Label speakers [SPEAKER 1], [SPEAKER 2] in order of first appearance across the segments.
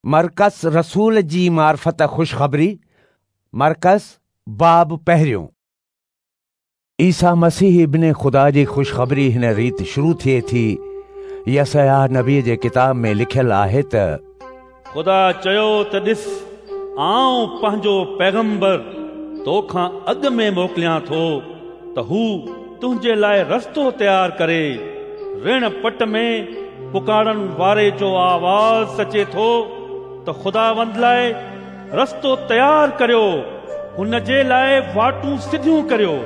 [SPEAKER 1] مرقس رسول جي معرفت خوشخبري، مرقس، باب پهريون. عيسيٰ مسيح ابن خدا جي خوشخبري هن ريت شروع ٿئي ٿي. يسعياه نبيء جي ڪتاب ۾ لکيل آهي ته.
[SPEAKER 2] خدا چيو ته ڏس، آئون پنهنجو پيغمبر تو کان اڳ ۾ موڪليان ٿو ته هو تنهنجي لاء رستو تيار ڪري. رڻ پٽ ۾ پڪارڻ واري جو آواز اچي ٿو ته خداوند لاء رستو تيار ڪريو، هن جي لاء واٽون سڌيون ڪريو.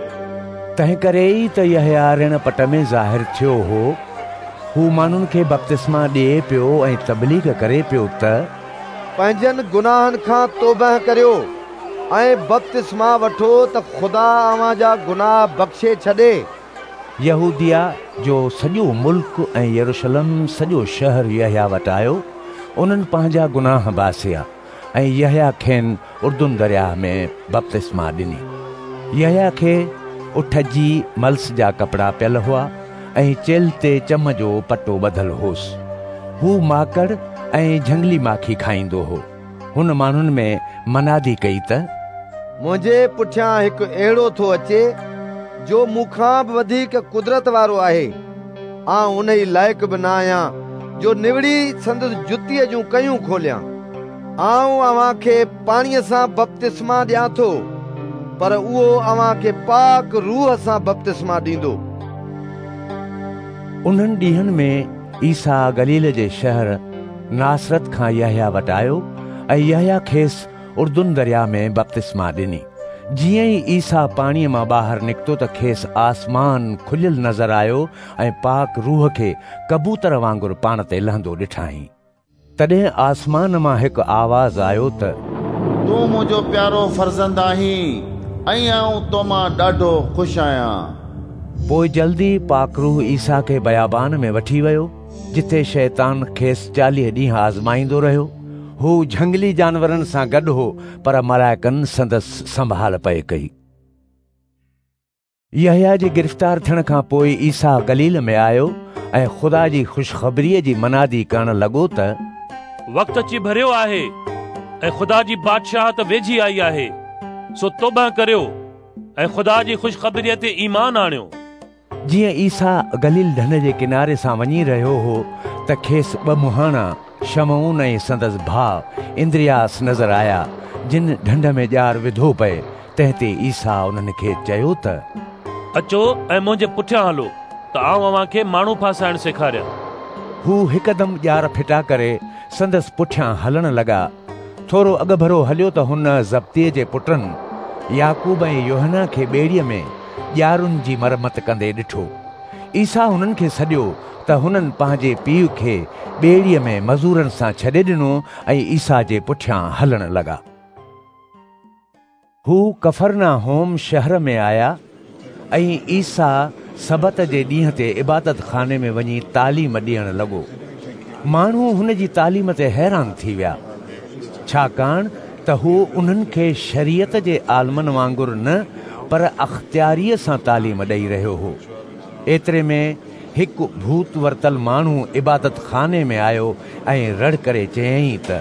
[SPEAKER 1] تنهنڪري ئي ته يحيٰ رڻ پٽ ۾ ظاهر ٿيو هو. هو ماڻهن کي بپتسما ڏئي پيو ۽ تبليغ ڪري پيو ته.
[SPEAKER 3] پنهنجن گناهن کان توبهه ڪريو ۽ بپتسما وٺو ته خدا اوهان جا گناهه بخشي ڇڏي.
[SPEAKER 1] يهوديه جو سڄو ملڪ ۽ يروشلم سڄو شهر يحيٰ وٽ آيو. انهن پنهنجا گناهه باسيا ۽ يحيٰ کين اردن درياهه ۾ بپتسما ڏني. يحيٰ کي اٺ جي ملس جا ڪپڙا پيل هئا ۽ چيلهه تي چم جو پٽو ٻڌل هوس. هو ماڪڙ ۽ جهنگلي ماکي کائيندو هو. هن ماڻهن ۾ منادي ڪئي ته.
[SPEAKER 3] منهنجي پٺيان هڪ اهڙو ٿو اچي، جو مون کان به وڌيڪ قدرت وارو آهي. آئون انهي لائق به نه آهيان جو نوڙي سندس جتيء جون ڪيون کوليان. آئون اوهان کي پاڻيء سان بپتسما ڏيان ٿو، پر اهو اوهان کي پاڪ روح سان بپتسما ڏيندو.
[SPEAKER 1] انهن ڏينهن ۾ عيسيٰ گليل جي شهر ناصرت کان يحيٰ وٽ آيو ۽ يحيٰ کيس اردن درياء ۾ بپتسما ڏني. جيئن ئي عيسيٰ پاڻيء مان ٻاهر نڪتو ته کيس آسمان کليل نظر آيو ۽ پاڪ روح کي ڪبوتر وانگر پاڻ تي لهندو ڏٺائين. تڏهن آسمان مان هڪ آواز آيو ته.
[SPEAKER 4] تون منهنجو پيارو فرزند آهين ۽ آئون تو مان ڏاڍو خوش آهيان.
[SPEAKER 1] پوء جلدي پاڪ روح عيسيٰ کي بيابان ۾ وٺي ويو، جتي شيطان کيس 40 ڏينهن آزمائيندو رهيو. هو جهنگلي جانورن سان گڏ هو، پر ملائڪن سندس سنڀال پئي ڪئي. يحيٰ جي گرفتار ٿيڻ کان پوء عيسيٰ گليل ۾ آيو ۽ خدا جي خوشخبريء جي منادي ڪرڻ لڳو ته.
[SPEAKER 2] وقت اچي ڀريو آهي ۽ خدا جي بادشاهت ويجهي آئي آهي، سو توبهه ڪريو ۽ خدا جي خوشخبريء تي ايمان آڻيو.
[SPEAKER 1] جيئن عيسيٰ گليل ڍنڍ جي ڪناري سان وڃي رهيو هو ته کيس ٻه مهاڻا، شمعون ۽ سندس ڀاء اندرياس نظر آيا، جن ڍنڍ ۾ ڄار وڌو پئي. تنهن تي عيسيٰ انهن کي چيو ته.
[SPEAKER 2] اچو ۽ منهنجي پٺيان هلو ته آئون اوهان کي ماڻهو ڦاسائڻ سيکاريان.
[SPEAKER 1] هو هڪدم ڄار ڦٽا ڪري سندس پٺيان هلڻ لڳا. ٿورو اڳڀرو هليو ته هن زبديء جي پٽن يعقوب ۽ يوحنا کي ٻيڙيء ۾ ڄارن جي مرمت ڪندي ڏٺو. عيسيٰ هنن کي سڏيو ته هنن پنهنجي پيء کي ٻيڙيء ۾ مزورن سان ڇڏي ڏنو ۽ عيسيٰ جي پٺيان هلڻ لڳا. هو ڪفرناحوم شهر ۾ آيا ۽ عيسيٰ سبت جي ڏينهن تي عبادت خاني ۾ وڃي تعليم ڏيڻ لڳو. ماڻهو هن جي تعليم تي حيران ٿي ويا، ڇاڪاڻ ته هو انهن کي شريعت جي عالمن وانگر نه پر اختياريء سان تعليم ڏئي رهيو هو. ايتري ۾ هڪ ڀوت ورتل ماڻهو عبادت خاني ۾ آيو ۽ رڙ ڪري چيائين ته.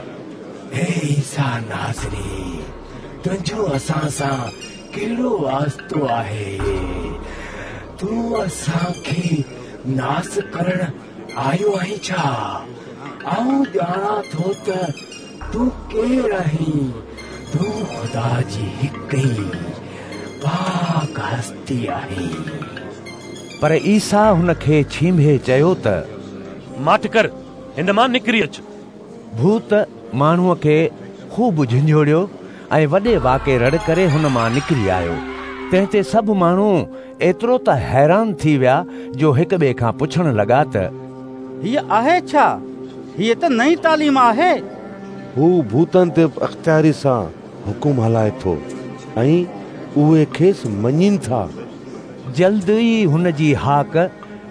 [SPEAKER 5] اي عيسيٰ ناصري، تنهنجو اسان سان ڪهڙو واسطو آهي؟ تون اسان کي ناس ڪرڻ آيو آهين ڇا؟ آئون ڄاڻان ٿو ته تون ڪير آهين، تون خدا جي هڪ ئي پاڪ هستي آهين.
[SPEAKER 1] پر عيسيٰ هن کي ڇينڀي چيو ته.
[SPEAKER 2] ماٺ ڪر، هن مان نڪري اچ.
[SPEAKER 1] ڀوت ماڻهوء کي خوب جهنجهوڙيو ۽ وڏي واڪي رڙ ڪري هن مان نڪري آيو. تنهن تي سڀ ماڻهو ايترو ته حيران ٿي ويا جو هڪ ٻئي کان پڇڻ لڳا ته.
[SPEAKER 6] هيء آهي ڇا؟ هيء ته نئين تعليم آهي.
[SPEAKER 7] هو ڀوتن تي به اختياريء سان حڪم هلائي ٿو ۽ اهي کيس مڃين ٿا.
[SPEAKER 1] جلد ئي هن جي هاڪ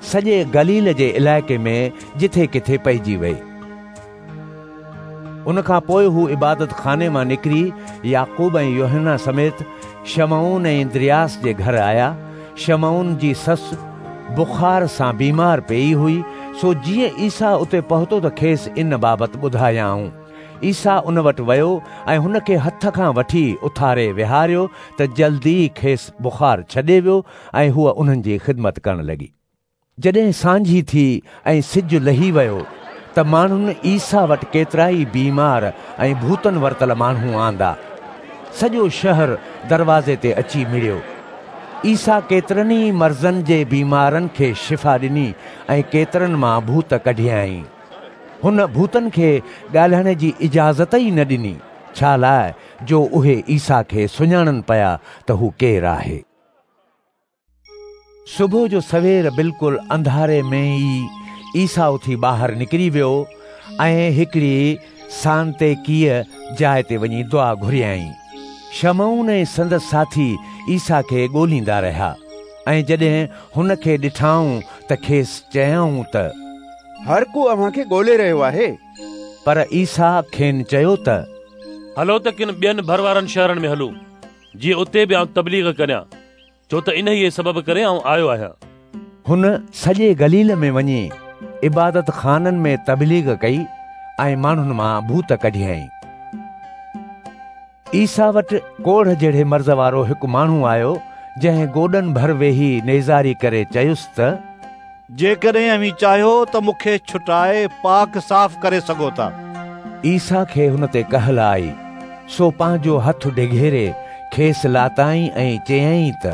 [SPEAKER 1] سڄي گليل جي علائقي ۾ جٿي ڪٿي پئجي وئي. ان کان پوء هو عبادت خاني مان نڪري يعقوب ۽ يوحنا سميت شمعون ۽ اندرياس جي گهر آيا. شمعون جي سس بخار سان بيمار پيئي هئي، سو جيئن عيسيٰ اتي پهتو ته کيس ان بابت ٻڌايائون. عيسيٰ ان وٽ ويو ۽ هن کي هٿ کان وٺي اٿاري ويهاريو ته جلد ئي کيس بخار ڇڏي ويو ۽ هوء انهن جي خدمت ڪرڻ لڳي. جڏهن سانجهي ٿي ۽ سج لهي ويو ته ماڻهن عيسيٰ وٽ ڪيترائي بيمار ۽ ڀوتن ورتل ماڻهو آندا. سڄو شهر دروازي تي اچي مڙيو. عيسيٰ ڪيترن ئي مرضن جي بيمارن کي شفا ڏني ۽ ڪيترن مان ڀوت ڪڍيائين. هن ڀوتن کي ڳالهائڻ جي اجازت ئي نه ڏني، ڇا لاء جو اهي عيسيٰ کي سڃاڻن پيا ته هو ڪير آهي. صبح جو سوير بلڪل انڌاري ۾ ئي عيسيٰ اٿي ٻاهر نڪري ويو ۽ هڪڙي سانتيڪيء جاء تي وڃي دعا گهريائين. شمعون ۽ سندس ساٿي عيسيٰ کي ڳوليندا رهيا ۽ جڏهن هن کي ڏٺائون ته کيس چيائون ته
[SPEAKER 8] هر ڪو اوهان کي ڳولي رهيو آهي.
[SPEAKER 1] پر عيسيٰ کين چيو ته
[SPEAKER 9] هلو ته ڪن ٻين ڀروارن شهرن ۾ هلون، جيئن اتي به آئون تبليغ ڪريان، ڇو ته انهيء سبب ڪري آئون آيو آهيان.
[SPEAKER 1] هن سڄي گليل ۾ وڃي عبادتخانن ۾ تبليغ ڪئي ۽ ماڻهن مان ڀوت ڪڍيائين. عيسيٰ وٽ ڪوڙهه جهڙي مرض وارو هڪ ماڻهو آيو، جنهن گوڏن ڀر ويهي نيزاري ڪري چيس ته.
[SPEAKER 10] جيڪڏهن اوهين چاهيو ته مون کي ڇٽائي پاڪ صاف ڪري سگهو ٿا.
[SPEAKER 1] عيسيٰ کي هن تي ڪهل آئي، سو پنهنجو هٿ ڊگهيري کيس لاتائين ۽ چيائين ته.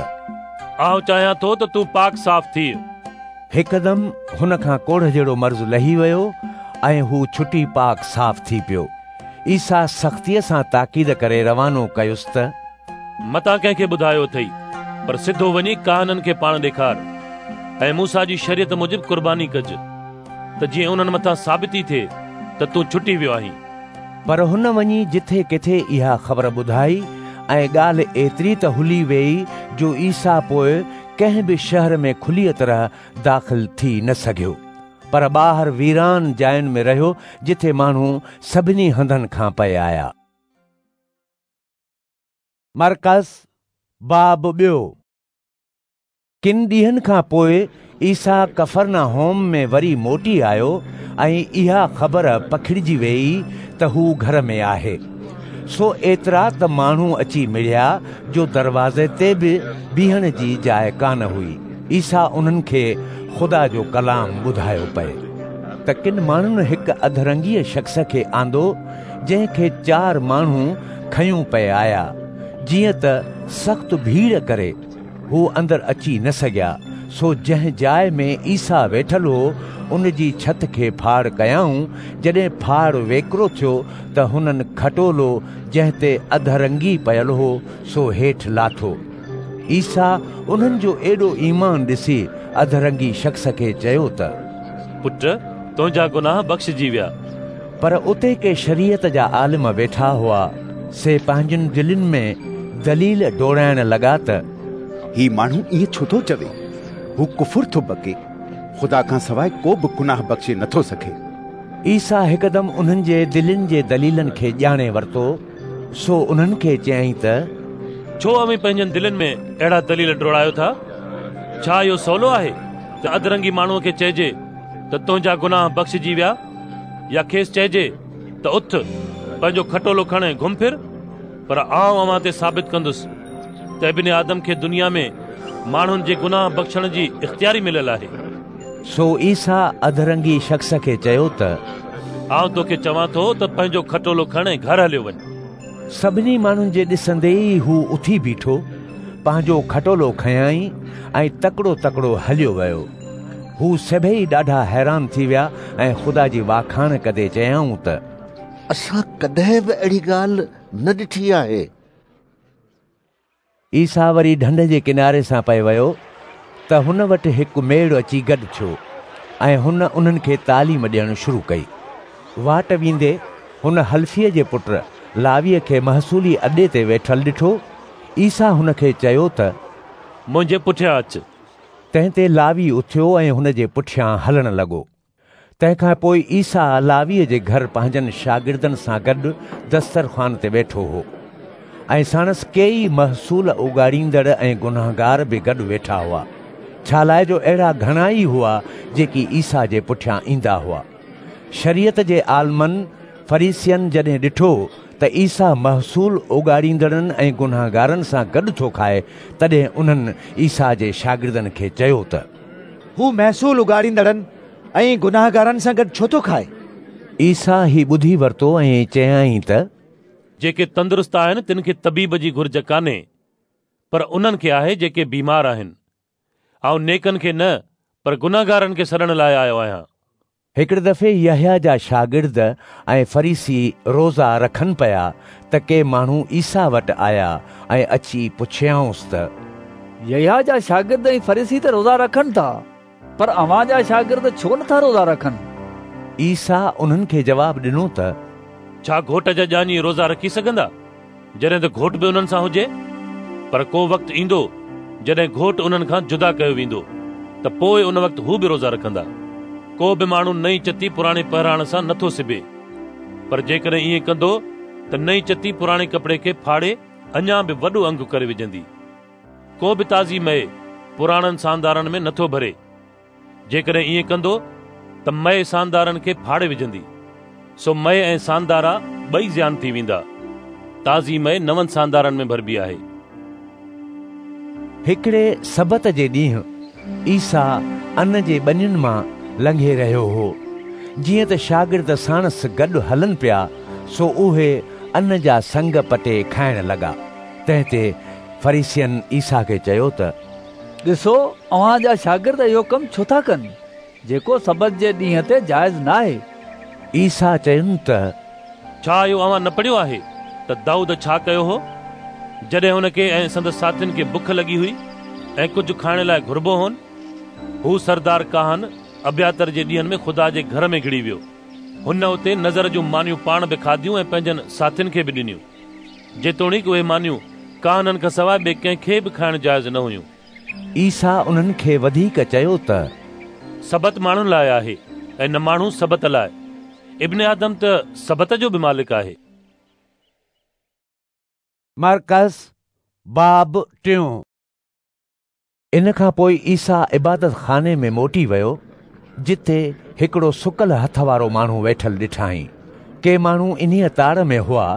[SPEAKER 9] آئون چاهيان ٿو ته تون پاڪ صاف ٿيء.
[SPEAKER 1] هڪدم هن کان ڪوڙهه جهڙو مرض لهي ويو ۽ هو ڇٽي پاڪ صاف ٿي پيو. عيسيٰ سختيء سان تاڪيد ڪري روانو ڪيس ته.
[SPEAKER 9] متان ڪنهن کي ٻڌايو اٿئي، پر سڌو وڃي ڪاهنن کي پاڻ ڏيکار ۽ موسيٰ جي شريعت موجب قرباني ڪج، ته جيئن انهن مٿان ثابتي ٿئي ته تون ڇٽي ويو آهين.
[SPEAKER 1] پر هن وڃي جٿي ڪٿي اها خبر ٻڌائي ۽ ڳالهه ايتري ته هلي ويئي جو عيسيٰ پوء ڪنهن به شهر ۾ کليء طرح داخل ٿي نه سگهيو. پر ٻاهر ويران جاين ۾ رهيو جتي ماڻهو سڀني هنڌن کان پئي آيا. مرقس باب ٻيو. ڪن ڏينهن کان پوء عيسيٰ ڪفرناحوم ۾ وري موٽي آيو ۽ اها خبر پکڙجي ويئي ته هو گهر ۾ آهي. سو ايترا ته ماڻهو اچي مڙيا جو دروازي تي به بيهڻ جي جاء ڪانه هئي. عيسيٰ انهن کي خدا جو ڪلام ٻڌايو پئي ته ڪن ماڻهن هڪ اڌرنگيء شخص کي آندو جنهن کي چار ماڻهو کنيون پئي آيا. جيئن ته سخت ڀيڙ ڪري هو اندر اچي نه سگهيا، سو جنهن جاء ۾ عيسيٰ ويٺل هو ان جي ڇت کي ڦاڙ ڪيائون. جڏهن ڦاڙ ويڪرو ٿيو ته هنن کٽولو جنهن تي اڌرنگي پيل هو سو هيٺ لاٿو. عيسيٰ انهن جو ايڏو ايمان ڏسي اڌرنگي شخص کي چيو ته.
[SPEAKER 9] پٽ، تنهنجا گناهه بخشجي ويا.
[SPEAKER 1] پر اتي ڪي شريعت جا عالم ويٺا هئا، سي پنهنجين دلين ۾ دليل ڊوڙائڻ لڳا ته.
[SPEAKER 8] هي ماڻهو ائين ڇو ٿو چوي؟ هو ڪفر ٿو بڪي. خدا کان سواء ڪو به گناهه بخشي نٿو سگهي.
[SPEAKER 1] عيسيٰ هڪدم انهن جي دلين جي دليلن کي ڄاڻي ورتو. سو انهن کي چيائين ته.
[SPEAKER 9] ڇو اوهين پنهنجن دلين ۾ اهڙا دليل ڊوڙايو ٿا؟ ڇا اهو سولو آهي ته اڌرنگي ماڻهوء کي چئجي ته تنهنجا گناهه بخشجي ويا، يا کيس چئجي ته اٿ، پنهنجو کٽولو کڻ ۽ گهم ڦر؟ پر آئون اوهان تي ثابت ڪندس ته ابن آدم کي دنيا ۾ ماڻهن جي گناهه بخشڻ جي اختياري مليل آهي.
[SPEAKER 1] سو عيسيٰ اڌرنگي شخص کي چيو ته.
[SPEAKER 9] آئون توکي چوان ٿو ته پنهنجو کٽولو کڻ ۽ گهر هليو وڃ.
[SPEAKER 1] سڀني ماڻهن جي ڏسندي ئي هو اٿي بيٺو، پنهنجو کٽولو کنيائين ۽ تڪڙو تڪڙو هليو ويو. هو سڀيئي ڏاڍا حيران ٿي ويا ۽ خدا جي واکاڻ ڪندي چيائون ته.
[SPEAKER 11] اسان ڪڏهن به اهڙي ڳالهه نه ڏٺي آهي.
[SPEAKER 1] عيسيٰ وري ڍنڍ جي ڪناري سان پئي ويو ته هن وٽ هڪ ميڙ اچي گڏ ٿيو ۽ هن انهن کي تعليم ڏيڻ شروع ڪئي. واٽ ويندي هن حلفيء جي پٽ لاويء کي محصولي اڏي تي ويٺل ڏٺو. عيسيٰ هن کي چيو ته.
[SPEAKER 9] منهنجي پٺيان اچ.
[SPEAKER 1] تنهن تي لاوي اٿيو ۽ هن جي پٺيان هلڻ لڳو. تنهن کان پوء عيسيٰ لاويء جي گهر پنهنجن شاگردن سان گڏ دسترخوان تي ويٺو هو ۽ ساڻس ڪيئي محصول اوڳاڙيندڙ ۽ گنهگار به گڏ ويٺا هئا، ڇالاء جو اهڙا گهڻا ئي هئا جيڪي عيسيٰ جي پٺيان ايندا هئا. شريعت جي عالمن فريسين جڏهن ڏٺو ته عيسيٰ محصول اوڳاڙيندڙن ۽ گنهگارن سان گڏ ٿو کائي، تڏهن انهن عيسيٰ جي شاگردن کي چيو ته
[SPEAKER 12] هو محصول اوڳاڙيندڙن ۽ گنهگارن سان گڏ ڇو ٿو کائي؟
[SPEAKER 1] عيسيٰ هي ٻڌي ورتو ۽ چيائين ته
[SPEAKER 9] جيڪي تندرست آهن تن کي طبيب جي گهرج ڪانهي، پر انهن کي آهي جيڪي بيمار آهن. آئون نيڪن کي نه پر گنهگارن کي سڏڻ لاء آيو آهيان.
[SPEAKER 1] هڪڙي دفعي يحيٰ جا شاگرد ۽ فريسي روزا رکن پيا ته ڪي ماڻهو عيسيٰ وٽ آيا ۽ اچي پڇيائونس ته
[SPEAKER 13] يحيٰ جا شاگرد ۽ فريسي ته روزا رکن ٿا، پر اوهان جا شاگرد ڇو نٿا روزا رکن؟
[SPEAKER 1] عيسيٰ انهن کي جواب ڏنو ته
[SPEAKER 9] ڇا گهوٽ جا ڄاڃي روزا رکي سگهندا، جڏهن ته گهوٽ به انهن سان هجي؟ پر ڪو وقت ايندو جڏهن گهوٽ انهن کان جدا ڪيو ويندو ته پوء ان وقت هو به روزا رکندا. ڪو به ماڻهو نئين چتي پراڻي پهراڻ سان نٿو سبي، پر جيڪڏهن ائين ڪندو ته نئين چتي پراڻي ڪپڙي کي ڦاڙي اڃا به وڏو انگ ڪري وجهندي. ڪو به تازي مئي پراڻن ساندارن ۾ نٿو ڀري. جيڪڏهن ائين ڪندو ته مئي ساندارن کي ڦاڙي وجهندي، سو مئي ۽ ساندارا ٻئي زيان ٿي ويندا. تازي مئي نون ساندارن ۾ ڀربي آهي.
[SPEAKER 1] هڪڙي سبت جي ڏينهن عيسيٰ ان جي ٻنين مان لنگهي رهيو هو. جيئن ته شاگرد ساڻس گڏ هلن پيا، سو اهي ان جا سنگ پٽي کائڻ لڳا. تنهن تي فريسين عيسيٰ کي چيو ته
[SPEAKER 13] ڏسو، اوهان جا شاگرد اهو ڪم ڇو ٿا ڪن، جيڪو سبت جي ڏينهن تي جائز ناهي؟
[SPEAKER 1] عيسيٰ چين ته
[SPEAKER 9] ڇا اهو اوهان نه پڙهيو آهي ته دائود ڇا ڪيو هو، جڏهن هن کي ۽ سندس ساٿين کي بک لڳي هئي ۽ ڪجهه کائڻ لاء گهربو هون؟ هو سردار ڪاهن ابياتر جي ڏينهن ۾ خدا جي گهر ۾ گهڙي ويو. هن اتي نذر جون مانيون پاڻ به کاڌيون ۽ پنهنجن ساٿين کي به ڏنيون. جيتوڻيڪ اهي مانيون ڪاهنن کان سواء ٻئي ڪنهن کي به کائڻ جائز نه هيون.
[SPEAKER 1] عيسيٰ انهن کي وڌيڪ چيو ته
[SPEAKER 9] سبت ماڻهن لاء آهي ۽ نه ماڻهو سبت لاء. ابن آدم ته سبت جو به مالڪ آهي.
[SPEAKER 1] مرقس باب ٽيون. ان کان پوء عيسيٰ عبادت خاني ۾ موٽي ويو، جتي هڪڙو سڪل هٿ وارو ماڻهو ويٺل ڏٺائين. ڪي ماڻهو انهيء تاڙ ۾ هئا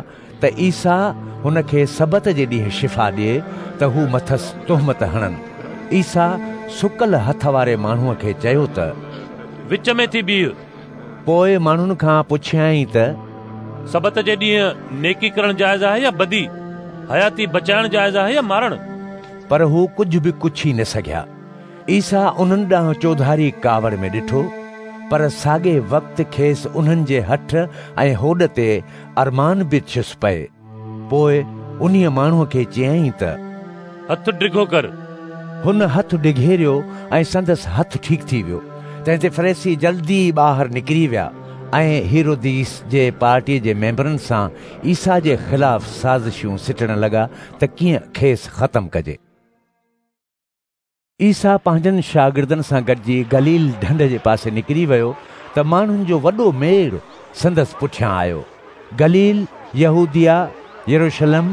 [SPEAKER 1] ته عيسيٰ هن کي سبت جي ڏينهن شفا ڏئي ته هو مٿس تهمت هڻن. عيسيٰ سڪل هٿ واري ماڻهوء کي چيو ته.
[SPEAKER 9] وچ ۾ ٿي بيهه.
[SPEAKER 1] پوء ماڻهن کان پڇيائين ته.
[SPEAKER 9] سبت جي ڏينهن نيڪي ڪرڻ جائز آهي يا بدي؟ حياتي بچائڻ جائز آهي يا مارڻ؟
[SPEAKER 1] پر هو ڪجهه به ڪڇي نه سگهيا. عيسيٰ انهن ڏانهن چوڌاري ڪاوڙ ۾ ڏٺو، پر ساڳئي وقت کيس انهن جي هٺ ۽ هوڏ تي ارمان به ٿيس پئي. پوء انهيء ماڻهوء کي چيائين ته.
[SPEAKER 9] هٿ ڊگهو ڪر.
[SPEAKER 1] هن هٿ ڊگهيريو ۽ سندس هٿ ٺيڪ ٿي ويو. تنهن تي فريسي جلدي ٻاهر نڪري ويا ۽ هيروديس جي پارٽيء جي ميمبرن سان عيسيٰ جي خلاف سازشون سٽڻ لڳا ته ڪيئن کيس ختم ڪجي. عيسيٰ پنهنجن شاگردن سان گڏجي گليل ڍنڍ جي پاسي نڪري ويو ته ماڻهن جو وڏو ميڙ سندس پٺيان آيو. گليل، يهوديه، يروشلم،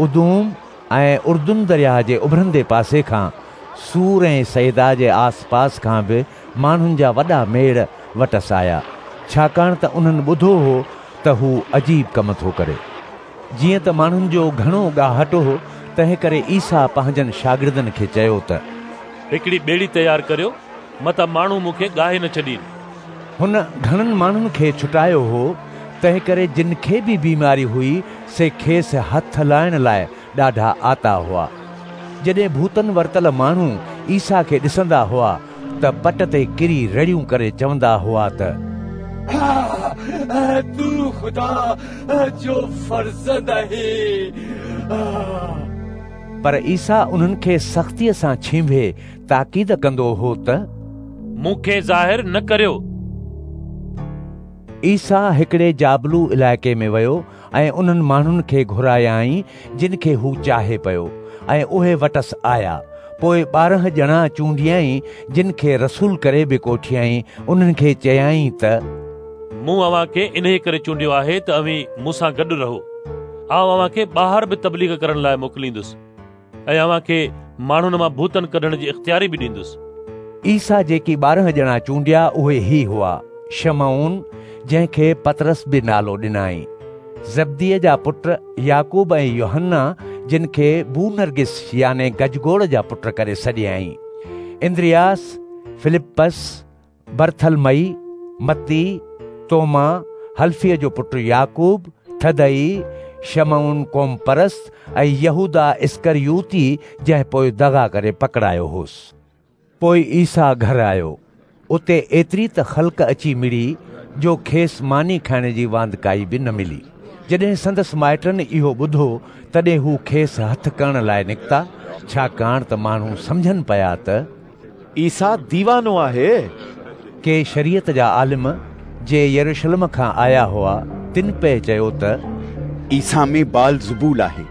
[SPEAKER 1] ادوم ۽ اردن درياهه جي اڀرندي پاسي کان، صور ۽ صيدا جي آسپاس کان به ماڻهن جا وڏا ميڙ وٽس آيا، ڇاڪاڻ ته انهن ٻڌو هو ته هو عجيب ڪم ٿو ڪري. جيئن ته ماڻهن جو گهڻو ڳاهٽ هو، تنهنڪري عيسيٰ پنهنجن شاگردن کي چيو ته.
[SPEAKER 9] هڪڙي ٻيڙي تيار ڪريو، متان ماڻهو مون کي ڳاهي نه ڇڏين.
[SPEAKER 1] هن گهڻن ماڻهن کي ڇٽايو هو، تنهنڪري جن کي به بيماري هئي، سي کيس هٿ لائڻ لاء ڏاڍا آتا هئا. جڏهن ڀوتن ورتل ماڻهو عيسيٰ کي ڏسندا هئا ته پٽ تي ڪري رڙيون ڪري چوندا هئا ته.
[SPEAKER 5] تون خدا جو فرزند آهين.
[SPEAKER 1] پر عيسيٰ انهن کي سختيء سان ڇينڀي تاڪيد ڪندو هو ته.
[SPEAKER 9] مون کي ظاهر نه ڪريو.
[SPEAKER 1] عيسيٰ هڪڙي جابلو علائقي ۾ ويو ۽ انهن ماڻهن کي گهرايائين جن کي هو چاهي پيو ۽ اهي وٽس آيا. پوء 12 ڄڻا چونڊيائين جن کي رسول ڪري به ڪوٺيائين. انهن کي چيائين ته
[SPEAKER 9] مون اوهان کي انهيء ڪري چونڊيو آهي ته اوهين مون سان گڏ رهو. آئون اوهان کي ٻاهر به تبليغ ڪرڻ لاء موڪليندس ۽ اوهان کي ماڻهن مان ڀوتن ڪڍڻ جي اختياري به ڏيندس.
[SPEAKER 1] عيسيٰ جيڪي 12 ڄڻا چونڊيا اهي هي هئا، شمعون، جنهن کي پطرس به نالو ڏنائين، زبديء جا پٽ يعقوب ۽ يوحنا، جن کي بونرگس يعني گجگوڙ جا پٽ ڪري سڏيائين، اندرياس، فلپس، برٿلمئي، متي، توما، حلفي جو پٽ يعقوب، ٿدئي، شمعون قومپرست ۽ يهوداه اسڪريوتي جنهن پوء دغا ڪري پڪڙايو هوس. پوء عيسيٰ گهر آيو. اتي ايتري ته خلق اچي مڙي جو کيس ماني کائڻ جي واندڪائي به نه ملي. جڏهن سندس مائٽن اهو ٻڌو، تڏهن هو کيس هٿ ڪرڻ لاء نڪتا، ڇاڪاڻ ته ماڻهو سمجهن پيا ته
[SPEAKER 8] عيسيٰ ديوانو آهي.
[SPEAKER 1] ڪي شريعت جا عالم، جي يروشلم کان آيا هئا، تن پئي چيو ته
[SPEAKER 8] عيسيٰ ۾ بعلزبول آهي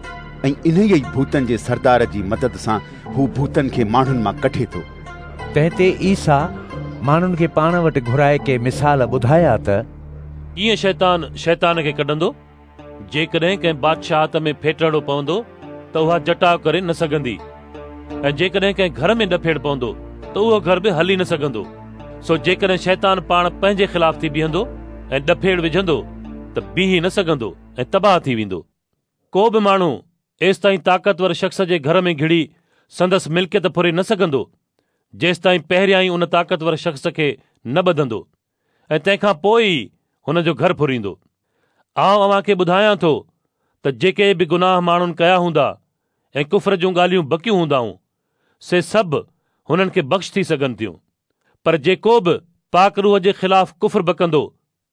[SPEAKER 8] ۽ انهيء ئي ڀوتن جي سردار جي مدد سان هو ڀوتن کي ماڻهن مان ڪڍي ٿو.
[SPEAKER 1] تنهن تي عيسيٰ ماڻهن کي پاڻ وٽ گهرائي ڪي مثال ٻڌايا ته
[SPEAKER 9] ڪيئن شيطان شيطان کي ڪڍندو؟ جيڪڏهن ڪنهن بادشاهت ۾ ڦيٽهڙو پوندو ته اها جٽاء ڪري نه سگهندي ۽ جيڪڏهن ڪنهن گهر ۾ ڏڦيڙ پوندو ته اهو گهر به هلي نه سگهندو. سو جيڪڏهن شيطان پاڻ پنهنجي خلاف ٿي بيهندو ۽ ڏڦيڙ وجهندو ته بيهي نه سگهندو ۽ تباهه ٿي ويندو. ڪو به ماڻهو ايستائين طاقتور شخص جي گهر ۾ گهڙي سندس ملڪيت ڦري نه سگهندو، جيستائين پهريائين ان طاقتور شخص کي نه ٻڌندو ۽ تنهن کان پوء ئي هن جو گهر ڦريندو. آئون اوهان کي ٻڌايان ٿو ته جيڪي به گناهه ماڻهن ڪيا هوندا ۽ ڪفر جون ڳالهيون بڪيون هوندائون، سي سڀ هنن کي بخش ٿي سگهن ٿيون، پر جيڪو به پاڪ روح جي خلاف ڪفر بڪندو،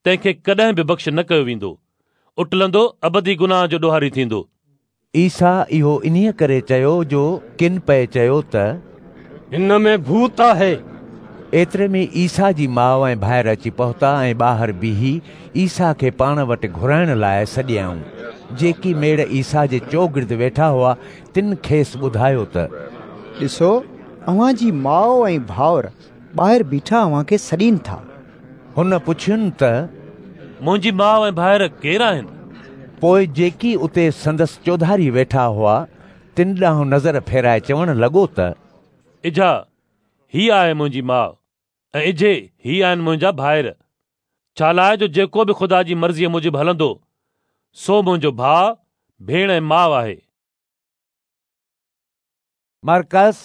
[SPEAKER 9] تنهن کي ڪڏهن به بخش نه ڪيو ويندو، اٽلندو ابدي گناهه جو ڏوهاري ٿيندو.
[SPEAKER 1] عيسيٰ اهو انهيء ڪري چيو جو ڪن پئي چيو ته.
[SPEAKER 5] هن ۾ ڀوت آهي.
[SPEAKER 1] ايتري ۾ عيسيٰ جي ماء ۽ ڀائر اچي پهتا ۽ ٻاهر بيهي عيسيٰ کي پاڻ وٽ گهرائڻ لاء سڏيائون. جيڪي ميڙ عيسيٰ جي چوگرد ويٺا هئا، تن کيس ٻڌايو ته.
[SPEAKER 14] ڏسو، اوهان جي ماء ۽ ڀائر ٻاهر بيٺا اوهان کي سڏين ٿا.
[SPEAKER 1] هن پڇين ته.
[SPEAKER 9] منهنجي ماء ۽ ڀائر ڪير آهن؟
[SPEAKER 1] پوء جيڪي اتي سندس چوڌاري ويٺا هئا، تن ڏانهن نظر ڦيرائي چوڻ لڳو ته.
[SPEAKER 9] اجها، هيء آهي منهنجي ماء، ۽ اجهي هي آهن منهنجا ڀائر. ڇالاء جو جيڪو به خدا جي مرضيء موجب هلندو، سو منهنجو ڀاء، ڀيڻ ۽ ماء آهي.
[SPEAKER 1] مرقس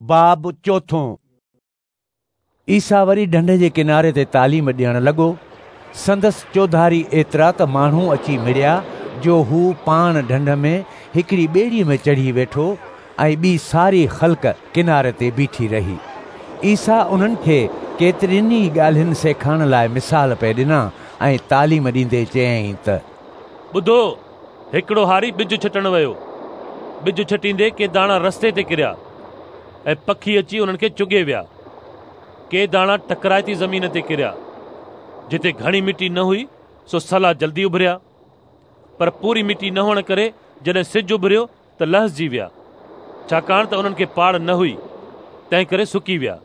[SPEAKER 1] باب چوٿون. عيسيٰ وري ڍنڍ جي ڪناري تي تعليم ڏيڻ لڳو. سندس چوڌاري ايترا ته ماڻهو اچي مڙيا جو هو پاڻ ڍنڍ ۾ هڪڙي ٻيڙيء ۾ چڙهي ويٺو ۽ ٻي ساري خلق ڪناري تي بيٺي رهي. عيسيٰ انهن کي ڪيترين ئي ڳالهين سيکارڻ لاء مثال پئي ڏنا ۽ تعليم ڏيندي چيائين ته.
[SPEAKER 9] ٻڌو، هڪڙو هاري ٻج ڇٽڻ ويو. ٻج ڇٽيندي ڪي داڻا رستي تي ڪريا ۽ پکي اچي انهن کي چڳي ويا. ڪي داڻا ٽڪرائتي زمين تي ڪريا، جتي گهڻي مٽي نه هئي، سو سلا جلدي اڀريا، پر پوري مٽي نه هئڻ ڪري جڏهن سج اڀريو ته لهسجي ويا، ڇاڪاڻ ته انهن کي پاڙ نه هئي، تنهنڪري سڪي ويا.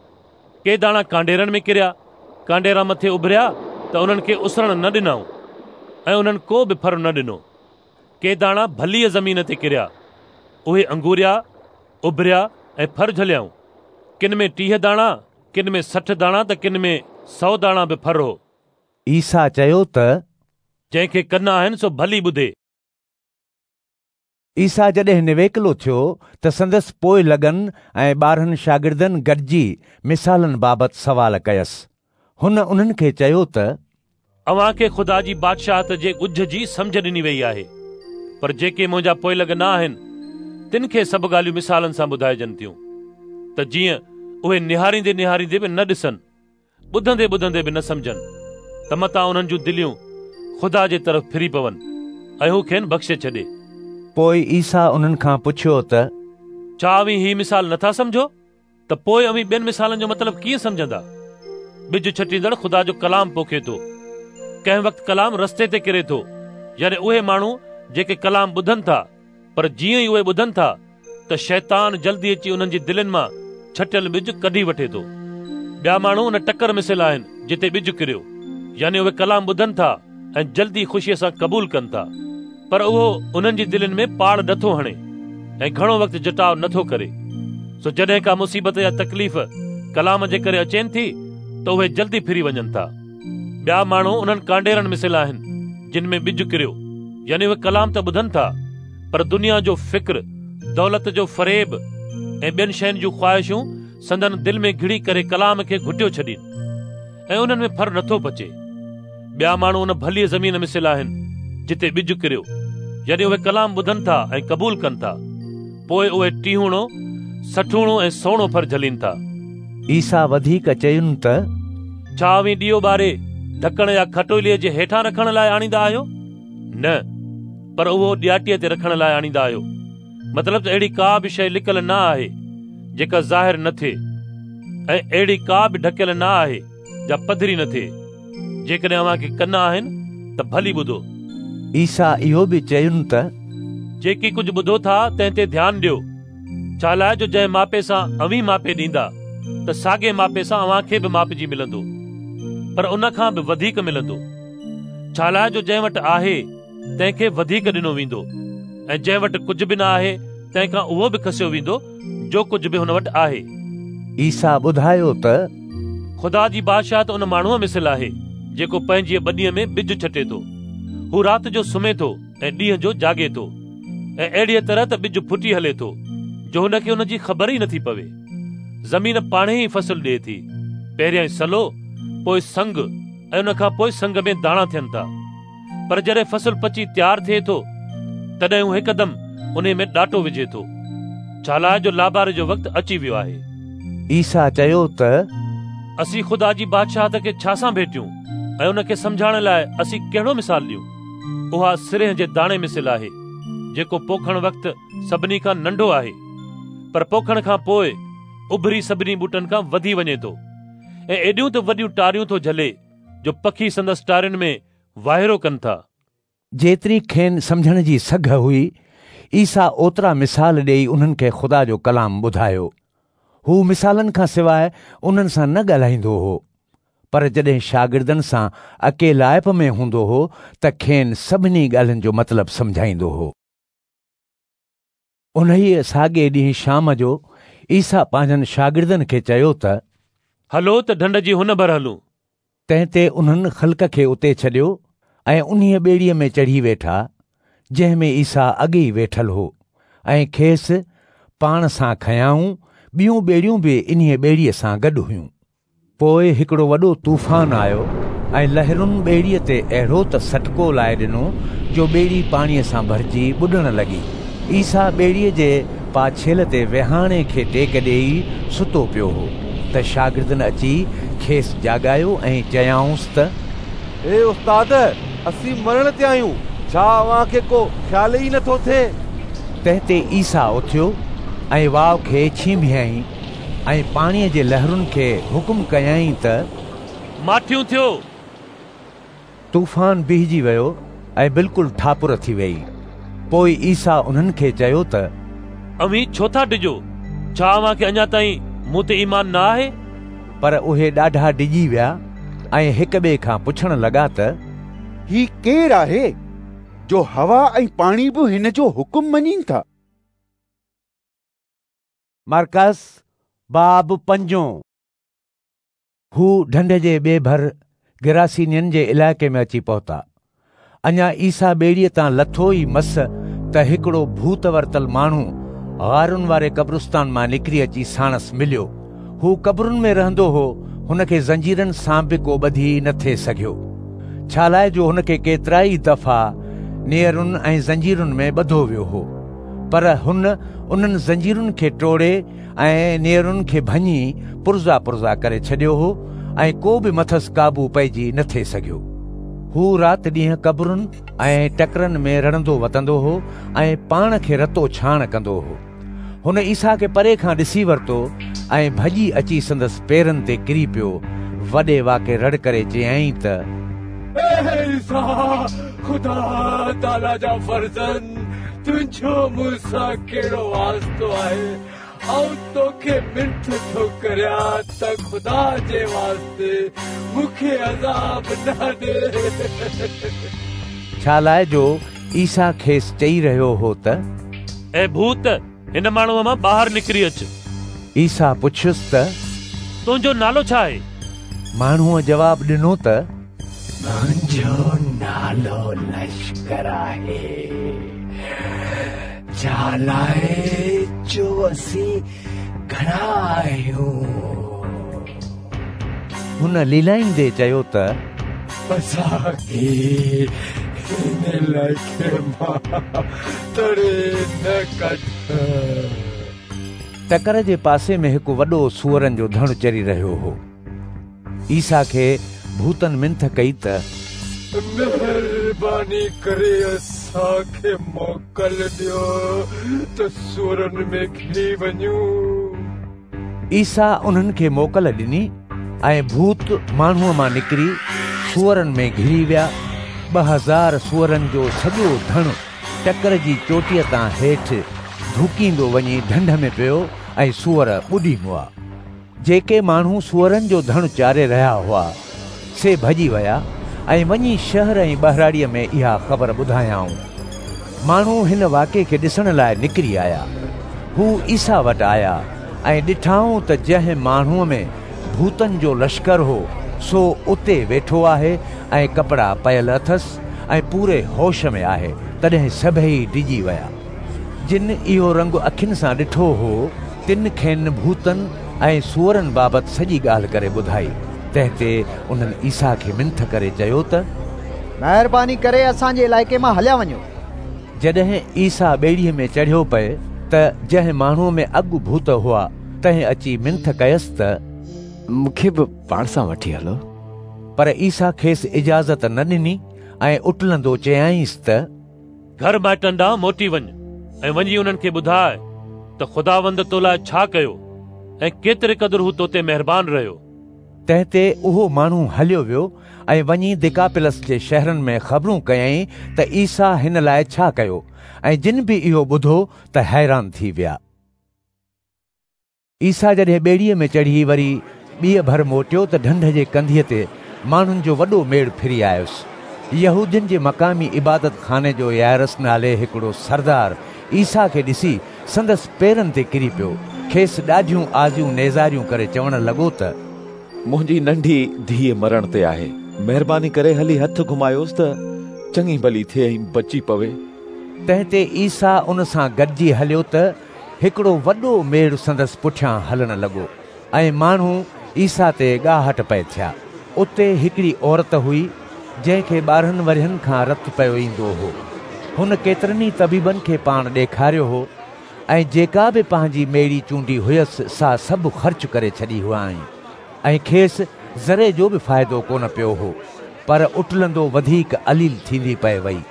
[SPEAKER 9] ڪي داڻا ڪانڊيرن ۾ ڪريا، ڪانڊيرا مٿي اڀريا ته انهن کي اسرڻ نه ڏنائون ۽ انهن ڪو به ڦر نه ڏنو. ڪي داڻا ڀليء زمين تي ڪريا، اهي انگوريا، اڀريا ۽ ڦر جهليائون. ڪن ۾ 30 داڻا، ڪن ۾ 60 داڻا ته ڪن ۾ 100 داڻا به ڦر هو.
[SPEAKER 1] عيسيٰ چيو ته.
[SPEAKER 9] جنهن کي ڪن آهن سو ڀلي ٻڌي.
[SPEAKER 1] عيسيٰ جڏهن نويڪلو ٿيو ته سندس پوئلڳن ۽ 12 شاگردن گڏجي مثالن بابت سوال ڪيس. هن انهن کي چيو ته.
[SPEAKER 9] اوهان کي خدا جي بادشاهت جي ڳجهه جي سمجهه ڏني ويئي آهي، پر جيڪي منهنجا پوئلڳ نه آهن، تن کي سڀ ڳالهيون مثالن سان ٻڌائجن ٿيون، ته جيئن اهي نهاريندي نهاريندي به نه ڏسن ٻڌندي ٻڌندي به نه سمجهن ته متان انهن جون دليون خدا جي طرف ڦري پون ۽ هو کين بخشي ڇڏي.
[SPEAKER 1] پوء عيسيٰ انهن کان پڇيو ته.
[SPEAKER 9] ڇا اوهين هي مثال نه ٿا سمجهو؟ ته پوء اوهين ٻين مثالن جو مطلب ڪيئن سمجهندا؟ ٻج ڇٽيندڙ خدا جو ڪلام پوکي ٿو. ڪنهن وقت ڪلام رستي تي ڪري ٿو، يعني اهي ماڻهو جيڪي ڪلام ٻڌن ٿا، پر جيئن ئي اهي ٻڌن ٿا ته شيطان جلدي اچي انهن جي دلين مان ڇٽيل ٻج ڪڍي وٺي ٿو. ٻيا ماڻهو ان ٽڪر مثل آهن جتي ٻج ڪريو، يعني اهي ڪلام ٻڌن ٿا ۽ جلدي خوشيء سان قبول ڪن ٿا، پر اهو انهن جي دلين ۾ پاڙ نٿو هڻي ۽ گهڻو وقت جٽاء نٿو ڪري. سو جڏهن ڪا مصيبت يا تڪليف ڪلام جي ڪري اچين ٿي ته اهي جلدي ڦري وڃن ٿا. ٻيا ماڻهو انهن ڪانڊيرن مثل آهن، جن ۾ ٻج ڪريو، يعني اهي ڪلام ته ٻڌن ٿا، پر دنيا جو فڪر، دولت جو فريب ۽ ٻين شين جون خواهشون سندن دل ۾ گهڙي ڪري ڪلام کي گهٽيو ڇڏين ۽ انهن ۾ ڦر نٿو پچي. ٻيا ماڻهو ان ڀليء زمين مثل آهن، جتي ٻج ڪريو، يعني اهي ڪلام ٻڌن ٿا ۽ قبول ڪن ٿا، پوء اهي ٽيهوڻو، سٺوڻو ۽ سؤڻو ڦر جهلين ٿا.
[SPEAKER 1] عيسيٰ وڌيڪ چين ته،
[SPEAKER 9] ڇا اوهين ڏيئو ٻاري ڍڪڻ يا کٽوليء جي هيٺان رکڻ لاء آڻيندا آهيو؟ نه، پر اهو ڏياٽيء تي رکڻ لاء آڻيندا آهيو. مطلب ته اهڙي ڪا به شيء لڪل نه آهي جيڪا ظاهر نه ٿئي، ۽ اهڙي ڪا به ڍڪيل نه آهي جا پڌري نه ٿئي. جيڪڏهن اوهان کي ڪن آهن ته ڀلي ٻڌو.
[SPEAKER 1] عيسيٰ اهو به چين ته،
[SPEAKER 9] جيڪي ڪجهه ٻڌو ٿا تنهن تي ڌيان ڏيو، ڇالاء جو جنهن ماپي سان اوهين ماپي ڏيندا ته ساڳئي ماپي سان اوهان کي به ماپجي ملندو، پر ان کان به وڌيڪ ملندو. ڇالاء جو جنهن وٽ آهي تنهن کي وڌيڪ ڏنو ويندو، ۽ جنهن وٽ ڪجهه به نه آهي تنهن کان اهو به کسيو ويندو جو ڪجهه به هن وٽ آهي.
[SPEAKER 1] عيسيٰ ٻڌايو ته،
[SPEAKER 9] خدا جي بادشاهت ان ماڻهوء مثل آهي، جيڪو پنهنجيء ٻنيء ۾ ٻج ڇٽي ٿو. هو رات جو سمهي ٿو ۽ ڏينهن جو جاڳي ٿو، ۽ اهڙيء طرح ته ٻج ڦٽي هلي ٿو، جو هن کي ان جي خبر ئي نٿي پوي. زمين پاڻهي ئي فصل ڏئي ٿي، پهريائين سلو، پوء سنگ ۽ ان کان پوء سنگ ۾ داڻا ٿين ٿا. پر جڏهن فصل پچي تيار ٿئي ٿو، تڏهن هو هڪدم انهي ۾ ڏاٽو وجهي ٿو، ڇالاء جو لاباري جو وقت اچي ويو آهي.
[SPEAKER 1] عيسيٰ چيو ته،
[SPEAKER 9] اسين خدا جي بادشاهت کي ڇا سان ڀيٽيون ۽ ان کي سمجهائڻ لاء اسين ڪهڙو مثال ڏيون؟ اها سرنهن جي داڻي مثل آهي، جيڪو پوکڻ وقت سڀني کان ننڍو آهي، پر پوکڻ کان پوء اڀري سڀني ٻوٽن کان وڌي وڃي ٿو ۽ ايڏيون ته وڏيون ٽاريون ٿو جهلي جو پکي سندس ٽارين ۾ واهيرو ڪن ٿا.
[SPEAKER 1] جيتري کين سمجهڻ جي سگهه هئي، عيسيٰ اوترا مثال ڏيئي انهن کي خدا جو ڪلام ٻڌايو. هو مثالن کان سواء انهن سان نه ڳالهائيندو هو، پر جڏهن شاگردن سان اڪيلائپ ۾ هوندو هو ته کين سڀني ڳالهين جو مطلب سمجهائيندو هو. انهيء ساڳئي ڏينهن شام جو عيسيٰ پنهنجن شاگردن کي چيو ته،
[SPEAKER 9] هلو ته ڍنڍ جي هن ڀر هلون.
[SPEAKER 1] تنهن تي انهن خلق کي اتي ڇڏيو ۽ انهيء ٻيڙيء ۾ چڙهي ويٺا، جنهن ۾ عيسيٰ اڳي ئي ويٺل هو، ۽ کيس پاڻ سان کنيائون. ٻيون ٻيڙيون به انهيء ٻيڙيء سان گڏ هيون. پوء هڪڙو وڏو طوفان آيو ۽ لهرن ٻيڙيء تي اهڙو ته سٽڪو لائي ڏنو جو ٻيڙي پاڻيء سان ڀرجي ٻڏڻ لڳي. عيسيٰ ٻيڙيء جي پاڇيل تي ويهاڻي کي ٽيڪ ڏيئي ستو پيو هو ته شاگردن اچي کيس جاڳايو ۽ چيائونس ته.
[SPEAKER 7] اي استاد، اسين مرڻ تي آهيون، ڇا اوهان کي ڪو خيال ئي نٿو ٿئي؟
[SPEAKER 1] تنهن تي عيسيٰ اٿيو ۽ واء کي ڇينڀيائين. ۽ پاڻيء جي لهرن کي حڪم ڪيائين ته،
[SPEAKER 9] ماٺيون ٿيو!
[SPEAKER 1] طوفان بيهجي ويو ۽ بلڪل ٺاپر ٿي ويئي. پوء عيسيٰ انهن کي چيو ته،
[SPEAKER 9] اوهين ڇو ٿا ڊڄو؟ ڇا اوهان کي اڃا تائين مون تي ايمان نه آهي؟
[SPEAKER 1] پر اهي ڏاڍا ڊڄي ويا ۽ هڪ ٻئي کان پڇڻ لڳا ته،
[SPEAKER 8] هي ڪير آهي جو هوا ۽ پاڻي به هن جو حڪم مڃين ٿا؟
[SPEAKER 1] مرقس باب پنجون. هو ڍنڍ جي ٻئي ڀر گراسينين جي علائقي ۾ اچي پهتا. اڃا عيسيٰ ٻيڙيء تان لٿو ئي مس ته هڪڙو ڀوت ورتل ماڻهو غارن واري قبرستان مان نڪري اچي ساڻس مليو. هو قبرن ۾ رهندو هو، هن کي زنجيرن سان به ڪو ٻڌي نه ٿي سگهيو، ڇالاء جو هن کي ڪيترائي دفعا نيئرن ۽ زنجيرن ۾ ٻڌو ويو هو. پر هن انهن زنجيرن کي ٽوڙي ۽ نيئرن کي ڀڃي پرزا پرزا ڪري ڇڏيو هو ۽ ڪو به مٿس قابو پئجي نه ٿي سگهيو. هو رات ڏينهن قبرن ۽ ٽڪرن ۾ رڙندو وتندو هو ۽ پاڻ کي رتو ڇاڻ ڪندو هو. هن عيسيٰ کي پري کان ڏسي ورتو ۽ ڀڄي اچي سندس پيرن تي ڪري پيو. وڏي واڪي رڙ ڪري چيائين ته،
[SPEAKER 15] اي عيسيٰ، خدا تعاليٰ جا فرزند، تنهنجو مون سان ڪهڙو واسطو آهي؟ آئون توکي منٿ ٿو ڪريان ته خدا جي واسطي مون کي عذاب نه ڏي.
[SPEAKER 1] ڇالاء جو عيسيٰ کيس چئي رهيو هو ته،
[SPEAKER 9] اي ڀوت، هن ماڻهوء مان ٻاهر نڪري اچ.
[SPEAKER 1] عيسيٰ پڇيس ته،
[SPEAKER 9] تنهنجو نالو ڇا آهي؟
[SPEAKER 1] ماڻهوء جواب ڏنو ته،
[SPEAKER 15] منهنجو نالو لشڪر آهي، ڇالاء جو اسين گهڻا آهيون.
[SPEAKER 1] هن ليلائيندي چيو ته
[SPEAKER 15] اسان کي هن علائقي مان تڙي نه ڪڍ.
[SPEAKER 1] ٽڪر جي پاسي ۾ هڪ وڏو سوئرن جو ڌڻ چري رهيو هو. عيسيٰ کي ڀوتن منٿ ڪئي ته
[SPEAKER 15] مهرباني ڪري اسان کي موڪل ڏيو ته سوئرن ۾ گهڙي وڃون.
[SPEAKER 1] عيسيٰ انهن کي موڪل ڏني ۽ ڀوت ماڻهوء مان نڪري سوئرن ۾ گهڙي ويا. 2000 سوئرن جو سڄو ڌڻ ٽڪر جي چوٽيء تان هيٺ ڌوڪيندو وڃي ڍنڍ ۾ پيو ۽ سوئر ٻڏي مئا. جيڪي ماڻهو سوئرن جو ڌڻ چاري رهيا هئا، سي ڀڄي ويا ۽ وڃي شهر ۽ ٻهراڙيء ۾ اها خبر ٻڌايائون. ماڻهو هن واقعي کي ڏسڻ لاء نڪري آيا. هو عيسيٰ وٽ آيا ۽ ڏٺائون ته جنهن ماڻهوء ۾ ڀوتن جو لشڪر هو، سو اتي ويٺو آهي ۽ ڪپڙا پيل اٿس ۽ پوري هوش ۾ آهي، تڏهن سڀيئي ڊڄي ويا. جن اهو رنگ اکين سان ڏٺو هو، تن کين ڀوتن ۽ سوئرن بابت سڄي ڳالهه ڪري ٻڌائي. تنهن تي انهن عيسيٰ کي منٿ ڪري چيو ته
[SPEAKER 14] مهرباني ڪري اسان جي علائقي مان هليا وڃو.
[SPEAKER 1] جڏهن عيسيٰ ٻيڙيء ۾ چڙهيو پئي ته جنهن ماڻهوء ۾ اڳ ڀوت هئا، تنهن اچي منٿ ڪيس ته
[SPEAKER 16] مون کي به پاڻ سان وٺي هلو.
[SPEAKER 1] پر عيسيٰ کيس اجازت نه ڏني ۽ اٽلندو چيائينس ته
[SPEAKER 9] گهر مائٽن ڏانهن موٽي وڃ ۽ وڃي انهن کي ٻڌاء ته خداوند تو لاء ڇا ڪيو ۽ ڪيتري قدر هو تو تي مهربان رهيو.
[SPEAKER 1] تنهن تي اهو ماڻهو هليو ويو ۽ وڃي ديڪاپلس جي شهرن ۾ خبرون ڪيائين ته عيسيٰ هن لاء ڇا ڪيو، ۽ جن به اهو ٻڌو ته حيران ٿي ويا. عيسيٰ جڏهن ٻيڙيء ۾ چڙهي وري ٻيء ڀر موٽيو ته ڍنڍ جي ڪنڌيء تي ماڻهن جو وڏو ميڙ ڦري آيس. يهودين جي مقامي عبادت خاني جو يائرس نالي هڪڙو سردار عيسيٰ کي ڏسي سندس پيرن تي ڪري پيو. کيس ڏاڍيون آزيون نيزاريون ڪري چوڻ لڳو ته
[SPEAKER 17] منهنجي ننڍي ڌيء مرڻ تي آهي. مهرباني ڪري هلي هٿ گهمايوس ته چڱي ڀلي ٿئي ۽ بچي پوي.
[SPEAKER 1] تنهن تي عيسيٰ ان سان گڏجي هليو ته هڪڙو وڏو ميڙ سندس پٺيان هلڻ لڳو ۽ ماڻهو عيسيٰ تي ڳاهٽ پئي ٿيا. اتي هڪڙي عورت هئي، جنهن کي 12 ورهين کان رت پيو ايندو هو. هن ڪيترن ئي طبيبن کي پاڻ ڏيکاريو هو ۽ جيڪا به پنهنجي ميڙي چونڊي هيس سا سڀ خرچ ڪري ڇڏي هئائين ۽ کيس ذري جو به فائدو ڪونه پيو هو، پر اٽلندو وڌيڪ عليل ٿيندي پئي وئي.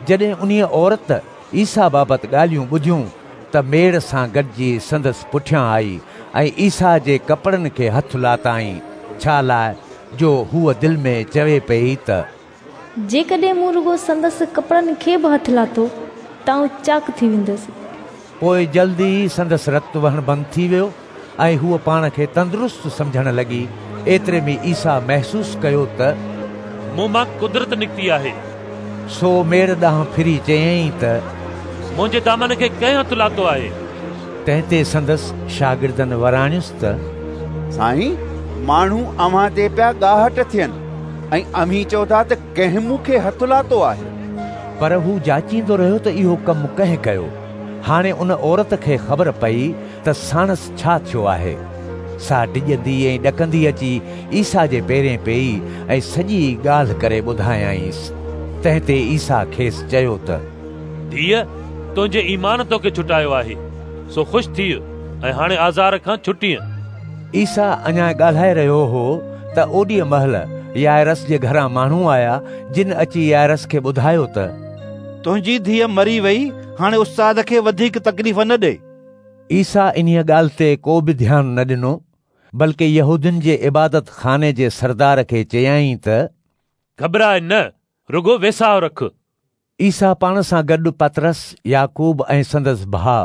[SPEAKER 1] جڏهن انهيء عورت عيسيٰ بابت ڳالهيون ٻڌيون ته ميڙ سان گڏجي سندس پٺيان آئي ۽ عيسيٰ جي ڪپڙن کي هٿ لاتائين، ڇا لاء جو هوء دل ۾ چوي پيئي ته.
[SPEAKER 18] جيڪڏهن مون رڳو سندس ڪپڙن کي به هٿ لاتو ته آئون چاڪ ٿي ويندس.
[SPEAKER 1] پوء جلد ئي سندس رت وهڻ بند ٿي ويو ۽ هوء پاڻ کي تندرست سمجهڻ لڳي. ايتري ۾ عيسيٰ محسوس ڪيو ته
[SPEAKER 9] مون مان قدرت نڪتي آهي.
[SPEAKER 1] سو ميڙ ڏانهن ڦري چيائين ته
[SPEAKER 9] منهنجي دامن کي ڪنهن هٿ لاتو آهي؟
[SPEAKER 1] تنهن تي سندس شاگردن وراڻيس ته
[SPEAKER 8] سائين، ماڻهو اوهان تي پيا ڳاهٽ ٿين ۽ اوهين چئو ٿا ته ڪنهن مون کي هٿ لاتو آهي؟
[SPEAKER 1] پر هو جاچيندو رهيو ته اهو ڪم ڪنهن ڪيو. هاڻي ان عورت کي خبر پئي ته ساڻس ڇا ٿيو آهي. سا ڊڄندي ۽ ڏڪندي اچي عيسيٰ جي پيرين پيئي ۽ سڄي ڳالهه ڪري ٻڌايائينس. تنهن تي عيسيٰ کيس چيو ته.
[SPEAKER 9] ڌيء، تنهنجي ايمان توکي ڇٽايو آهي، سو خوش ٿيء ۽ هاڻي آزار کان ڇٽينء.
[SPEAKER 1] عيسيٰ اڃا ڳالهائي رهيو هو ته اوڏيء مهل يائرس جي گهران ماڻهو آيا، جن اچي يائرس کي ٻڌايو ته.
[SPEAKER 10] تنهنجي ڌيء مري وئي، هاڻي استاد کي وڌيڪ تڪليف نه ڏي.
[SPEAKER 1] عيسيٰ انهيء ڳالهه تي ڪو به ڌيان نه ڏنو، بلڪ يهودين جي عبادت خاني جي سردار کي چيائين ته.
[SPEAKER 9] گهٻراء نه، رڳو ويساهه رک.
[SPEAKER 1] عيسيٰ پاڻ سان گڏ پطرس، يعقوب ۽ سندس ڀاء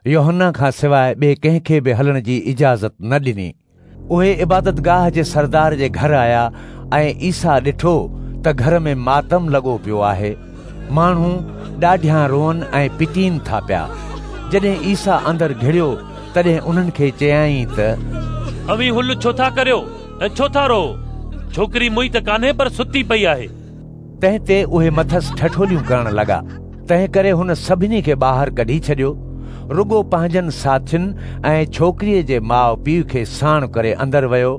[SPEAKER 1] يوحنا کان سواء ٻئي ڪنهن کي به هلڻ جي اجازت نه ڏني. اهي عبادتگاهه جي سردار جي گهر آيا ۽ عيسيٰ ڏٺو ته گهر ۾ ماتم لڳو پيو آهي. ماڻهو ڏاڍيان روئن ۽ پٽين ٿا پيا. جڏهن عيسيٰ اندر گهڙيو تڏهن انهن کي چيائين ته
[SPEAKER 9] اوهين هل ڇو ٿا ڪريو ۽ ڇو ٿا روئو؟ ڇوڪري موئي ته ڪانهي پر ستي پئي آهي.
[SPEAKER 1] تنهن تي اهي مٿس ٺٺوليون ڪرڻ لڳا. تنهن ڪري هن سڀني کي ٻاهر ڪڍي ڇڏيو. رڳو پنهنجن ساٿين ۽ ڇوڪريء جي ماء پيء کي ساڻ ڪري اندر ويو،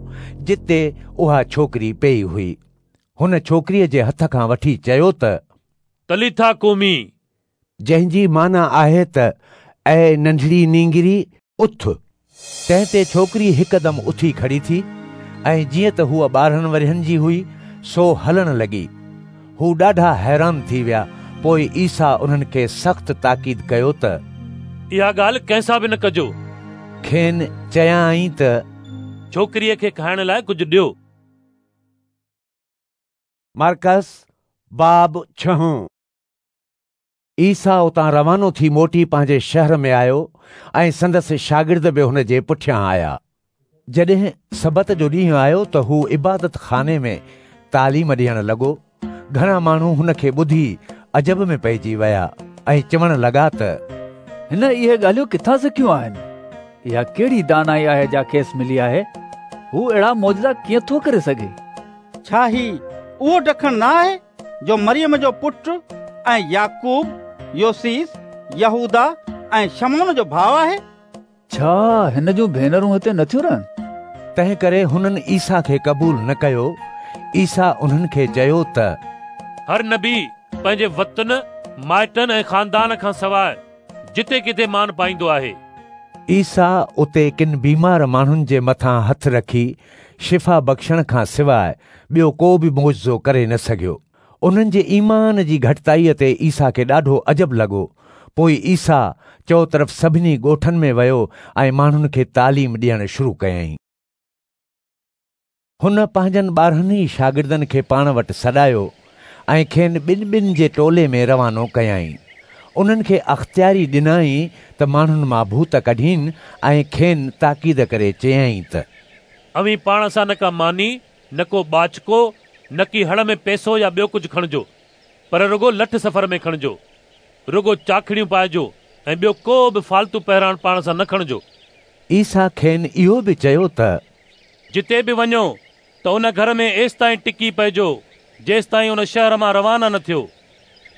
[SPEAKER 1] جتي اها ڇوڪري پيئي هئي. هن ڇوڪريء جي هٿ کان وٺي چيو ته،
[SPEAKER 9] تليٿا قومي،
[SPEAKER 1] جنهن جي معنيٰ آهي ته اي ننڍڙي نينگري، اٿ. تنهن تي ڇوڪري هڪدم اٿي کڙي ٿي ۽ جيئن ته هوء 12 ورهين جي هئي، سو هلڻ لڳي. هو ڏاڍا حيران ٿي ويا. پوء عيسيٰ انهن کي سخت تاڪيد ڪيو ته،
[SPEAKER 9] اها ڳالهه ڪنهن سان به نه ڪجو.
[SPEAKER 1] کين چيائين ته،
[SPEAKER 9] ڇوڪريء کي کائڻ لاء ڪجهه ڏيو.
[SPEAKER 1] مرقس باب ڇهون. عيسيٰ اتان روانو ٿي موٽي پنهنجي شهر ۾ آيو ۽ سندس شاگرد به هن جي پٺيان آيا. جڏهن سبت جو ڏينهن آيو ته هو عبادت خاني ۾ تعليم ڏيڻ لڳو. گهڻا ماڻهو هن کي ٻڌي عجب ۾ پئجي ويا ۽ چوڻ لڳا ته،
[SPEAKER 13] هن اهي ڳالهيون ڪٿان سکيون آهن؟ اها ڪهڙي دانائي آهي جا کيس ملي آهي؟ هو اهڙا معجزا ڪيئن ٿو ڪري سگهي؟
[SPEAKER 6] ڇا هي اهو ڊکڻ نه آهي جو مريم جو پٽ ۽ يعقوب، يوسيس، يهوداه ۽ شمعون جو ڀاء آهي؟
[SPEAKER 13] ڇا هن جون ڀينرون هتي نٿيون رهن؟
[SPEAKER 1] تنهنڪري هنن عيسيٰ کي قبول نه ڪيو. عيسيٰ انهن کي چيو ته،
[SPEAKER 9] هر نبي پنهنجي وطن، مائٽن ۽ خاندان کان سواء جتي ڪٿي مان پائيندو آهي.
[SPEAKER 1] عيسيٰ اتي ڪن بيمار ماڻهن جي مٿان هٿ رکي شفا بخشڻ کان سواء ٻيو ڪو به معجزو ڪري نه سگهيو. انهن جي ايمان جي گهٽتائيء تي عيسيٰ کي ڏاڍو عجب لڳو. پوء عيسيٰ چؤطرف سڀني ڳوٺن ۾ ويو ۽ ماڻهن کي تعليم ڏيڻ شروع ڪيائين. هن پنهنجن 12 ئي شاگردن کي پاڻ وٽ سڏايو ۽ کين ٻن ٻن جي ٽولي ۾ روانو ڪيائين. انهن کي اختياري ڏنائين ته ماڻهن مان ڀوت ڪڍين ۽ کين تاڪيد ڪري چيائين ته،
[SPEAKER 9] اوهين پاڻ سان نه ڪا ماني، نه ڪو ٻاچڪو، نڪي هڙ ۾ پئسو يا ٻيو ڪجهه کڻجو، پر رڳو لٺ سفر ۾ کڻجو. رڳو چاکڙيون پائجو ۽ ٻيو ڪو به فالتو پهراڻ پاڻ سان نه کڻجو.
[SPEAKER 1] عيسيٰ کين اهو به چيو ته،
[SPEAKER 9] جتي به وڃو ته ان گهر ۾ ايستائين ٽڪي پئجو، جيستائين ان شهر مان روانا نه ٿيو.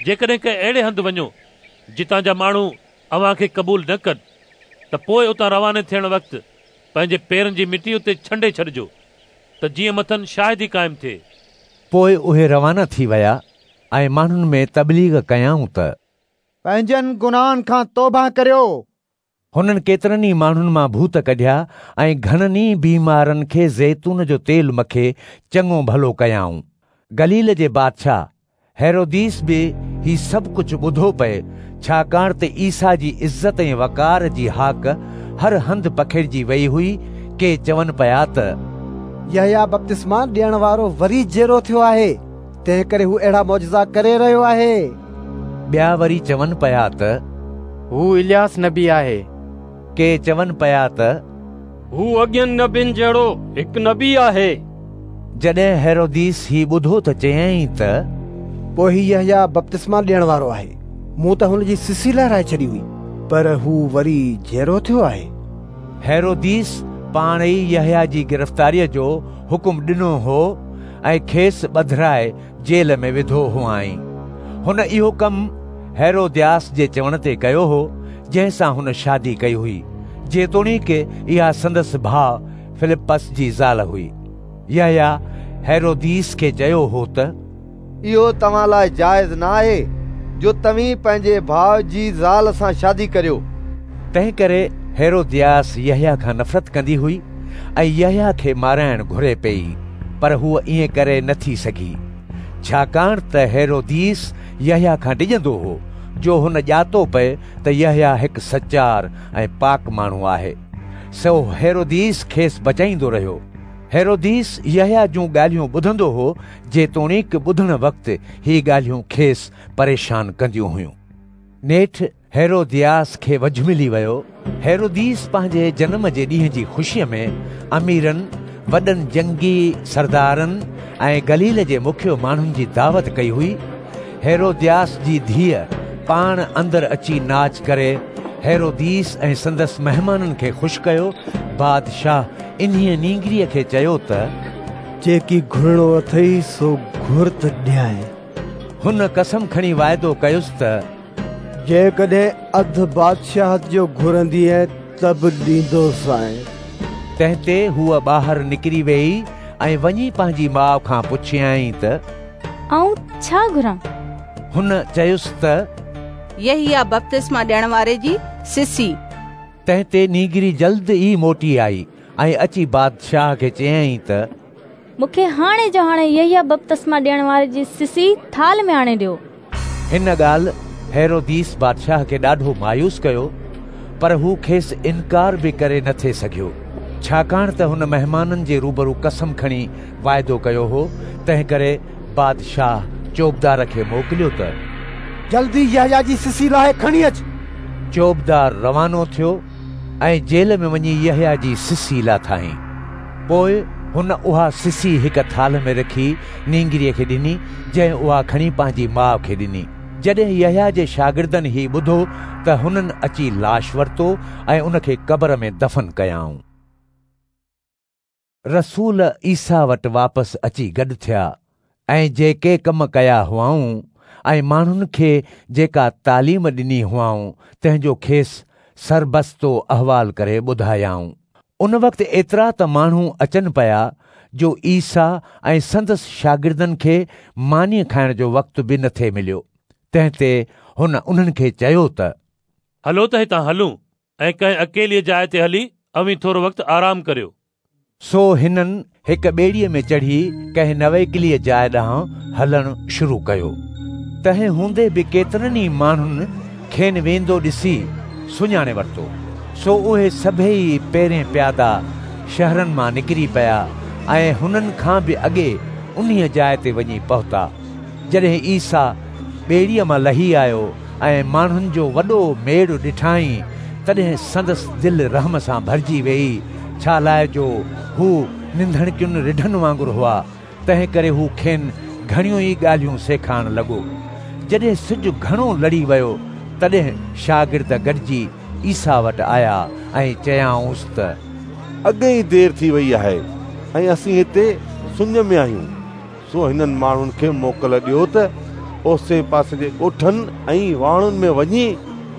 [SPEAKER 9] جيڪڏهن ڪنهن اهڙي هنڌ وڃو، جتان جا ماڻهو اوهان کي قبول نه ڪن، ته پوء اتان رواني ٿيڻ وقت پنهنجي پيرن جي مٽي اتي ڇنڊي ڇڏجو، ته جيئن مٿن شاهدي قائم ٿئي.
[SPEAKER 1] پوء اهي روانا ٿي ويا ۽ ماڻهن ۾ تبليغ ڪيائون ته،
[SPEAKER 14] پنهنجن گناهن کان توبهه ڪريو.
[SPEAKER 1] هنن ڪيترن ئي ماڻهن مان ڀوت ڪڍيا ۽ گهڻن ئي بيمارن کي زيتون جو تيل مکي چڱو ڀلو ڪيائون. گليل جي بادشاهه هيروديس به هي سڀ ڪجهه ٻڌو پئي، ڇاڪاڻ ته عيسيٰ جي عزت ۽ وقار جي هاڪ هر هنڌ پکڙجي ويئي هئي. ڪي چون پيا ته،
[SPEAKER 3] يحيٰ بپتسما ڏيڻ وارو وري جيئرو ٿيو آهي، تنهنڪري هو اهڙا معجزا ڪري رهيو آهي.
[SPEAKER 1] ٻيا وري چون پيا ته،
[SPEAKER 19] هو الياس نبي آهي.
[SPEAKER 1] ڪي چون پيا ته،
[SPEAKER 5] هو اڳين نبين جهڙو هڪ نبي آهي.
[SPEAKER 1] جڏهن هيروديس هي ٻڌو ته چيائين ته،
[SPEAKER 3] پوء هي يحيٰ بپتسما ڏيڻ وارو آهي. مون ته هن جي سسي لاهرائي ڇڏي هئي، پر هو وري جيئرو ٿيو آهي.
[SPEAKER 1] هيروديس پاڻ ئي يحيٰ جي گرفتاريء جو حڪم ڏنو هو ۽ کيس ٻڌرائي جيل ۾ وڌو هئائين. هن اهو ڪم هيرودياس جي چوڻ تي ڪيو هو، جنهن سان هن شادي ڪئي هئي، جيتوڻيڪ اها سندس ڀاء فلپس جي زال هئي. يحيٰ هيروديس کي چيو هو ته،
[SPEAKER 3] اهو توهان لاء جائز نه آهي جو توهين پنهنجي ڀاء جي زال سان شادي ڪريو.
[SPEAKER 1] تنهنڪري هيرودياس يحيٰ کان نفرت ڪندي هئي ۽ يحيٰ کي مارائڻ گهري پيئي، پر هوء ائين ڪري نه ٿي سگهي، ڇاڪاڻ ته هيروديس يحيٰ کان ڊڄندو هو، جو هن ڄاتو پئي ته يحيٰ هڪ سچار ۽ پاڪ ماڻهو آهي. سو هيروديس کيس بچائيندو رهيو. هيروديس يحيٰ جون ڳالهيون ٻڌندو هو، جيتوڻيڪ ٻڌڻ وقت هي ڳالهيون کيس پريشان ڪنديون هيون. نيٺ هيرودياس کي وجهه ملي ويو. هيروديس پنهنجي جنم جي ڏينهن جي خوشيء ۾ اميرن، وڏن جنگي سردارن ۽ گليل جي مکيه ماڻهن جي دعوت ڪئي هئي. هيرودياس جي ڌيء پاڻ اندر اچي ناچ ڪري هيروديس ۽ سندس مهمانن کي خوش ڪيو. بادشاهه انهيء نينگريء کي چيو ته،
[SPEAKER 20] جيڪي گهرڻو اٿئي سو گهر ته ڏيانء.
[SPEAKER 1] هن قسم کڻي واعدو ڪيس ته
[SPEAKER 20] جيڪڏهن اڌ بادشاهت جو گهرندينء ته به ڏيندوسانء.
[SPEAKER 1] تنهن تي هوء ٻاهر نڪري ويئي ۽ وڃي پنهنجي ماء کان پڇيائين ته
[SPEAKER 18] آئون ڇا گهران؟
[SPEAKER 1] هن چيس ته
[SPEAKER 21] يحيٰ بپتسما ڏيڻ واري جي سسي.
[SPEAKER 1] تنهن تي نينگري جلد ئي موٽي آئي ۽ اچي بادشاهه کي چيائين ته
[SPEAKER 18] مون کي هاڻي جو هاڻي يحيٰ بپتسما ڏيڻ واري جي سسي ٿالهه ۾ آڻي ڏيو.
[SPEAKER 1] هن ڳالهه هيروديس بادشاهه کي ڏاڍو مايوس ڪيو، پر هو کيس انڪار به ڪري نه ٿي سگهيو، ڇاڪاڻ ته هن مهمانن جي روبرو قسم کڻي واعدو ڪيو هو. تنهنڪري بادشاهه چوبدار کي موڪليو ته
[SPEAKER 20] جلدي يحيٰ جي سسي لاهي کڻي اچ.
[SPEAKER 1] چوبدار روانو ٿيو ۽ جيل ۾ وڃي يحيٰ جي سسي لاٿائين. پوء هن اها سسي هڪ ٿالهه ۾ رکي نينگريء کي ڏني، جنهن اها کڻي پنهنجي ماء کي ڏني. جڏهن يحيٰ جي شاگردن هي ٻڌو ته هنن اچي لاش ورتو ۽ ان کي قبر ۾ دفن ڪيائون. رسول عيسيٰ وٽ واپس اچي گڏ ٿيا ۽ جيڪي ڪم ڪيا هئائون ۽ ماڻهن کي جيڪا تعليم ڏني هئائون، تنهن جو کيس سربستو احوال ڪري ٻڌايائون. ان وقت ايترا ته ماڻهو اچن پيا جو عيسيٰ ۽ سندس شاگردن کي ماني کائڻ جو وقت به نه ٿي مليو. تنهن تي هن انهن کي چيو ته
[SPEAKER 9] هلو ته هتان هلون ۽ ڪنهن اڪيليء جاء تي هلي اوهين ٿورو وقت آرام ڪريو.
[SPEAKER 1] سو هنن هڪ ٻيڙيء ۾ چڙهي ڪنهن نويڪليء جاء ڏانهن هلڻ شروع ڪيو. تنهن هوندي به ڪيترن ئي ماڻهن کين ويندو ڏسي سڃاڻي ورتو. سو اهي سڀيئي پيرين پيادا شهرن مان نڪري پيا ۽ هنن کان به اڳي انهيء جاء تي وڃي پهتا. جڏهن عيسيٰ ٻيڙيء مان لهي آيو ۽ ماڻهن جو وڏو ميڙ ڏٺائين، تڏهن سندس دل رحم سان ڀرجي ويئي، ڇالاء جو هو نڌڻڪين رڍن وانگر هئا، تنهنڪري هو کين گهڻيون ئي ڳالهيون سيکارڻ لڳو. جڏهن سج گهڻو لڙي ويو، تڏهن شاگرد گڏجي عيسيٰ وٽ آيا ۽ چيائونس ته
[SPEAKER 7] اڳي ئي دير ٿي ويئي آهي ۽ اسين هتي سڃ ۾ آهيون. سو هنن ماڻهن کي موڪل ڏيو ته اوسي پاسي جي ڳوٺن ۽ واهڻن ۾ وڃي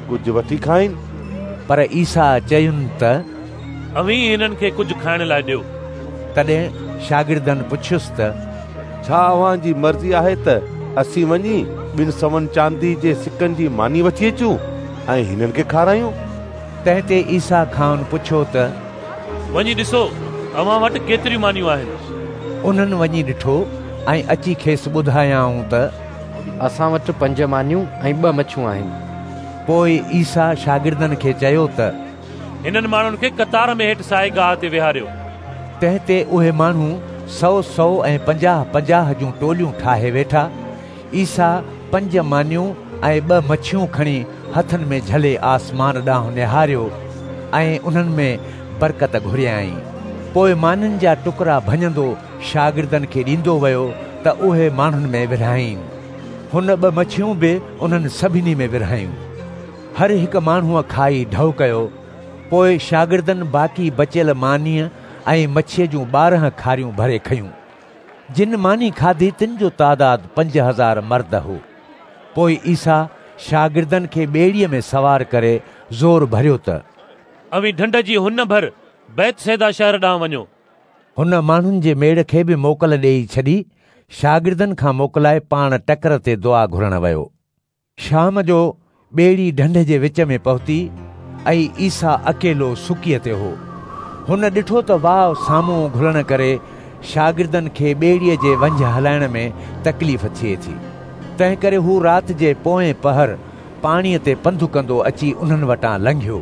[SPEAKER 7] ڪجهه وٺي کائين.
[SPEAKER 1] پر عيسيٰ چين ته
[SPEAKER 9] اوهين هنن کي ڪجهه کائڻ لاء ڏيو.
[SPEAKER 1] تڏهن شاگردن پڇيس ته
[SPEAKER 7] ڇا اوهان جي مرضي آهي ته اسين وڃي 200 چاندي جي سڪن جي ماني وٺي اچون ۽ هنن کي کارايون؟
[SPEAKER 1] تنهن تي عيسيٰ کانئن پڇيو ته
[SPEAKER 9] وڃي ڏسو اوهان وٽ ڪيتريون مانيون آهن.
[SPEAKER 1] انهن وڃي ڏٺو ۽ اچي کيس ٻڌايائون ته
[SPEAKER 19] اسان وٽ 5 مانيون ۽ 2 مڇيون آهن.
[SPEAKER 1] پوء عيسيٰ شاگردن کي چيو ته
[SPEAKER 9] هنن ماڻهن کي قطار ۾ هيٺ سائي گاهه تي ويهاريو.
[SPEAKER 1] تنهن تي اهي ماڻهو سؤ سؤ ۽ پنجاهه پنجاهه جون ٽوليون ٺاهي ويٺا. عيسيٰ 5 مانيون ۽ 2 مڇيون کڻي هٿن ۾ جهلي آسمان ڏانهن نهاريو ۽ انهن ۾ برڪت گهريائين. پوء مانين جا ٽڪرا ڀڃندو شاگردن کي ڏيندو ويو ته اهي ماڻهن ۾ ورهائين. هن 2 مڇيون به انهن سڀني ۾ ورهايون. هر هڪ ماڻهوء کائي ڍؤ ڪيو. پوء شاگردن باقي بچيل مانيء ۽ مڇيء جون 12 کاريون ڀري کنيون. جن ماني کاڌي تن جو تعداد 5000 مرد هو. پوء عيسيٰ شاگردن کي ٻيڙيء ۾ سوار ڪري زور ڀريو ته
[SPEAKER 9] اوهين ڍنڍ جي هن ڀر بيت صيدا شهر ڏانهن وڃو.
[SPEAKER 1] هن ماڻهن جي ميڙ کي به موڪل ڏيئي ڇڏي. شاگردن کان موڪلائي پاڻ ٽڪر تي دعا گهرڻ ويو. شام جو ٻيڙي ڍنڍ جي وچ ۾ پهتي ۽ عيسيٰ اڪيلو سڪيء تي هو. هن ڏٺو ته واء سامهون گهلڻ ڪري شاگردن کي ٻيڙيء جي ونجهه هلائڻ ۾ تڪليف ٿئي ٿي. تنهنڪري هو رات جي پوئين پهر پاڻيء تي پنڌ ڪندو اچي انهن وٽان لنگهيو.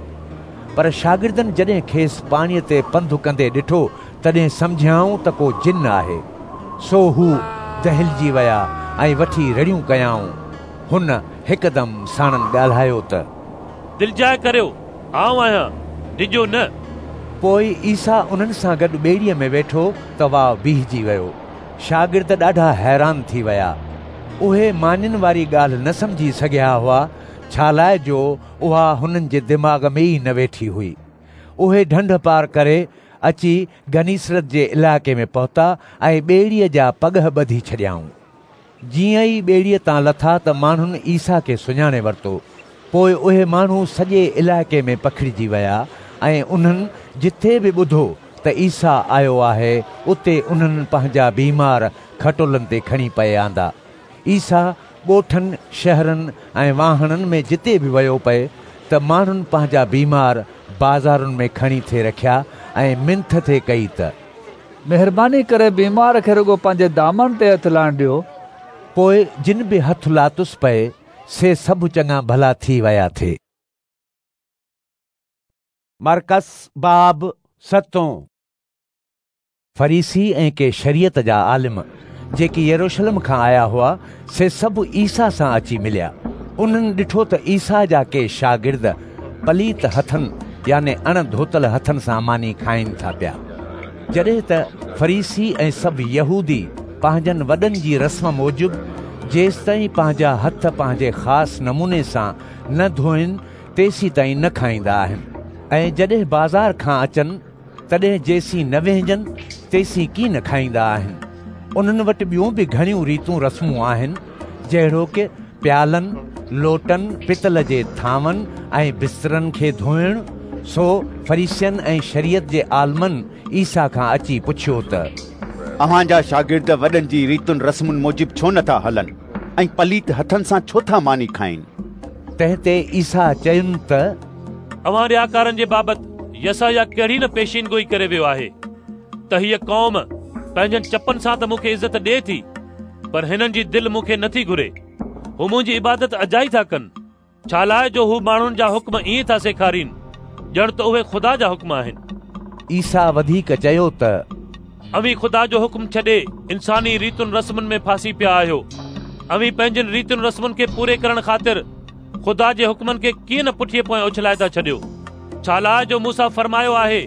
[SPEAKER 1] پر شاگردن جڏهن کيس پاڻيء تي پنڌ ڪندي ڏٺو، تڏهن سمجهيائون ته ڪو جن آهي. سو هو دهلجي ويا ۽ وٺي رڙيون ڪيائون. هن هڪدم ساڻن ڳالهايو ته
[SPEAKER 9] دلجاء ڪريو، آئون آهيان، ڊڄو نه.
[SPEAKER 1] پوء عيسيٰ انهن سان گڏ ٻيڙيء ۾ ويٺو ته واء بيهجي ويو. شاگرد ڏاڍا حيران ٿي ويا. اهي مانين واري ڳالهه نه سمجهي سگهيا هئا، ڇالاء جو اها هنن جي دماغ ۾ ئي نه ويٺي هئي. اهي ڍنڍ پار ڪري اچي گنيسرت جي علائقي ۾ پهتا ۽ ٻيڙيء جا پڳهه ٻڌي ڇڏيائون. جيئن ئي ٻيڙيء تان لٿا ته ماڻهن عيسيٰ کي سڃاڻي ورتو. پوء اهي ماڻهو سڄي علائقي ۾ پکڙجي ويا ۽ انهن جٿي به ٻڌو ته عيسيٰ آيو آهي، اتي انهن پنهنجا بيمار کٽولن تي کڻي پئي آندا. عيسيٰ ڳوٺن، شهرن ۽ واهڻن ۾ جتي به ويو پئي ته ماڻهن پنهنجا بيمار بازارن ۾ کڻي ٿي رکيا ۽ منٿ ٿي ڪئي ته،
[SPEAKER 13] مهرباني ڪري بيمار کي رڳو پنهنجي دامن تي هٿ لائڻ ڏيو.
[SPEAKER 1] پوء جن به هٿ لاتس پئي، سي سڀ چڱا ڀلا ٿي ويا ٿي. مرقس باب ستون. فريسي ۽ ڪي شريعت جا عالم، جيڪي يروشلم کان آيا هئا، سي سڀ عيسيٰ سان اچي مليا. انهن ڏٺو ته عيسيٰ جا ڪي شاگرد پليت هٿن يعني اڻ ڌوتل هٿن سان ماني کائين ٿا پيا. جڏهن ته فريسي ۽ سڀ يهودي پنهنجن وڏن جي رسم موجب جيستائين پنهنجا هٿ پنهنجي خاص نموني سان نه ڌوئن تيسيتائين نه کائيندا آهن ۽ جڏهن بازار کان اچن تڏهن جيسين نه وهنجن تيسين ڪين کائيندا آهن. انهن وٽ ٻيون به گهڻيون ريتون رسمون آهن، جهڙوڪ پيالن، لوٽن، پتل جي ٿانون ۽ بسترن کي ڌوئڻ. سو فريسين ۽ شريعت جي عالمن عيسيٰ کان اچي پڇيو ته،
[SPEAKER 8] اوهان جا شاگرد وڏن جي ريتن رسمن موجب ڇو نٿا هلن ۽ پليت هٿن سان ڇو ٿا ماني کائين؟
[SPEAKER 1] تنهن تي عيسيٰ چين ته،
[SPEAKER 9] اوهان رياڪارن جي بابت يسعياه ڪهڙي نه پيشين گوئي ڪري ويو آهي ته هيء قوم پنهنجن چپن سان ته مون کي عزت ڏئي ٿي پر هنن جي دل مون کي نٿي گهري. هو منهنجي عبادت اجائي ٿا ڪن، ڇالاء جو هو ماڻهن جا حڪم ائين ٿا سيکارين ڄڻ ته اهي خدا جا حڪم آهن.
[SPEAKER 1] عيسيٰ وڌيڪ چيو ته،
[SPEAKER 9] اوهين خدا جو حڪم ڇڏي انساني ريتن رسمن ۾ ڦاسي پيا آهيو. اوهين پنهنجين ريتن رسمن کي پوري ڪرڻ خاطر خدا جي حڪمن کي ڪيئن نه پٺيء پويان اڇلائي ٿا ڇڏيو. ڇالاء جو موسيٰ فرمايو آهي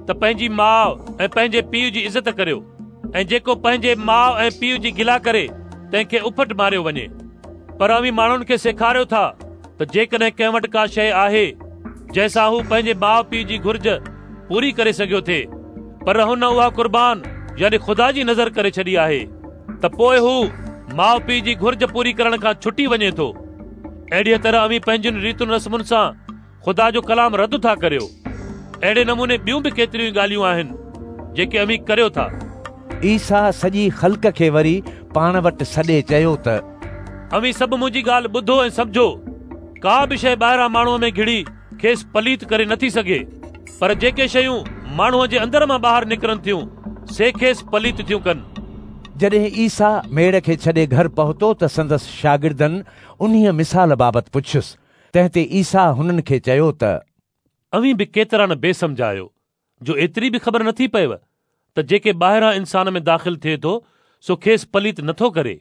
[SPEAKER 9] ته پنهنجي ماء ۽ پنهنجي پيء جي عزت ڪريو ۽ جيڪو پنهنجي ماء ۽ پيء جي گلا ڪري تنهن کي اڦٽ ماريو وڃي. پر اوهين ماڻهن کي سيکاريو ٿا ته جيڪڏهن ڪنهن وٽ ڪا شيء آهي جنهن سان هو پنهنجي ماء پيء جي گهرج پوري ڪري سگهيو ٿي پر هن اها قربان يعني خدا جي نذر ڪري ڇڏي آهي ته پوء هو ماء پيء جي گهرج پوري ڪرڻ کان ڇٽي وڃي ٿو. اهڙيء طرح اوهين پنهنجين ريتن رسمن سان خدا جو ڪلام رد ٿا ڪريو. اهڙي نموني ٻيون به ڪيتريون ئي ڳالهيون آهن جيڪي اوهين ڪريو ٿا.
[SPEAKER 1] عيسيٰ سڄي خلق کي وري پاڻ وٽ سڏي چيو ته.
[SPEAKER 9] اوهين سڀ منهنجي ڳالهه ٻڌو ۽ سمجهو. ڪا به شيء ٻاهران ماڻهوء ۾ گهڙي کيس پليت ڪري نٿي سگهي، پر جيڪي شيون ماڻهوء جي اندر مان ٻاهر نڪرن ٿيون، سي کيس پليت ٿيون ڪن.
[SPEAKER 1] جڏهن عيسيٰ ميڙ کي ڇڏي گهر پهتو ته سندس شاگردن انهيء مثال بابت پڇيس. تنهن تي عيسيٰ هنن کي چيو ته.
[SPEAKER 9] اوهين به ڪيترا نه بي سمجهه آهيو، جو ايتري به خبر نٿي پئيو ته جيڪي ٻاهران انسان ۾ داخل ٿئي ٿو، سو کيس پليت نٿو ڪري،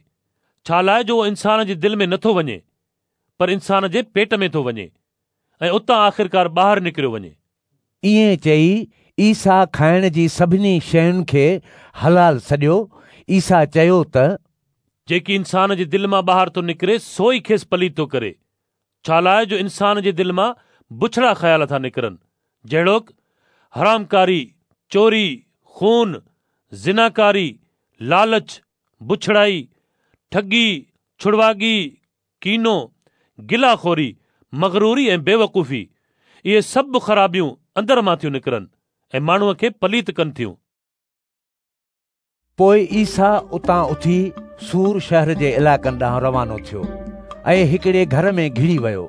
[SPEAKER 9] ڇالاء جو اهو انسان جي دل ۾ نٿو وڃي، پر انسان جي پيٽ ۾ ٿو وڃي ۽ اتان آخرڪار ٻاهر نڪريو وڃي.
[SPEAKER 1] ائين چئي عيسيٰ کائڻ جي سڀني شين کي حلال سڏيو. عيسيٰ چيو ته.
[SPEAKER 9] جيڪي انسان جي دل مان ٻاهر ٿو نڪري سو ئي کيس پليت ٿو ڪري، ڇالاء جو انسان جي دل مان بڇڙا خيال ٿا نڪرن، جهڙوڪ، حرامڪاري، چوري، خون، زناڪاري، لالچ، بڇڙائي، ٺڳي، ڇڙواڳي، ڪينو، گلا خوري، مغروري ۽ بيوقوفي، اهي سڀ خرابيون اندر مان ٿيون نڪرن ۽ ماڻهوء کي پليت ڪن ٿيون.
[SPEAKER 1] پوء عيسيٰ اتان اٿي صور شهر جي علائقن ڏانهن روانو ٿيو ۽ هڪڙي گهر ۾ گهڙي ويو.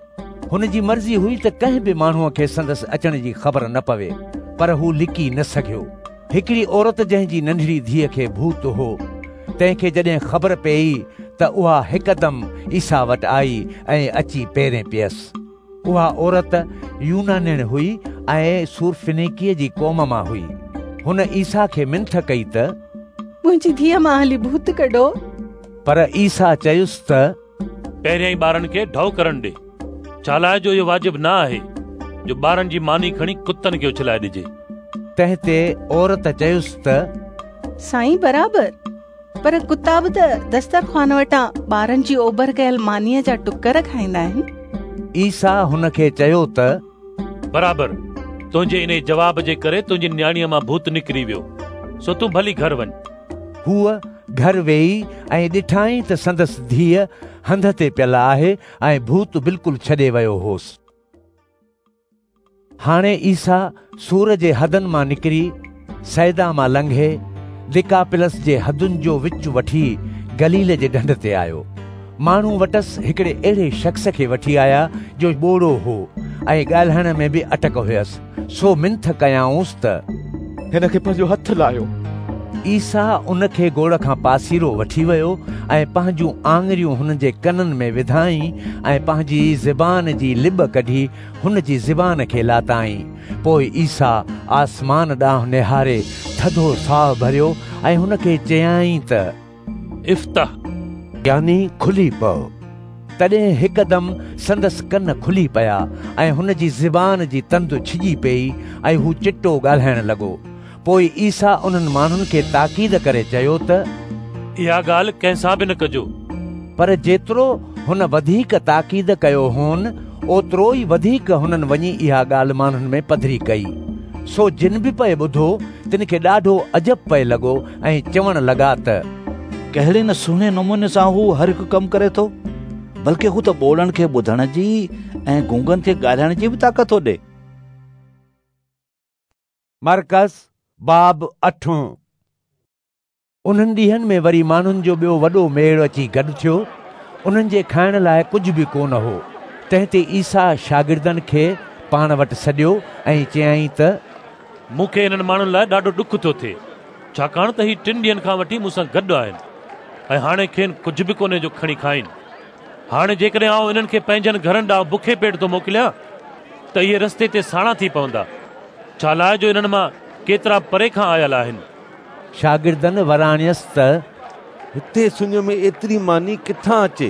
[SPEAKER 1] هن جي مرضي هئي ته ڪنهن به ماڻهوء کي سندس اچڻ جي خبر نه پوي، پر هو لڪي نه سگهيو. هڪڙي عورت جنهن جي ننڍڙي ڌيء کي ڀوت هو، تنهن کي جڏهن خبر پيئي ته اها هڪدم عيسيٰ وٽ آئي ۽ اچي پيرين پيس. اها عورت يونانڻ هئي ۽ سورفينيقي جي قوم مان هئي. هن عيسيٰ کي منٿ ڪئي ته،
[SPEAKER 21] منهنجي ڌيء مان هلي ڀوت ڪڍو.
[SPEAKER 1] پر عيسيٰ چيس ته،
[SPEAKER 9] پهريائين ٻارن کي ڍؤ ڪرڻ ڏي، ڇالاء جو اهو واجب نه آهي جو ٻارن جي ماني کڻي ڪتن کي اڇلائي ڏجي.
[SPEAKER 1] تنهن تي عورت چيس ته،
[SPEAKER 21] سائين برابر، پر ڪتا به ته دسترخوان وٽان ٻارن جي اوبر ڪيل مانيء جا ٽڪر کائيندا آهن.
[SPEAKER 1] عيسيٰ هن کي چيو ته،
[SPEAKER 9] برابر، تنهنجي انهي جواب جي ڪري تنهنجي نياڻيء مان ڀوت نڪري ويو، سو تون ڀلي گهر وڃ.
[SPEAKER 1] هوء گهر ويئي ۽ ڏٺائين ته سندس ڌيء هنڌ تي پيل آهي ۽ ڀوت بلڪل ڇڏي ويو هوس. هاڻي عيسيٰ صور جي حدن مان نڪري صيدا مان لنگهي ديڪاپلس جي حدن جو وچ وٺي گليل جي ڍنڍ تي آيو. ماڻهو وٽس هڪڙي اهڙي شخص کي وٺي آيا جو ٻوڙو هو ۽ ڳالهائڻ ۾ به اٽڪ هيس، سو منٿ ڪيائونس ته
[SPEAKER 17] هن کي پنهنجو هٿ لاهيو.
[SPEAKER 1] عيسيٰ ان کي گوڙ کان پاسيرو وٺي ويو ۽ پنهنجون آڱريون هن جي ڪنن ۾ وڌائين ۽ پنهنجي زبان جي لٻ ڪڍي هن جي زبان کي لاتائين. پوء عيسيٰ آسمان ڏانهن نهاري ٿڌو ساهه ڀريو ۽ هن کي چيائين ته
[SPEAKER 9] افتح،
[SPEAKER 1] يعني کلي پئو. تڏهن هڪدم سندس ڪن کلي پيا ۽ هن جي زبان جي تند ڇڄي پيئي ۽ هو چٽو ڳالهائڻ لڳو. پوء عيسيٰ انهن ماڻهن کي تاڪيد ڪري چيو ته
[SPEAKER 9] اها ڳالهه ڪنهن سان به نه ڪجو.
[SPEAKER 1] پر جيترو هن وڌيڪ تاڪيد ڪيو هون، اوترو ئي وڌيڪ هنن وڃي اها ڳالهه ماڻهن ۾ پڌري ڪئي. سو جن به پئي ٻڌو، تن کي ڏاڍو عجب پئي لڳو ۽ چوڻ لڳا ته
[SPEAKER 10] ڪهڙي نه سهڻي نموني سان هو هر هڪ ڪم ڪري ٿو، بلڪه هو ته ٻوڙن کي ٻڌڻ جي ۽ گونگن کي ڳالهائڻ جي به طاقت ٿو ڏئي.
[SPEAKER 1] مرقس باب اٺون. انهن ڏينهن ۾ وري ماڻهن جو ٻيو وڏو ميڙ اچي گڏ ٿيو. انهن جي کائڻ لاء ڪجهه به ڪونه هو. تنهن تي عيسيٰ شاگردن کي پاڻ وٽ سڏيو ۽ چيائين ته
[SPEAKER 9] مون کي انهن ماڻهن لاء ڏاڍو ڏک ٿو ٿئي، ڇاڪاڻ ته هي ٽن ڏينهن کان وٺي مون سان گڏ آهن ۽ هاڻي کين ڪجهه به ڪونهي جو کڻي کائين. هاڻي جيڪڏهن آئون انهن کي پنهنجن گهرن ڏانهن بکي پيٽ ٿو موڪليان ته اهي رستي تي ساڻا ٿي پوندا، ڇالاء جو انهن مان ڪيترا پري کان آيل آهن.
[SPEAKER 1] شاگردن وراڻيس ته
[SPEAKER 7] هتي سڃ ۾ ايتري ماني ڪٿان اچي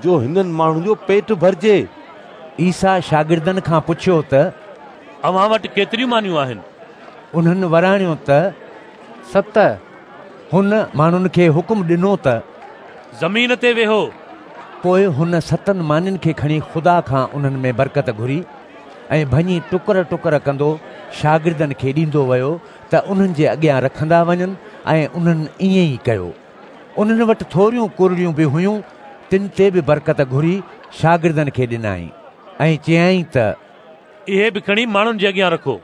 [SPEAKER 7] جو هنن ماڻهن جو پيٽ ڀرجي؟
[SPEAKER 1] عيسيٰ شاگردن کان پڇيو ته
[SPEAKER 9] اوهان وٽ ڪيتريون مانيون آهن؟
[SPEAKER 1] انهن وراڻيو ته
[SPEAKER 19] 7.
[SPEAKER 1] هن ماڻهن کي حڪم ڏنو ته
[SPEAKER 9] زمين تي ويهو.
[SPEAKER 1] پوء هن 7 مانين کي کڻي خدا کان انهن ۾ برڪت گهري ۽ ڀڃي ٽڪر ٽڪر ڪندو شاگردن کي ڏيندو ويو ته انهن جي اڳيان رکندا وڃن ۽ انهن ائين ئي ڪيو. انهن وٽ ٿوريون ڪرڙيون به هيون، تن تي به برڪت گهري شاگردن کي ڏنائين ۽ چيائين ته
[SPEAKER 9] اهي به کڻي ماڻهن جي اڳيان رکو.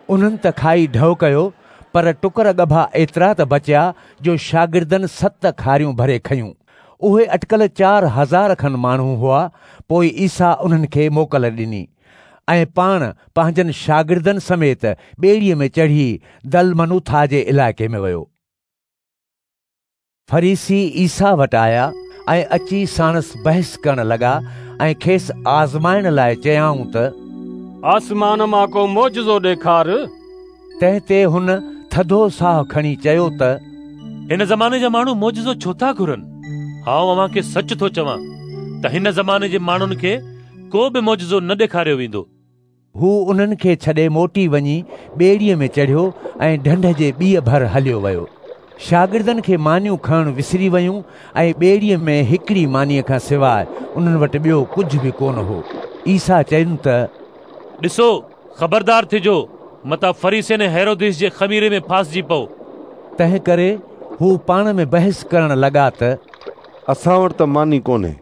[SPEAKER 1] انهن ته کائي ڍؤ ڪيو، پر ٽڪر ڳڀا ايترا ته بچيا جو شاگردن 7 کاريون ڀري کنيون. اهي اٽڪل 4000 کن ماڻهو هئا. پوء عيسيٰ انهن کي موڪل ڏني ۽ پاڻ پنهنجن شاگردن سميت ٻيڙيء ۾ چڙهي دلمنوٿا جي علائقي ۾ ويو. فريسي عيسيٰ وٽ آيا ۽ اچي ساڻس بحث ڪرڻ لڳا ۽ کيس آزمائڻ لاء چيائون ته
[SPEAKER 5] آسمان مان ڪو معجزو ڏيکار.
[SPEAKER 1] تنهن تي هن ٿڌو ساهه کڻي چيو ته
[SPEAKER 9] هن زماني جا ماڻهو معجزو ڇو ٿا گهرن؟ آئون اوهان کي سچ ٿو چوان ته هن زماني جي ماڻهن کي ڪو به معجزو نه ڏيکاريو ويندو.
[SPEAKER 1] هو انهن کي ڇڏي موٽي وڃي ٻيڙيء ۾ چڙهيو ۽ ڍنڍ جي ٻيء ڀر هليو ويو. شاگردن کي مانيون کڻڻ وسري ويون ۽ ٻيڙيء ۾ هڪڙي مانيء کان سواء انهن وٽ ٻيو ڪجهه به ڪونه هو. عيسيٰ چين ته
[SPEAKER 9] ڏسو، خبردار ٿجو، متان فريسين ۽ هيروديس جي خميري ۾ ڦاسجي پئو.
[SPEAKER 1] تنهنڪري هو پاڻ ۾ بحث ڪرڻ لڳا ته
[SPEAKER 7] اسان وٽ ته ماني ڪونهي.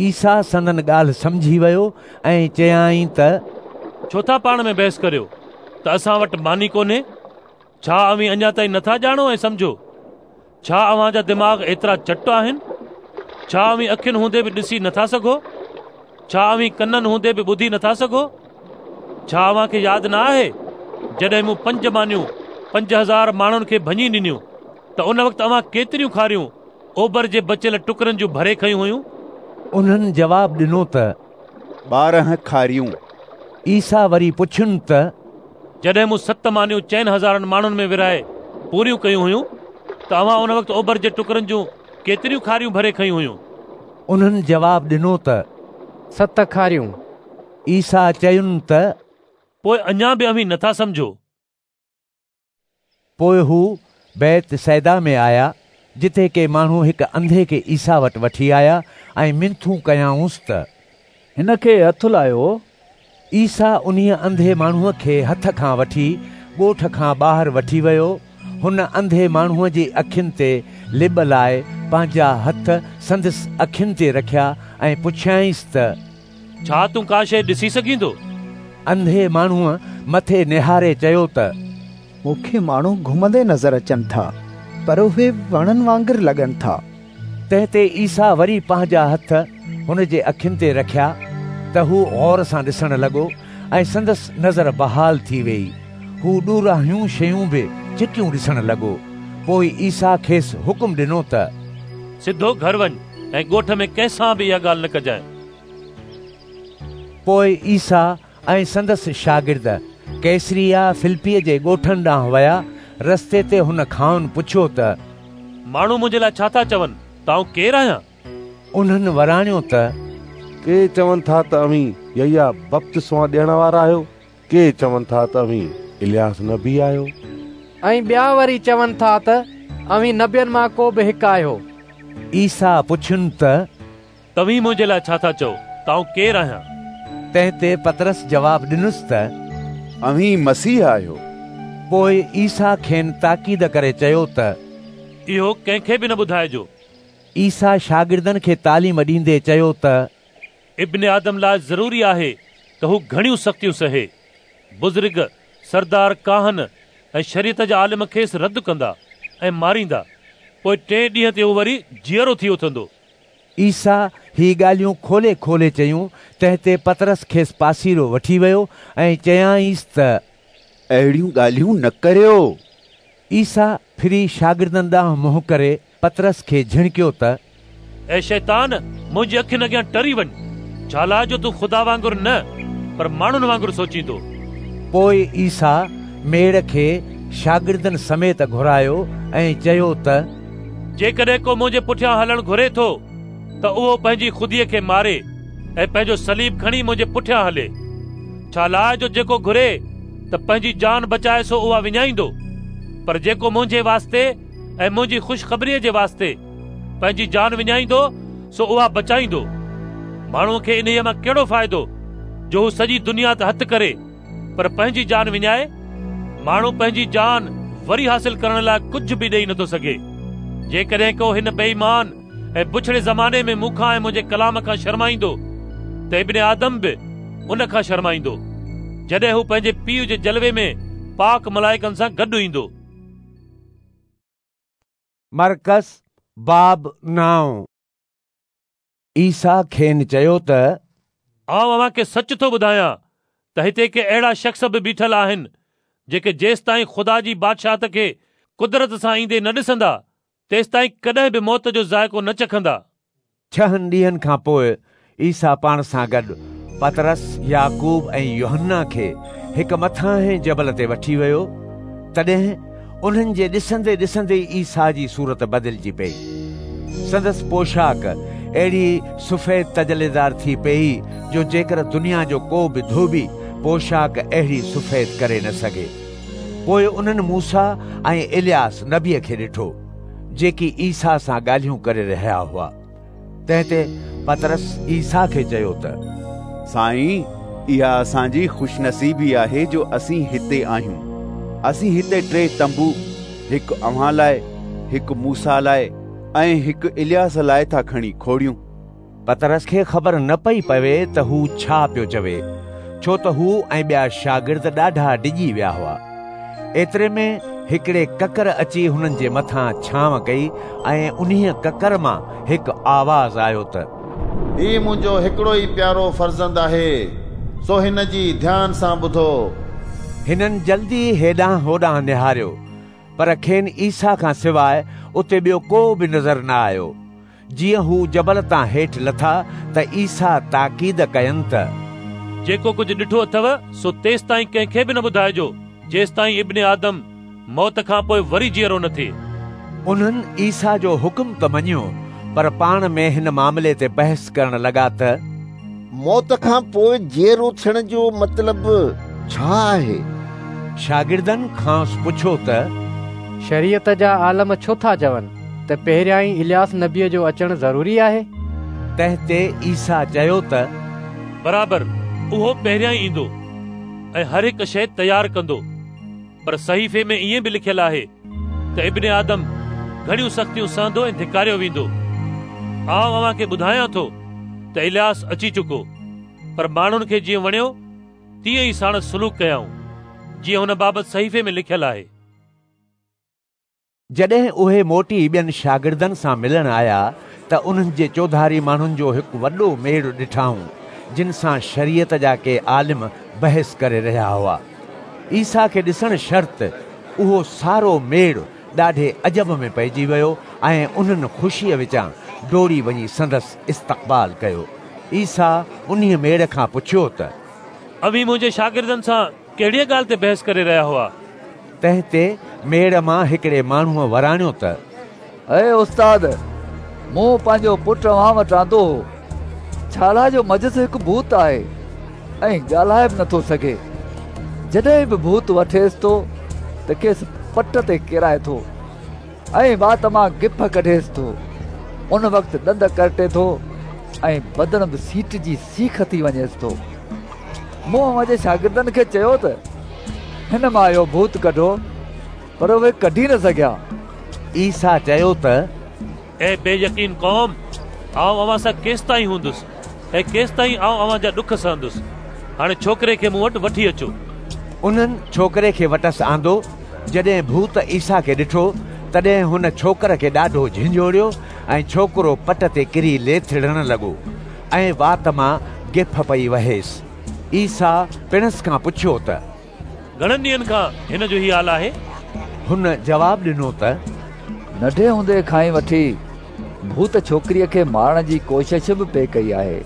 [SPEAKER 1] عيسيٰ سندن ڳالهه سمجهي ويو ۽ چيائين ته
[SPEAKER 9] ڇو ٿا پاڻ ۾ بحث ڪريو ته اسان وٽ ماني ڪونهي؟ ڇا اوهين اڃا تائين نٿا ڄاڻو ۽ سمجهو؟ ڇا اوهان جا دماغ ايترا چٽ آهن؟ ڇا اوهين اکين هوندي به ڏسي نٿا سگهو؟ ڇا اوهين ڪنن هوندي به ٻڌي نٿا سگهو؟ ڇا اوهان کي ياد نه آهي جڏهن مون 5 مانيون 5000 ماڻهن کي ڀڃي ڏنيون ته ان وقت اوهان ڪيتريون کاريون اوبر جي بچيل ٽڪرن جون ڀري کنيون هيون؟
[SPEAKER 1] انهن جواب ڏنو ته
[SPEAKER 8] 12 کاريون.
[SPEAKER 1] عيسيٰ وري پڇين ته
[SPEAKER 9] جڏهن مون 7 مانيون 4000 ماڻهن ۾ ورهائي پوريون ڪيون هيون ته اوهان ان وقت اوبر جي ٽڪرن جون ڪيتريون کاريون ڀري کنيون هيون؟
[SPEAKER 1] انهن جواب ڏنو ته
[SPEAKER 19] 7 کاريون.
[SPEAKER 1] عيسيٰ چين ته
[SPEAKER 9] پوء اڃا به اوهين نٿا سمجهو؟
[SPEAKER 1] پوء هو بيت صيدا ۾ آيا، جتي ڪي ماڻهو هڪ انڌي کي عيسيٰ وٽ وٺي آيا ۽ منٿون ڪيائونس ته
[SPEAKER 13] هن کي هٿ لاهيو.
[SPEAKER 1] عيسيٰ انهيء انڌي ماڻهوء کي هٿ کان وٺي ڳوٺ کان ٻاهر وٺي ويو. هن انڌي ماڻهوء جي اکين تي لٻ لائي پنهنجا هٿ سندس اکين تي رکيا ۽ پڇيائينس ته
[SPEAKER 9] ڇا تون ڪا شيء ڏسي سگهين ٿو؟
[SPEAKER 1] انڌي ماڻهوء مٿي نهاري چيو ته
[SPEAKER 14] مون کي ماڻهو گهمندي نظر اچن ٿا، پر اهي وڻن وانگر لڳن ٿا.
[SPEAKER 1] تنهن تي عيسيٰ وري پنهنجا هٿ هن جي اکين تي رکيا ته هو غور سان ڏسڻ لڳو ۽ سندس نظر بحال ٿي ويئي. هو ڏورانهيون شيون به چٽيون ڏسڻ لڳو. پوء عيسيٰ کيس حڪم ڏنو ته
[SPEAKER 9] سڌو گهر وڃ ۽ ڳوٺ ۾ ڪنهن سان به اها ڳالهه نه ڪجانء.
[SPEAKER 1] پوء عيسيٰ ۽ سندس شاگرد قيصريه فلپيء جي ڳوٺن ڏانهن ويا. رستي تي هن کانئن پڇيو ته
[SPEAKER 9] ماڻهو منهنجي لاء ڇا ٿا چون ته آئون ڪير آهيان؟
[SPEAKER 1] انهن وراڻيو ته
[SPEAKER 7] ڪي چون ٿا ته اوهين يحيٰ بپتسما ڏيڻ وارا آهيو، ڪي چون ٿا ته اوهين الياس نبي آهيو.
[SPEAKER 19] ۽ ٻيا وري چون ٿا ته اوهين نبين مان ڪو به هڪ آهيو.
[SPEAKER 1] عيسيٰ پڇين ته
[SPEAKER 9] توهين منهنجي لاء ڇا ٿا چئو ته آئون ڪير آهيان؟
[SPEAKER 1] تنهن تي پطرس جواب ڏنس ته
[SPEAKER 8] اوهين مسيح آهيو.
[SPEAKER 1] پوء عيسيٰ کين تاڪيد ڪري چيو ته
[SPEAKER 9] اهو ڪنهن کي به نه ٻڌائجو.
[SPEAKER 1] عيسيٰ شاگردن کي تعليم ڏيندي چيو ته
[SPEAKER 9] ابن آدم لاء ضروري آهي ته هو گهڻيون سختيون سهي. بزرگ، سردار ڪاهن ۽ شريعت جا عالم کيس رد ڪندا ۽ ماريندا. پوء ٽئين ڏينهن تي هو وري جيئرو ٿي اٿندو.
[SPEAKER 1] عيسيٰ هي ڳالهيون کولي کولي چيون، تنهن تي پطرس کيس پاسيرو وٺي ويو ۽ چيائينس ته.
[SPEAKER 8] اهڙيون ڳالهيون نه ڪريو.
[SPEAKER 1] عيسيٰ ڦري شاگردن ڏانهن منهن ڪري پطرس کي جهڻڪيو ته.
[SPEAKER 9] اي شيطان، منهنجي اکين اڳيان ٽري وڃ، ڇالاء جو تون خدا وانگر نه، پر ماڻهن وانگر سوچين ٿو.
[SPEAKER 1] پوء عيسيٰ ميڙ کي شاگردن سميت گهرايو ۽ چيو ته.
[SPEAKER 9] جيڪڏهن ڪو منهنجي پٺيان هلڻ گهري ٿو ته اهو پنهنجي خوديء کي ماري ۽ پنهنجو صليب کڻي منهنجي پٺيان هلي. ڇالاء جو جيڪو گهري ته پنهنجي جان بچائي سو اها وڃائيندو، پر جيڪو منهنجي واسطي ۽ منهنجي خوشخبريء جي واسطي پنهنجي جان وڃائيندو سو اها بچائيندو. ماڻهوء کي انهيء مان ڪهڙو فائدو جو هو سڄي دنيا ته هٿ ڪري پر پنهنجي جان وڃائي؟ ماڻهو پنهنجي جان وري حاصل ڪرڻ لاء ڪجهه به ڏئي نٿو سگهي. جيڪڏهن ڪو هن بي ايمان ۽ بڇڙي زماني ۾ مون کان ۽ منهنجي ڪلام کان شرمائيندو ته ابن آدم به ان کان شرمائيندو، جڏهن هو پنهنجي پيء جي جلوي ۾ پاڪ ملائڪن سان گڏ ايندو.
[SPEAKER 1] مرقس باب نائون. عيسيٰ کين چيو ته.
[SPEAKER 9] آئون اوهان کي سچ ٿو ٻڌايان ته هتي ڪي اهڙا شخص به بيٺل آهن، جيڪي جيستائين خدا جي بادشاهت کي قدرت سان ايندي نه ڏسندا، تيستائين ڪڏهن به موت جو ذائقو نه چکندا.
[SPEAKER 1] ڇهن ڏينهن کان پوء عيسيٰ پاڻ سان گڏ پطرس، يعقوب ۽ يوحنا کي هڪ مٿاهين جبل تي وٺي ويو. تڏهن انهن جي ڏسندي ڏسندي عيسيٰ جي صورت بدلجي پيئي. سندس پوشاڪ اهڙي سفيد تجليدار ٿي پيئي جو جيڪر دنيا جو ڪو به ڌوٻي پوشاڪ اهڙي سفيد ڪري نه سگهي. پوء انهن موسيٰ ۽ الياس نبيء کي ڏٺو، جيڪي عيسيٰ سان ڳالهيون ڪري رهيا هئا. تنهن تي پطرس عيسيٰ کي چيو ته،
[SPEAKER 8] سائين، اها اسان جي خوشنصيبي آهي جو اسين هتي آهيون. اسين هتي ٽي تنبو، هڪ اوهان لاء، هڪ موسيٰ لاء ۽ هڪ الياس لاء ٿا کڻي کوڙيون.
[SPEAKER 1] پطرس کي خبر نه پئي پوي ته هو ڇا پيو چوي، ڇو ته هو ۽ ٻيا شاگرد ڏاڍا ڊڄي ويا هئا. ايتري ۾ هڪڙي ڪڪر اچي هنن جي مٿان ڇانو ڪئي ۽ انهيء ڪڪر مان هڪ آواز آيو ته.
[SPEAKER 4] هي منهنجو هڪڙو ئي پيارو فرزند آهي، سو هن جي ڌيان سان ٻڌو.
[SPEAKER 1] هنن جلدي هيڏانهن هوڏانهن نهاريو، پر کين عيسيٰ کان سواء اتي ٻيو ڪو به نظر نه آيو. جيئن هو جبل تان هيٺ لٿا ته عيسيٰ تاڪيد ڪين ته.
[SPEAKER 9] جيڪو ڪجهه ڏٺو اٿو سو تيستائين ڪنهن کي به نه ٻڌائجو، جيستائين ابن آدم موت کان پوء وري جيئرو نه ٿئي.
[SPEAKER 1] انهن عيسيٰ جو حڪم ته مڃيو، پر پاڻ ۾ هن معاملي تي بحث ڪرڻ لڳا ته.
[SPEAKER 11] موت کان پوء جيئرو ٿيڻ جو مطلب ڇا آهي؟
[SPEAKER 1] شاگردن کانئس پڇيو ته.
[SPEAKER 19] شريعت جا عالم ڇو ٿا چون ته پهريائين الياس نبيء جو اچڻ ضروري آهي؟
[SPEAKER 1] تنهن تي عيسيٰ چيو ته،
[SPEAKER 9] برابر اهو پهريائين ايندو ۽ هر هڪ شيء تيار ڪندو. پر صحيفي ۾ ائين به لکيل آهي ته ابن آدم گهڻيون سختيون سهندو ۽ ڌڪاريو ويندو. آئون اوهان کي ٻڌايان ٿو ته الياس اچي چڪو، پر ماڻهن کي جيئن وڻيو تيئن ئي ساڻس سلوڪ ڪيائون، جيئن هن بابت صحيفي ۾ لکيل آهي.
[SPEAKER 1] جڏهن اهي موٽي ٻين شاگردن سان ملڻ آيا ته انهن جي چوڌاري ماڻهن جو هڪ وڏو ميڙ ڏٺائون، جن سان شريعت جا ڪي عالم بحث ڪري رهيا هئا. عيسيٰ کي ڏسڻ شرط اهو سارو ميڙ ڏاڍي عجب ۾ پئجي ويو ۽ انهن خوشيء وچان ڊوڙي وڃي سندس استقبال ڪيو. عيسيٰ انهيء ميڙ کان پڇيو ته.
[SPEAKER 9] اوهين منهنجي شاگردن سان ڪهڙيء ڳالهه تي بحث ڪري رهيا هئا؟
[SPEAKER 1] تنهن تي ميڙ مان هڪڙي ماڻهوء وراڻيو ته.
[SPEAKER 13] اي استاد، مون پنهنجو پٽ اوهان وٽ آندو هو، ڇالاء جو منجهس هڪ ڀوت آهي ۽ ڳالهائي به نٿو سگهي. جڏهن به ڀوت وٺيس ٿو ته کيس پٽ تي ڪيرائي ٿو ۽ وات مان گڦ ڪڍيس ٿو. ان وقت ڏند ڪرٽي ٿو ۽ بدن به سيٽجي سيخ ٿي وڃيس ٿو. مون اوهان جي شاگردن کي چيو ته هن مان اهو ڀوت ڪڍو، پر اهي ڪڍي نه سگهيا.
[SPEAKER 1] عيسيٰ چيو ته.
[SPEAKER 9] اي بي يقين قوم، آئون اوهان سان ڪيستائين هوندس ۽ ڪيستائين آئون اوهان جا ڏک سهندس؟ هاڻي ڇوڪري کي مون وٽ وٺي اچو.
[SPEAKER 1] انهن ڇوڪري کي وٽس آندو. جڏهن ڀوت عيسيٰ کي ڏٺو، تڏهن هن ڇوڪر کي ڏاڍو جهنجهوڙيو ۽ ڇوڪرو پٽ تي ڪري ليٿڙڻ لڳو. ۽ وات مان گڦ پئي وهيس. عيسيٰ پڻس کان پڇيو ته.
[SPEAKER 9] گهڻن ڏينهن کان هن جو هي حال آهي؟
[SPEAKER 1] هن جواب ڏنو ته.
[SPEAKER 13] ننڍي هوندي کان ئي وٺي ڀوت ڇوڪري کي مارڻ جي ڪوشش به پئي ڪئي آهي،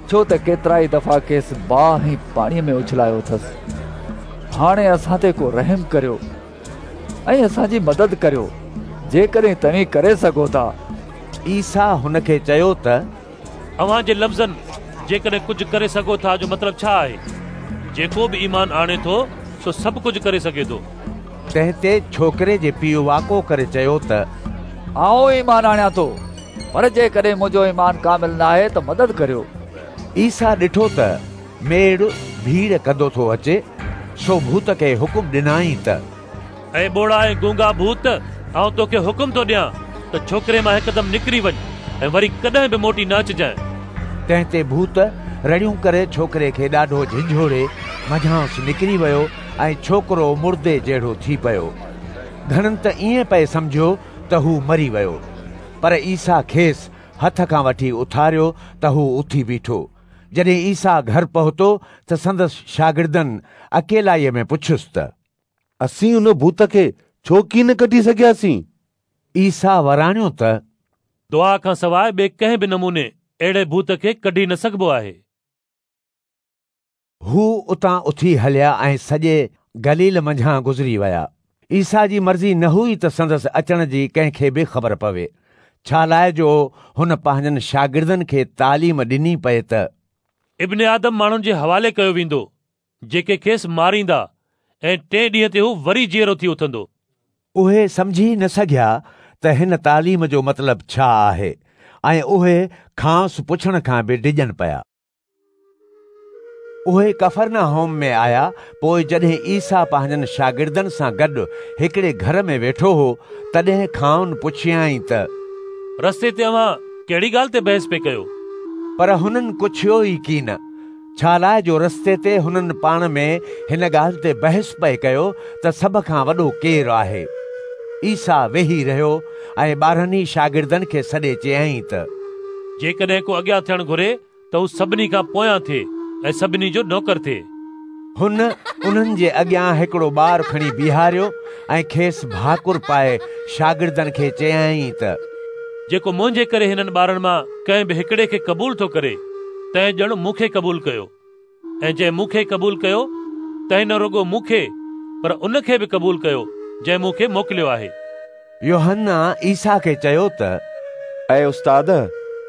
[SPEAKER 13] ڇو ته ڪيترائي دفعا کيس باهه ۽ پاڻيء ۾ اڇلايو اٿس. هاڻي اسان تي ڪو رحم ڪريو ۽ اسان جي مدد ڪريو، جيڪڏهن توهين ڪري سگهو ٿا.
[SPEAKER 1] عيسيٰ هن کي چيو ته.
[SPEAKER 9] اوهان جي لفظن جيڪڏهن ڪجهه ڪري سگهو ٿا جو مطلب ڇا آهي؟ جيڪو به ايمان آڻي ٿو سو سڀ ڪجهه ڪري سگهي ٿو.
[SPEAKER 1] تنهن تي ڇوڪري جي پيء واڪو ڪري چيو ته.
[SPEAKER 13] آئون ايمان آڻيان ٿو، پر جيڪڏهن منهنجو ايمان ڪامل ناهي ته مدد ڪريو.
[SPEAKER 1] عيسيٰ ڏٺو ته ميڙ ڀيڙ ڪندو ٿو اچي، سو ڀوت کي حڪم ڏنائين ته.
[SPEAKER 9] اي ٻوڙا ۽ گونگا ڀوت، آئون توکي حڪم ٿو ڏيان ته ڇوڪري مان هڪدم نڪري وڃ ۽ وري ڪڏهن به موٽي نه اچجانء.
[SPEAKER 1] تنهن تي ڀوت رڙيون ڪري ڇوڪري کي ڏاڍو جهنجهوڙي منجهانئس نڪري ويو ۽ ڇوڪرو مردي جهڙو ٿي پيو. گهڻن ته ائين پئي سمجهيو ته هو مري ويو. پر عيسيٰ کيس هٿ کان وٺي اٿاريو ته هو اٿي بيٺو. جڏهن عيسيٰ گهر پهتو ته سندس شاگردن اڪيلائيء ۾ پڇيس ته.
[SPEAKER 7] اسين ان ڀوت کي ڇو ڪين ڪڍي سگهياسين؟
[SPEAKER 1] عيسيٰ وراڻيو ته.
[SPEAKER 9] دعا کان سواء ٻئي ڪنهن به نموني اهڙي ڀوت کي ڪڍي نه سگهبو آهي.
[SPEAKER 1] هو اتان اٿي هليا ۽ سڄي گليل منجهان گذري ويا. عيسيٰ جي مرضي نه هئي ته سندس اچڻ جي ڪنهن کي به خبر پوي، ڇالاء جو هن پنهنجن شاگردن کي تعليم ڏني پئي ته.
[SPEAKER 9] ابن آدم ماڻهن جي حوالي ڪيو ويندو، جيڪي کيس ماريندا ۽ ٽئين ڏينهن تي هو وري جيئرو ٿي اٿندو.
[SPEAKER 1] اهي سمجهي نه سگهيا ته هن تعليم جو مطلب ڇا آهي ۽ اهي کانئس پڇڻ کان به ڊڄن پيا. اهي ڪفرناحوم ۾ آيا، پوء جڏهن عيسيٰ پنهنجن شاگردن سان گڏ هڪڙي گهر ۾ ويٺو هو، تڏهن کانئن پڇيائين ته.
[SPEAKER 9] رستي تي اوهان ڪهڙي ڳالهه تي بحث پئي ڪيو؟
[SPEAKER 1] پر هنن ڪڇيو ئي ڪين، ڇالاء جو رستي تي هنن پاڻ ۾ هن ڳالهه تي بحث پئي ڪيو ته سڀ کان وڏو ڪير آهي. عيسيٰ ويهي رهيو ۽ 12 ئي شاگردن کي سڏي چيائين ته.
[SPEAKER 9] جيڪڏهن ڪو اڳيان ٿيڻ گهري ته هو سڀني کان پويان ٿئي ۽ سڀني جو نوڪر ٿئي.
[SPEAKER 1] هن انهن جي اڳيان هڪڙو ٻار کڻي بيهاريو ۽ کيس ڀاڪر پائي شاگردن کي چيائين ته.
[SPEAKER 9] جيڪو منهنجي ڪري هنن ٻارن مان ڪنهن به هڪڙي کي قبول ٿو ڪري، تنهن ڄڻ مون کي قبول ڪيو، ۽ جنهن مون کي قبول ڪيو، تنهن نه رڳو مون کي پر ان کي به قبول ڪيو، جنهن مون کي موڪليو آهي.
[SPEAKER 1] يوحنا عيسيٰ کي چيو ته.
[SPEAKER 17] اي استاد،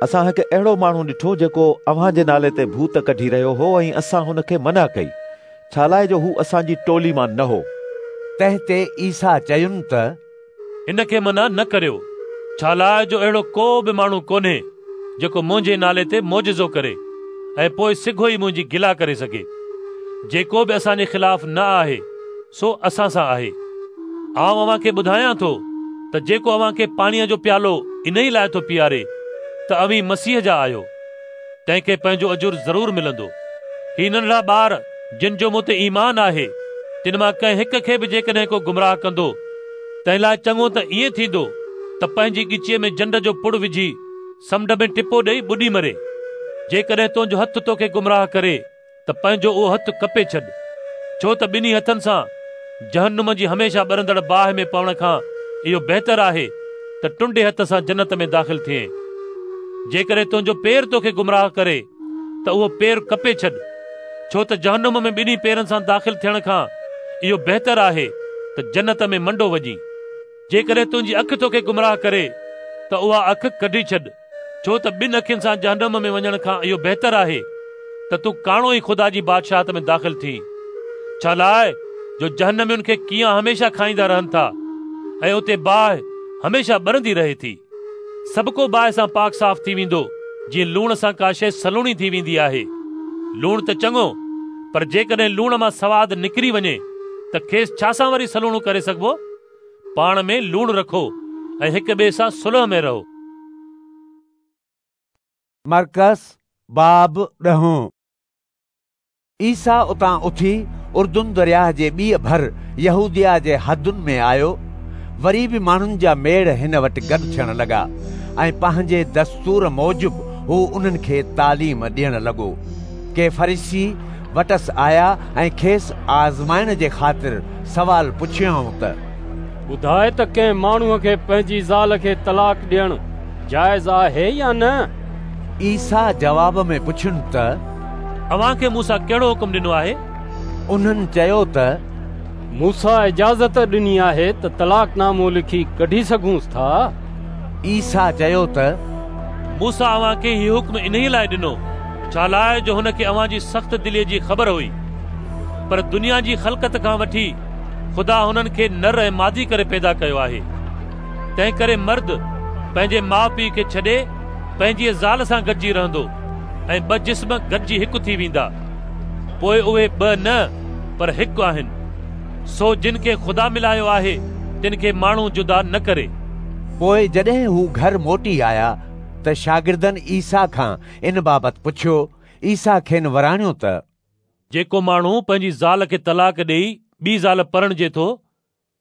[SPEAKER 17] اسان هڪ اهڙو ماڻهو ڏٺو جيڪو اوهان جي نالي تي ڀوت ڪڍي رهيو هو ۽ اسان هن کي منع ڪئي، ڇالاء جو هو اسان جي ٽولي مان نه هو.
[SPEAKER 1] تنهن تي عيسيٰ چين ته.
[SPEAKER 9] هن کي منع نه ڪريو، ڇالاء جو اهڙو ڪو به ماڻهو ڪونهي جيڪو منهنجي نالي تي معجزو ڪري ۽ پوء سگهو ئي منهنجي گلا ڪري سگهي. جيڪو به اسان جي خلاف نه آهي، سو اسان سان آهي. آئون اوهان کي ٻڌايان ٿو ته جيڪو اوهان کي پاڻيء جو پيالو انهيء لاء ٿو پياري ته اوهين مسيح جا آهيو، تنهن کي پنهنجو اجر ضرور ملندو. هي ننڍڙا ٻار جن جو مون تي ايمان آهي، تن مان ڪنهن هڪ کي به جيڪڏهن ڪو گمراهه ڪندو، تنهن لاء چڱو ته ائين ٿيندو ته پنهنجي ڳچيء ۾ جنڊ جو پڙ وجهي سمنڊ ۾ ٽپو ڏيئي ٻڏي مري. جيڪڏهن تنهنجو هٿ توکي گمراهه ڪري ته پنهنجو اهو هٿ ڪپي ڇڏ، ڇو ته ٻنهي هٿن سان جهنم جي هميشه ٻرندڙ باهه ۾ پوڻ کان اهو بهتر آهي ته ٽنڊي هٿ سان جنت ۾ داخل ٿئين. جيڪڏهن تنهنجو پير توکي گمراهه ڪري ته اهو پير ڪپي ڇڏ، ڇو ته جهنم ۾ ٻنهي پيرن سان داخل ٿيڻ کان اهو بهتر آهي ته جنت ۾ منڊو وڃين. جيڪڏهن تنهنجي اک توکي گمراهه ڪري ته اها اک ڪڍي ڇڏ، ڇو ته ٻن اکين سان جهنم ۾ وڃڻ کان اهو بهتر آهي ته تون ڪاڻو ئي خدا جي بادشاهت ۾ داخل ٿين. ڇالاء جو جهنمين کي ڪيئان هميشه کائيندا رهن ٿا ۽ اتي باهه هميشه ٻرندي رهي ٿي. سڀڪو باهه سان پاڪ صاف ٿي ويندو، جيئن لوڻ سان ڪا شيء سلوڻي ٿي ويندي آهي. لوڻ ته چڱو، پر جيڪڏهن لوڻ مان سواد نڪري وڃي ته کيس ڇا سان وري سلوڻو ڪري سگهبو؟ پاڻ ۾ لوڻ رکو ۽ هڪ ٻئي سان صلح ۾ رهو.
[SPEAKER 1] مرقس باب ڏهون. عيسيٰ اتان اٿي اردن درياهه جي ٻيء ڀر يهوديه جي حدن ۾ آيو. وري به ماڻهن جا ميڙ هن وٽ گڏ ٿيڻ لڳا ۽ پنهنجي دستور موجب هو انهن کي تعليم ڏيڻ لڳو. ڪي فريسي وٽس آيا ۽ کيس آزمائڻ جي خاطر سوال پڇيائون ته.
[SPEAKER 5] ٻڌاء ته ڪنهن ماڻهوء کي پنهنجي زال کي طلاق ڏيڻ جائز آهي يا نه؟
[SPEAKER 1] عيسيٰ جواب ۾ پڇين ته.
[SPEAKER 9] اوهان کي موسيٰ ڪهڙو حڪم ڏنو آهي؟
[SPEAKER 1] انهن چيو ته
[SPEAKER 5] موسيٰ اجازت ڏني آهي ته طلاق نامو لکي ڪڍي سگهونس ٿا.
[SPEAKER 1] عيسيٰ چيو ته
[SPEAKER 9] موسيٰ اوهان کي هي حڪم انهيء لاء ڏنو، ڇالاء جو هن کي اوهان جي سخت دليء جي خبر هئي. پر دنيا جي خلقت کان وٺي خدا هنن کي نر ۽ مادي ڪري پيدا ڪيو آهي. تنهنڪري مرد پنهنجي ماء پيء کي ڇڏي پنهنجيء زال سان گڏجي رهندو ۽ ٻه جسم گڏجي هڪ ٿي ويندا. پوء اهي ٻه نه پر هڪ آهن. سو جن کي خدا ملايو آهي، تن کي ماڻهو جدا نه ڪري.
[SPEAKER 1] پوء جڏهن هو گهر موٽي آيا ته شاگردن عيسيٰ کان ان بابت پڇيو. عيسيٰ کين وراڻيو ته.
[SPEAKER 9] جيڪو ماڻهو پنهنجي زال کي طلاق ڏيئي ٻي زال پرڻجي ٿو،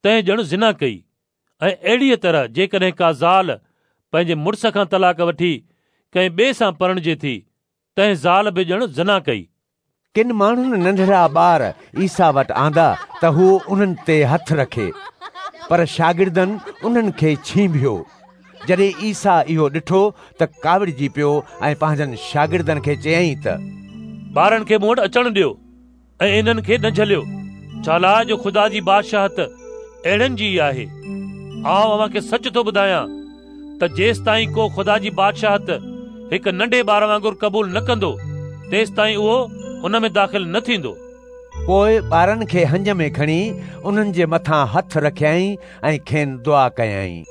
[SPEAKER 9] تنهن ڄڻ زنا ڪئي ۽ اهڙيء طرح جيڪڏهن ڪا زال پنهنجي مڙس کان طلاق وٺي ڪنهن ٻئي سان پرڻجي ٿي، تنهن زال به ڄڻ زنا ڪئي.
[SPEAKER 1] ڪن ماڻهن ننڍڙا ٻار عيسيٰ وٽ آندا ته هو انهن تي هٿ رکي، پر شاگردن انهن کي ڇينڀيو. جڏهن عيسيٰ اهو ڏٺو ته ڪاوڙجي پيو ۽ پنهنجن شاگردن کي چيائين ته.
[SPEAKER 9] ٻارن کي مون وٽ اچڻ ڏيو ۽ انهن کي نه جهليو، ڇالاء جو خدا جي بادشاهت اهڙن جي ئي آهي. آئون اوهان کي سچ ٿو ٻڌايان ته جيستائين ڪو خدا جي بادشاهت هڪ ننڍي ٻار وانگر قبول نه ڪندو، تيستائين اهو ان ۾ داخل نه ٿيندو.
[SPEAKER 1] پوء ٻارن کي هنج ۾ کڻي انهن جي مٿان هٿ رکيائين ۽ کين دعا ڪيائين.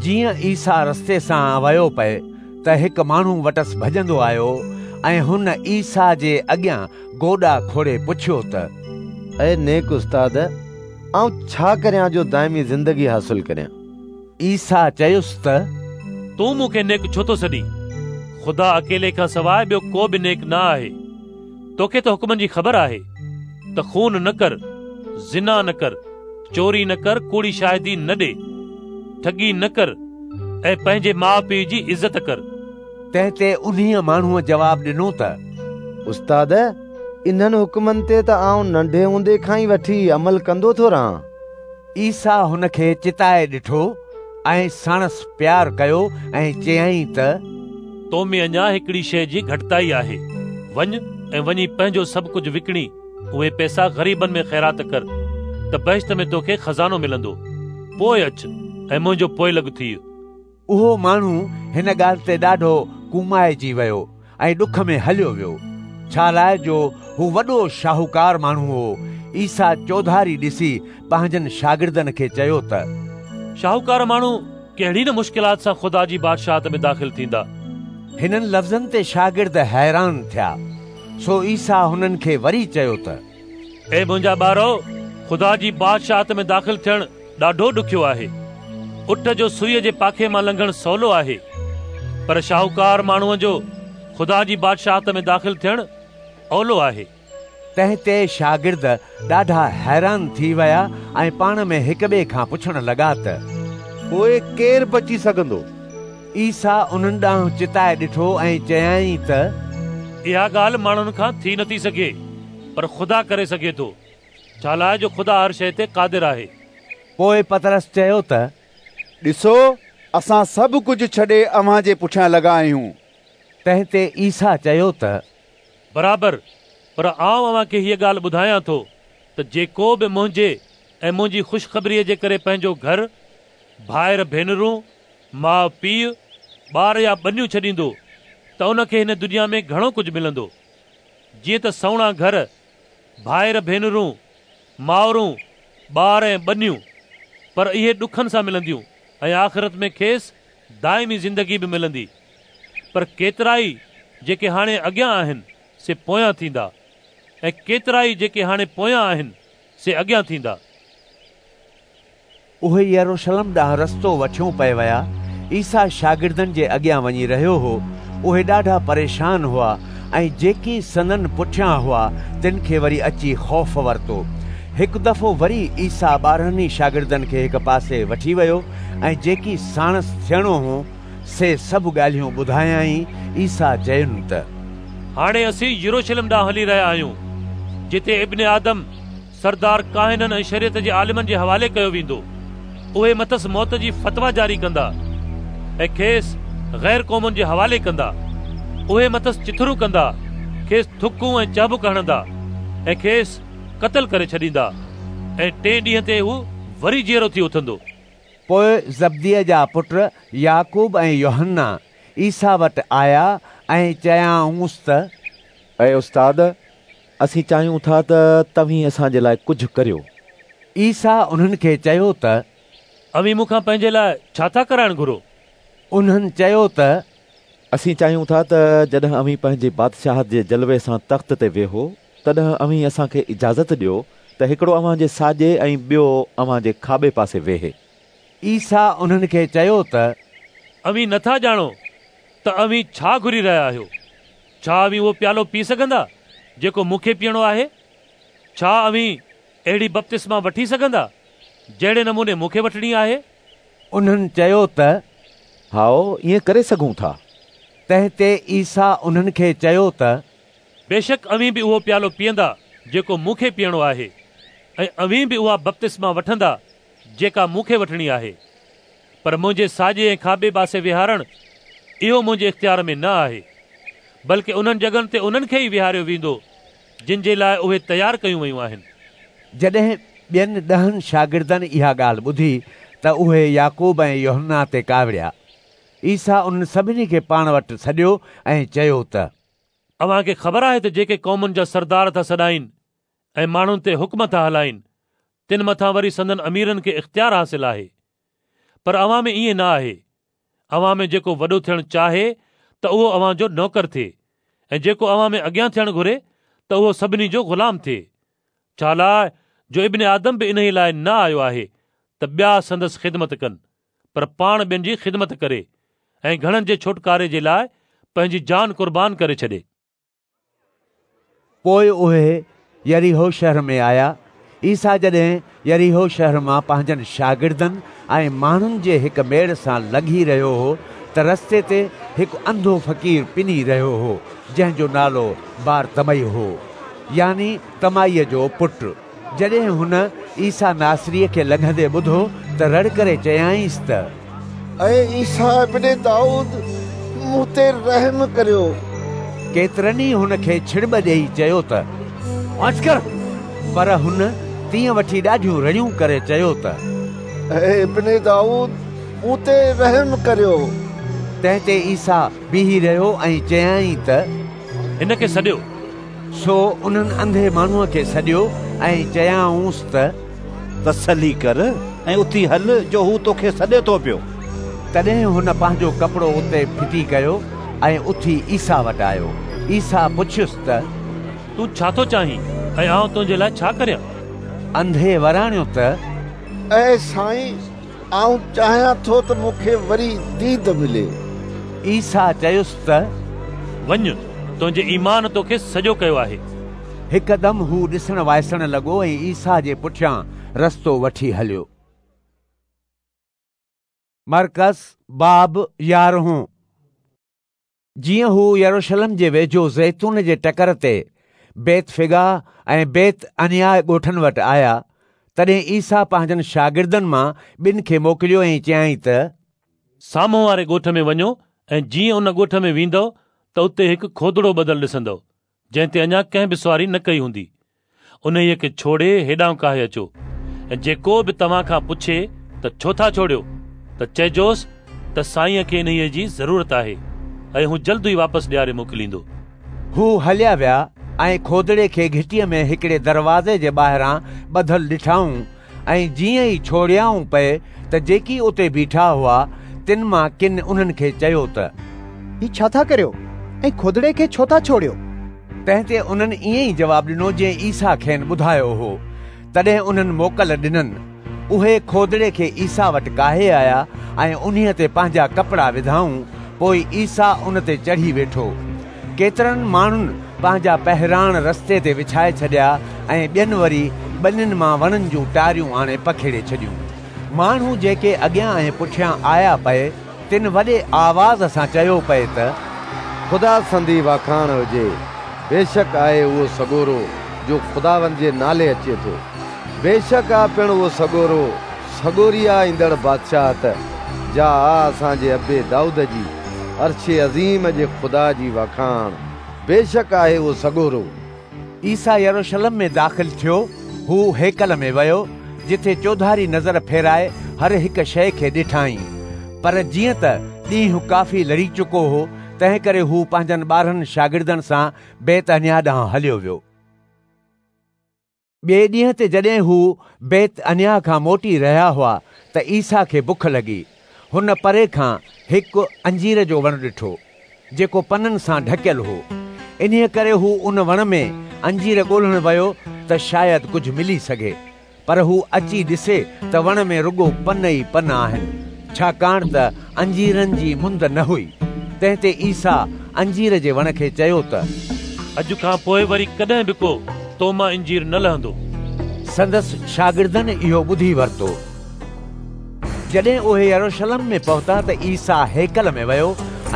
[SPEAKER 1] جيئن عيسيٰ رستي سان ويو پئي ته هڪ ماڻهو وٽس ڀڄندو آيو ۽ هن عيسيٰ جي اڳيان گوڏا کوڙي پڇيو ته.
[SPEAKER 3] اي نيڪ استاد، آئون ڇا ڪريان جو دائمي زندگي حاصل ڪريان؟
[SPEAKER 1] عيسيٰ چيس ته.
[SPEAKER 9] تون مون کي نيڪ ڇو ٿو سڏين؟ خدا اڪيلي کان سواء ٻيو ڪو به نيڪ نه آهي. توکي ته حڪمن جي خبر آهي ته خون نه ڪر، زنا نه ڪر، چوري نه ڪر، ڪوڙي شاهدي نه ڏي، ٺڳي نه ڪر ۽ پنهنجي ماء پيء جي عزت ڪر.
[SPEAKER 1] تنهن تي انهيء ماڻهوء جواب ڏنو ته.
[SPEAKER 3] استاد، انهن حڪمن تي ته آئون ننڍي هوندي کان ئي وٺي عمل ڪندو ٿو رهان.
[SPEAKER 1] عيسيٰ هن کي چتائي ڏٺو ۽ ساڻس پيار ڪيو ۽ چيائين ته.
[SPEAKER 9] تو ۾ اڃا هڪڙي شيء جي گهٽتائي آهي. وڃ ۽ وڃي پنهنجو سڀ ڪجهه وڪڻي اهي پئسا غريبن ۾ خيرات ڪر ته بهشت ۾ توکي خزانو ملندو. پوء اچ ۽ منهنجو پوئلڳ ٿيء.
[SPEAKER 1] اهو ماڻهو هن ڳالهه تي ڏاڍو ڪومائجي ويو ۽ ڏک ۾ هليو ويو، ڇالاء جو هو وڏو شاهوڪار ماڻهو هو. عيسيٰ چوڌاري ڏسي پنهنجن شاگردن کي چيو ته.
[SPEAKER 9] شاهوڪار ماڻهو ڪهڙي نه مشڪلات سان خدا جي بادشاهت ۾ داخل ٿيندا.
[SPEAKER 1] هنن لفظن تي شاگرد حيران ٿيا. سو عيسيٰ هنن کي وري چيو ته
[SPEAKER 9] اي منهنجا ٻارؤ، خدا جي بادشاهت ۾ داخل ٿيڻ ڏاڍو ڏکيو آهي. اٺ جو سوئيء جي پاکي مان لنگهڻ سولو آهي، پر شاهوڪار ماڻهوء جو خدا جي بادشاهت ۾ داخل ٿيڻ اولو آهي.
[SPEAKER 1] تنهن تي شاگرد ڏاڍا حيران ٿي ويا ۽ پاڻ ۾ هڪٻئي کان پڇڻ لڳا ته
[SPEAKER 7] پوء ڪير بچي سگهندو؟
[SPEAKER 1] عيسيٰ انهن ڏانهن چتائي ڏٺو ۽ چيائين ته
[SPEAKER 9] اها ڳالهه ماڻهن کان ٿي نٿي سگهي، پر خدا ڪري سگهي ٿو، ڇالاء جو خدا هر شيء تي قادر آهي.
[SPEAKER 1] پوء پطرس چيو ته
[SPEAKER 8] ڏسو، اسان سڀ ڪجهه ڇڏي اوهان جي پٺيان لڳا آهيون.
[SPEAKER 1] تنهن تي عيسيٰ چيو ته
[SPEAKER 9] برابر، پر آئون اوهان کي هيء ڳالهه ٻڌايان ٿو ته جيڪو به منهنجي ۽ منهنجي خوشخبريء جي ڪري پنهنجو گهر، ڀائر ڀينرون، ماء پيء، ٻار يا ٻنيون ڇڏيندو ته ان کي هن دنيا ۾ گهڻو ڪجهه ملندو، جيئن ته سوڻا گهر، ڀائر ڀينرون، مائرون، ٻار ۽ ٻنيون، پر اهي ڏکن سان ملنديون ۽ آخرت ۾ کيس دائمي زندگي به ملندي. پر ڪيترائي جيڪي هاڻي اڳيان آهن، سي پويان ٿيندا ۽ ڪيترائي جيڪي هاڻي پويان آهن، سي اڳيان ٿيندا.
[SPEAKER 1] اهي يروشلم ڏانهن رستو وٺيو پئي ويا. عيسيٰ شاگردن جي اڳيان وڃي رهيو هو. اهي ڏاڍا پريشان هئا ۽ جيڪي سندن پٺيان هئا، تن کي وري اچي خوف ورتو. هڪ دفعو وري عيسيٰ 12 ئي شاگردن کي هڪ پاسي وٺي ويو ۽ جيڪي ساڻس ٿيڻو هو، سي سڀ ڳالهيون ٻڌايائين. عيسيٰ چين ته
[SPEAKER 9] هاڻي اسين يروشلم ڏانهن هلي رهيا آهيون، جتي ابن آدم سردار ڪاهنن ۽ شريعت جي عالمن جي حوالي ڪيو ويندو. اهي مٿس موت جي فتويٰ جاري ڪندا ۽ کيس غير قومن جي حوالي ڪندا. اهي مٿس چٿرون ڪندا، کيس ٿڪون ۽ چهبڪ هڻندا ۽ کيس قتل ڪري ڇڏيندا ۽ ٽئين ڏينهن تي هو وري جيئرو ٿي اٿندو.
[SPEAKER 1] پوء زبديء جا پٽ يعقوب ۽ يوحنا عيسيٰ وٽ آيا ۽ چيائونس ته
[SPEAKER 17] اي استاد، اسين چاهيون ٿا ته توهين اسان جي لاء ڪجهه ڪريو.
[SPEAKER 1] عيسيٰ انهن کي چيو ته
[SPEAKER 9] اوهين مون کان پنهنجي لاء ڇا ٿا ڪرائڻ گهرو؟
[SPEAKER 1] انهن چيو ته
[SPEAKER 17] اسين چاهيون ٿا ته جڏهن اوهين پنهنجي بادشاهت جي جلوي سان تخت تي ويهو، تڏهن اوهين اسان کي اجازت ڏيو ته هڪڙو اوهان جي ساڄي ۽ ٻيو اوهان جي کاٻي پاسي ويهي.
[SPEAKER 1] عيسيٰ انهن کي چيو ته
[SPEAKER 9] اوهين نٿا ڄاڻو ته اوهين ڇا گهري رهيا آهيو. ڇا اوهين اهو پيالو پي سگهندا جيڪو مون کي پيئڻو آهي؟ ڇا اوهين اهڙي بپتسما وٺي سگهندا جهڙي نموني مون کي وٺڻي آهي؟
[SPEAKER 1] انهن چيو ته
[SPEAKER 17] هائو، ائين ڪري سگهون ٿا.
[SPEAKER 1] تنهن تي عيسيٰ انهن کي چيو ته
[SPEAKER 9] بيشڪ اوهين به اهو پيالو پيئندا جيڪو مون کي پيئڻو آهي ۽ اوهين به اها بپتسما وٺندا جيڪا مون کي وٺڻي آهي. پر منهنجي ساڄي ۽ کاٻي پاسي ويهارڻ اهو منهنجي اختيار ۾ نه آهي، بلڪ انهن جڳهن تي انهن کي ئي ويهاريو ويندو جن جي لاء اهي تيار ڪيون ويون آهن.
[SPEAKER 1] جڏهن ٻين 10 شاگردن اها ڳالهه ٻڌي ته اهي يعقوب ۽ يوحنا تي ڪاوڙيا. عيسيٰ انهن سڀني کي پاڻ وٽ سڏيو ۽ چيو ته.
[SPEAKER 9] اوهان کي خبر آهي ته جيڪي قومن جا سردار ٿا سڏائين ۽ ماڻهن تي حڪم ٿا هلائين، تن مٿان وري سندن اميرن کي اختيار حاصل آهي. پر اوهان ۾ ائين نه آهي. اوهان ۾ جيڪو وڏو ٿيڻ چاهي ته اهو اوهان جو نوڪر ٿئي ۽ جيڪو اوهان ۾ اڳيان ٿيڻ گهري ته اهو سڀني جو غلام ٿئي. ڇالاء جو ابن آدم به انهيء لاء نه آيو آهي ته ٻيا سندس خدمت ڪن، پر پاڻ ٻين جي خدمت ڪري ۽ گهڻن جي ڇوٽڪاري جي لاء پنهنجي جان قربان ڪري ڇڏي.
[SPEAKER 1] پوء اهي يريحو شهر ۾ آيا. عيسيٰ جڏهن يريحو شهر مان پنهنجن شاگردن ۽ ماڻهن جي هڪ ميڙ سان لنگهي رهيو هو ته رستي تي هڪ انڌو فقير پني رهيو هو، جنهن جو نالو بارتمئي هو، يعني تمائيء جو پٽ. جڏهن هن عيسيٰ ناصريء کي لنگهندي ٻڌو ته رڙ ڪري چيائينس ته.
[SPEAKER 11] اي عيسيٰ ابن دائود، مون تي رحم ڪريو.
[SPEAKER 1] ڪيترن ئي هن کي ڇڙٻ ڏيئي چيو ته.
[SPEAKER 10] واچ ڪر!
[SPEAKER 1] پر هن تيئن وٺي ڏاڍيون رڙيون ڪري چيو ته.
[SPEAKER 11] اي ابن دائود، مون تي رحم ڪريو.
[SPEAKER 1] تنهن تي عيسيٰ بيهي رهيو ۽ چيائين ته.
[SPEAKER 9] هن کي سڏيو.
[SPEAKER 1] سو انهن انڌي ماڻهوء کي سڏيو ۽ چيائونس ته.
[SPEAKER 10] تسلي ڪر ۽ اٿي هل جو هو توکي سڏي ٿو پيو.
[SPEAKER 1] تڏهن هن پنهنجو ڪپڙو اتي ڦٽي ڪيو ۽ اٿي عيسيٰ وٽ آيو. عيسيٰ پڇيس ته
[SPEAKER 9] تون ڇا ٿو چاهين ۽ آئون تنهنجي لاء ڇا ڪريان؟
[SPEAKER 1] انڌي وراڻيو ته
[SPEAKER 11] اي سائين، آئون چاهيان ٿو ته مون کي وري ديد ملي.
[SPEAKER 1] عيسيٰ چيس ته
[SPEAKER 9] وڃ، تنهنجي ايمان توکي سڄو ڪيو آهي.
[SPEAKER 1] هڪدم هو ڏسڻ وائسڻ لڳو ۽ عيسيٰ جي پٺيان رستو وٺي هليو. مرقس باب يارهون. جيئن هو يروشلم جي ويجهو زيتون جي ٽڪر تي بيتفگاه ۽ بيت عنياه ڳوٺن وٽ آيا، تڏهن عيسيٰ پنهنجن شاگردن مان ٻن کي موڪليو ۽ چيائين ته.
[SPEAKER 9] سامهون واري ڳوٺ ۾ وڃو ۽ جيئن ان ڳوٺ ۾ ويندؤ ته اتي هڪ کودڙو ٻڌل ڏسندؤ، جنهن تي اڃا ڪنهن به سواري نه ڪئي هوندي. انهيء کي ڇوڙي هيڏانهن ڪاهي اچو ۽ جيڪو به توهان کان پڇي ته ڇو ٿا ڇوڙيو؟ ته چئجوس ته سائينء کي انهيء جي ضرورت آهي ۽ هو جلد ئي واپس ڏياري موڪليندو.
[SPEAKER 1] هو هليا ويا ۽ کودڙي کي گهٽيء ۾ هڪڙي دروازي جي ٻاهران ٻڌل ڏٺائون ۽ جيئن ئي ڇوڙيائون پئي ته جيڪي اتي بيٺا هئا، تن مان ڪن انهن کي چيو ته.
[SPEAKER 14] هي ڇا ٿا ڪريو ۽ کودڙي کي ڇو ٿا ڇوڙيو؟
[SPEAKER 1] تنهن تي انهن ائين ئي جواب ڏنو جيئن عيسيٰ کين ٻڌايو هو. تڏهن انهن موڪل ڏنن. اهي کودڙي کي عيسيٰ وٽ ڪاهي آيا ۽ انهيء تي پنهنجا ڪپڙا وڌائون، پوء عيسيٰ ان تي چڙهي ويٺو. ڪيترن ماڻهن پنهنجا پهراڻ رستي تي وڇائي ڇڏيا ۽ ٻين وري ٻنين مان وڻن جون ٽاريون آڻي پکيڙي ڇڏيون. ماڻهو جيڪي اڳيان ۽ پٺيان آيا پئي، تن وڏي آواز سان چيو پئي ته.
[SPEAKER 3] خدا سندي واکاڻ هجي، بيشڪ آهي اهو سڳورو جو خداوند جي نالي اچي ٿو. بيشڪ آ پڻ اهو سڳورو، سڳوري آ ايندڙ بادشاهت، جا آ اسان جي ابي دائود جي، عرش عظيم جي خدا جي واکاڻ، بيشڪ آهي اهو سڳورو.
[SPEAKER 1] عيسيٰ يروشلم ۾ داخل ٿيو، هو هيڪل ۾ ويو، جتي چوڌاري نظر ڦيرائي هر هڪ شيء کي ڏٺائين. پر جيئن ته ڏينهن ڪافي لڙي چڪو هو، تنهنڪري هو پنهنجن 12 شاگردن سان بيت عنياه ڏانهن هليو ويو. ٻئي ڏينهن تي جڏهن هو بيت عنياه کان موٽي رهيا هئا ته عيسيٰ کي بک لڳي. هن پري کان هڪ انجير جو وڻ ڏٺو، جيڪو پنن سان ڍڪيل هو. انهيء ڪري هو ان وڻ ۾ انجير ڳولڻ ويو ته شايد ڪجهه ملي سگهي. پر هو اچي ڏسي ته وڻ ۾ رڳو پن ئي پن آهن، ڇاڪاڻ ته انجيرن جي مند نه هئي. تنهن تي عيسيٰ انجير جي وڻ کي چيو ته.
[SPEAKER 9] اڄ کان پوء وري ڪڏهن به ڪو تو مان انجير نه لهندو.
[SPEAKER 1] سندس شاگردن اهو ٻڌي ورتو. جڏهن اهي يروشلم ۾ پهتا ته عيسيٰ هيڪل ۾ ويو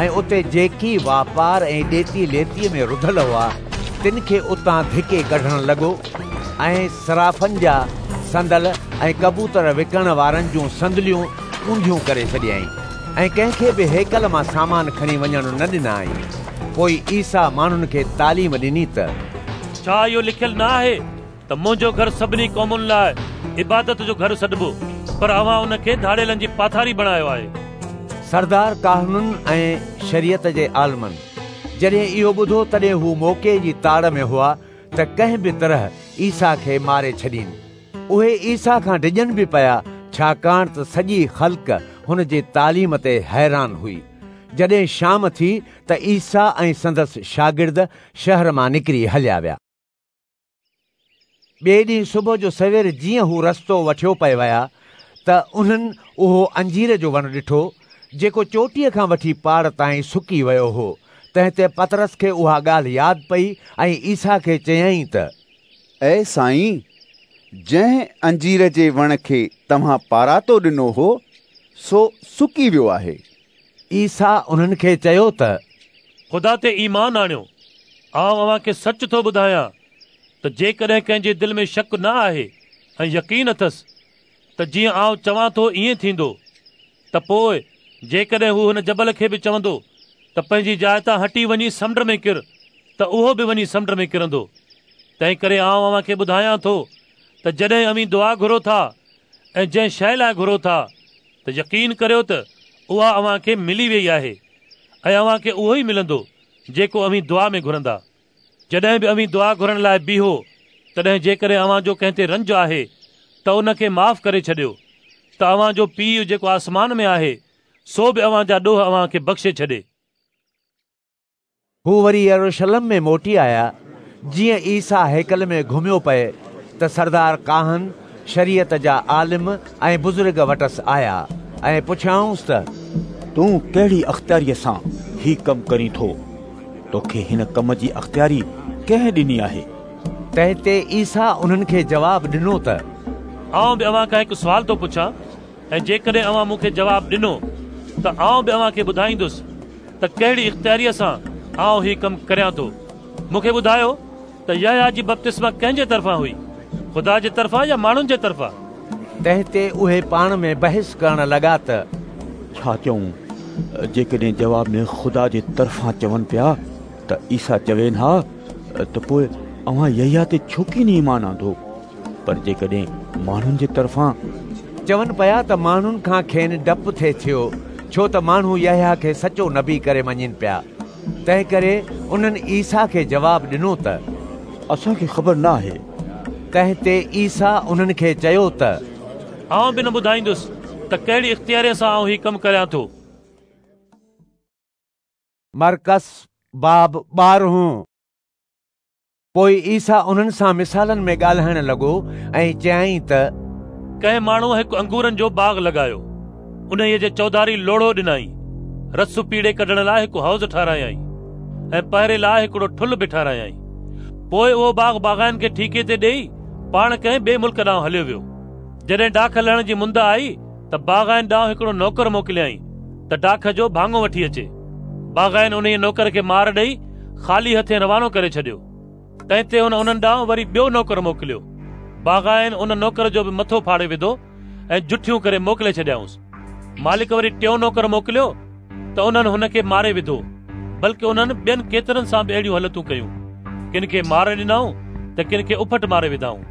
[SPEAKER 1] ۽ اتي جيڪي واپار ۽ ڏيتي ليتيء ۾ رڌل هئا، تن کي اتان ڌڪي ڪڍڻ لڳو ۽ صرافن جا صندل ۽ ڪبوتر وڪڻڻ وارن جون صندليون اونڌيون ڪري ڇڏيائين ۽ ڪنهن کي به هيڪل مان سامان کڻي وڃڻ نه ڏنائين. پوء عيسيٰ ماڻهن کي تعليم ڏني ته.
[SPEAKER 9] ڇا اهو لکيل نه آهي ته منهنجو گهر سڀني قومن لاء عبادت جو گهر سڏبو، پر اوهان ان کي ڌاڙيلن جي پاٿاري بڻايو آهي.
[SPEAKER 1] سردار ڪاهنن ۽ شريعت جي عالمن جڏهن اهو ٻڌو، تڏهن هو موقعي جي تاڙ ۾ هئا ته ڪنهن به طرح عيسيٰ کي ماري ڇڏين. اهي عيسيٰ کان ڊڄن به پيا، ڇاڪاڻ ته سڄي خلق هن جي تعليم تي حيران هئي. جڏهن شام ٿي ته عيسيٰ ۽ سندس شاگرد شهر مان نڪري هليا ويا. ٻئي ڏينهن صبح جو سوير جيئن هو رستو وٺيو پئي ويا ته انهن اهو انجير جو وڻ ڏٺو، جيڪو چوٽيء کان وٺي پاڙ تائين سڪي ويو هو. تنهن تي پطرس کي اها ڳالهه ياد پئي ۽ عيسيٰ کي چيائين ته.
[SPEAKER 8] اي سائين، جنهن انجير جي وڻ کي توهان پاراتو ڏنو هو، سو سڪي ويو آهي.
[SPEAKER 1] عيسيٰ انهن کي چيو ته.
[SPEAKER 9] خدا تي ايمان آڻيو. آئون اوهان کي سچ ٿو ٻڌايان ته جيڪڏهن ڪنهن جي دل ۾ شڪ نه آهي ۽ يقين اٿس ته جيئن آئون چوان ٿو ائين ٿيندو ته پوء جيڪڏهن هو هن جبل کي به چوندو ته پنهنجي جاء تان هٽي وڃي سمنڊ ۾ ڪر ته اهو به وڃي سمنڊ ۾ ڪرندو. تنهنڪري آئون اوهان کي ٻڌايان ٿو ته جڏهن اوهين دعا گهرو ٿا ۽ جنهن شيء لاء گهرو ٿا ته يقين ڪريو ته اها اوهان کي ملي ويئي آهي ۽ اوهان کي اهو ئي ملندو جيڪو اوهين دعا ۾ گهرندا. جڏهن به اوهين دعا گهرڻ لاء بيهو تڏهن جيڪڏهن اوهان جو ڪنهن تي رنج آهي ته ان کي معاف ڪري ڇڏيو ته اوهان جو پيء جيڪو آسمان ۾ آهي سو به اوهان جا ڏوهه اوهان کي بخشي ڇڏي.
[SPEAKER 1] هو وري يروشلم ۾ موٽي آيا. جيئن عيسيٰ هيڪل ۾ گهميو پئي ته سردار ڪاهن، شريعت جا عالم ۽ بزرگ وٽس آيا ۽ پڇيائونس ته
[SPEAKER 2] تون ڪهڙي اختياريء سان هي ڪم ڪرين ٿو؟ توکي هن ڪم جي اختياري ڪنهن ڏني آهي؟
[SPEAKER 1] تنهن تي عيسيٰ انهن کي جواب ڏنو ته
[SPEAKER 9] آئون به اوهان کان هڪ سوال ٿو پڇان ۽ جيڪڏهن اوهان مون کي جواب ڏنو ته آئون به اوهان کي ٻڌائيندس ته ڪهڙي اختياريء سان آئون هي ڪم ڪريان ٿو. مون کي ٻڌايو ته يحيٰ جي بپتسما ڪنهن جي طرفان هئي، خدا جي طرفان يا ماڻهن جي طرفان؟
[SPEAKER 1] تنهن تي اهي پاڻ ۾ بحث ڪرڻ لڳا ته
[SPEAKER 2] ڇا چئون؟ جيڪڏهن جواب ۾ خدا جي طرفان چون پيا ته عيسيٰ چوين ها ته پوء اوهان يحيٰ تي ڇو ڪين ايمان آندو؟ پر جيڪڏهن ماڻهن جي طرفان.
[SPEAKER 1] چون پيا ته ماڻهن کان کين ڊپ ٿي ٿيو، ڇو ته ماڻهو يحيٰ کي سچو نبي ڪري مڃين پيا. تنهنڪري انهن عيسيٰ کي جواب ڏنو ته.
[SPEAKER 2] اسان کي خبر نه آهي.
[SPEAKER 1] تنهن تي عيسيٰ انهن کي چيو ته.
[SPEAKER 9] آئون به نه ٻڌائيندس ته ڪهڙي اختياريء سان آئون هي ڪم ڪريان ٿو.
[SPEAKER 1] مرقس باب ٻارهون. پوء عيسيٰ انهن سان مثالن ۾ ڳالهائڻ لڳو ۽ چيائين ته.
[SPEAKER 9] ڪنهن ماڻهوء هڪ انگورن جو باغ لڳايو، انهيء جي چوڌاري لوڙهو ڏنائين، رس پيڙي ڪڍڻ لاء هڪ حوض ٺهرايائين ۽ پهري لاء هڪڙو ٺلهه به ٺهرايائين. پوء اهو باغ باغائين کي ٺيڪي تي ڏيئي پاڻ ڪنهن ٻئي ملڪ ڏانهن هليو ويو. جڏهن ڊاک لڻڻ جي مند آئي ته باغائين ڏانهن هڪڙو نوڪر موڪليائين ته ڊاک جو ڀاڱو وٺي اچي. باغائين انهيء نوڪر کي مار ڏئي خالي هٿين روانو ڪري ڇڏيو. تنهن تي هن انهن ڏانهن وري ٻيو نوڪر موڪليو. باغائين ان نوڪر جو به مٿو ڦاڙي وڌو ۽ جٺيون ڪري موڪلي ڇڏيائونس. مالڪ وري ٽيون نوڪر موڪليو ته انهن هن کي ماري وڌو، بلڪ انهن ٻين ڪيترن سان به اهڙيون هلتون ڪيون. ڪن کي مار ڏنائون ته ڪن کي اڦٽ ماري وڌائون.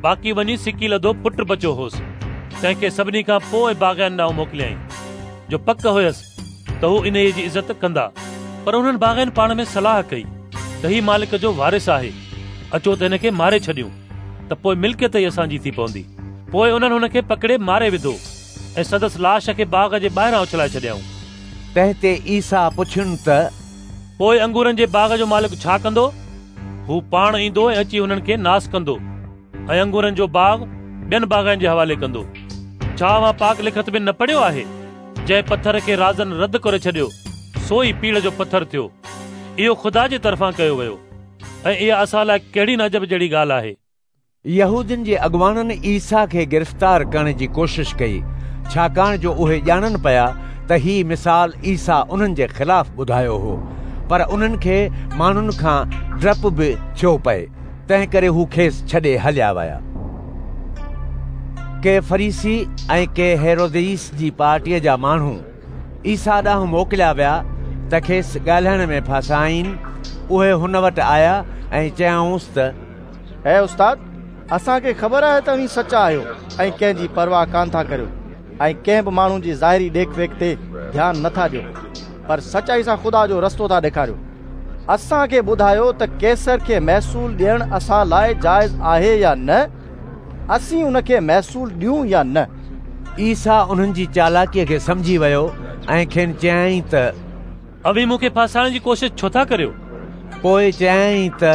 [SPEAKER 9] باقي وڃي سڪيلڌو پٽ بچيو هوس، تنهن کي سڀني کان پوء باغائين ڏانهن موڪليائين، جو پڪ هيس ته هو انهيء جي عزت ڪندا. پر انهن باغائين پاڻ ۾ صلاح ڪئي ته هي مالڪ جو وارث آهي، اچو ته هن کي ماري ڇڏيون ته پوء ملڪيت ئي اسان جي ٿي پوندي. پوء انهن هن کي پڪڙي ماري وڌو ۽ سندس لاش کي باغ جي ٻاهران اڇلائي ڇڏيائون.
[SPEAKER 1] تنهن تي عيسيٰ پڇين ته.
[SPEAKER 9] پوء انگورن جي باغ جو مالڪ ڇا ڪندو؟ هو پاڻ ايندو ۽ اچي هنن کي ناس ڪندو ۽ انگورن جو باغ ٻين باغائين جي حوالي ڪندو. ڇا اوهان پاڪ لکت ۾ نه پڙهيو آهي؟ جنهن پٿر کي رازن رد ڪري ڇڏيو، سو ئي پيڙهه جو پٿر ٿيو. اهو خدا جي طرفان ڪيو ويو ۽ اها اسان لاء ڪهڙي نه عجب جهڙي ڳالهه آهي.
[SPEAKER 1] يهودين جي اڳواڻن عيسيٰ کي گرفتار ڪرڻ جي ڪوشش ڪئي، ڇاڪاڻ جو اهي ڄاڻن پيا ته هي مثال عيسيٰ انهن جي خلاف ٻڌايو هو، پر انهن کي ماڻهن کان ڊپ به ٿيو پئي، تنهنڪري هو کيس ڇڏي هليا ويا. ڪي فريسي ۽ ڪي هيروديس جي پارٽيء جا ماڻهو عيسيٰ ڏانهن موڪليا ويا ته کيس ڳالهائڻ ۾ ڦاسائين. اهي هن وٽ آيا ۽ چيائونس ته
[SPEAKER 22] اي استاد، اسان کي خبر آهي ته اوهين سچا آهيو ۽ ڪنهن جي پرواهه ڪانه ٿا ڪريو ۽ ڪنهن به ماڻهو جي ظاهري ڏيک ويک تي ڌيان نه ٿا ڏيو، پر سچائي سان خدا جو رستو ٿا ڏيکاريو. اسان کي ٻڌايو ته قيصر کي محصول ڏيڻ اسان لاء جائز آهي يا نه؟ اسين ان کي محصول ڏيون يا نه؟
[SPEAKER 1] عيسيٰ انهن جي چالاڪيء کي سمجهي ويو ۽ کين چيائين ته.
[SPEAKER 9] اوهين مون کي ڦاسائڻ جي ڪوشش ڇو ٿا ڪريو؟
[SPEAKER 1] پوء چيائين ته.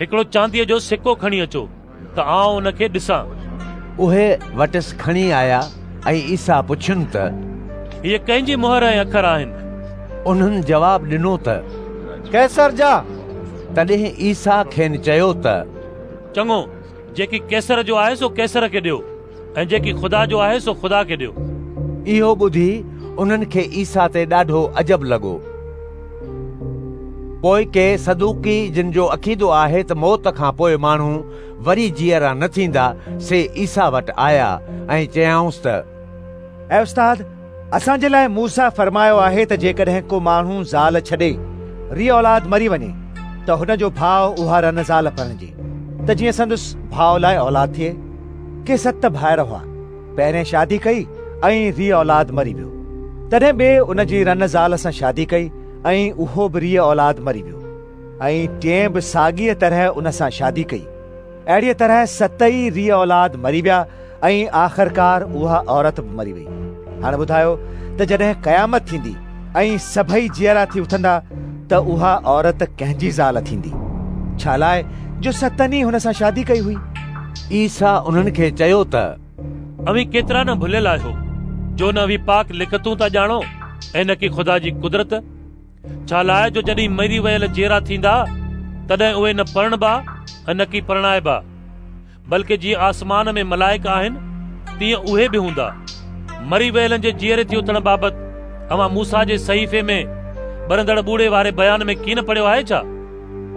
[SPEAKER 9] هڪڙو چانديء جو سڪو کڻي اچو ته آئون ان کي ڏسان.
[SPEAKER 1] اهي وٽس کڻي آيا ۽ عيسيٰ پڇين ته.
[SPEAKER 9] هيء ڪنهن جي مهر ۽ اکر آهن؟
[SPEAKER 1] انهن جواب ڏنو ته.
[SPEAKER 22] قيصر جا.
[SPEAKER 1] تڏهن عيسيٰ کين چيو ته.
[SPEAKER 9] چڱو، جيڪي قيصر جو آهي سو قيصر کي ڏيو ۽ جيڪي خدا جو آهي سو خدا کي ڏيو.
[SPEAKER 1] اهو ٻڌي انهن کي عيسيٰ تي ڏاڍو عجب لڳو. پوء ڪي صدوقي جن جو عقيدو آهي ته موت کان پوء ماڻهو وري جيئرا نه ٿيندا، سي عيسيٰ وٽ آيا ۽ چيائونس ته.
[SPEAKER 12] اي استاد، اسان جي لاء موسيٰ فرمايو آهي ته جيڪڏهن ڪو ماڻهو زال ڇڏي، ري اولاد مري وڃي، ته هن جو ڀاء اها رن زال پرڻجي، ته جيئن سندس ڀاء لاء اولاد ٿئي. ڪي ست ڀائر هئا. پهرين شادي ڪئي ۽ ري اولاد مري ويو. تڏهن ٻئي ان جي رن زال سان شادي ڪئي ۽ اهو به ري اولاد مري ويو ۽ ٽئين به ساڳيء طرح ان سان شادي ڪئي. اهڙيء طرح ست ئي ري اولاد مري ويا ۽ آخرڪار اها عورت به مري وئي. هاڻ ٻڌايو ته جڏهن قيامت ٿيندي ۽ سڀئي جيئرا ٿي اٿندا ته اها عورت ڪنهن جي زال ٿيندي؟ ڇالاء جو ستن ئي هن سان شادي ڪئي هئي.
[SPEAKER 1] عيسيٰ انهن کي چيو ته
[SPEAKER 9] اوهين ڪيترا نه ڀليل آهيو، جو نه اوهين پاڪ لکتون ٿا ڄاڻو ۽ نه ڪي خدا جي قدرت. ڇالاء جو جڏهن مري ويل جيئرا ٿيندا، تڏهن اهي نه پرڻبا ۽ نه ڪي پرڻائبا، بلڪه جيئن آسمان ۾ ملائڪ آهن، تيئن اهي به هوندا. مري ويلن جي جيئري ٿي اٿڻ بابت اوهان موسيٰ جي صحيفي ۾ ٻرندڙ ٻوڙي واري بيان ۾ ڪين پڙهيو آهي ڇا؟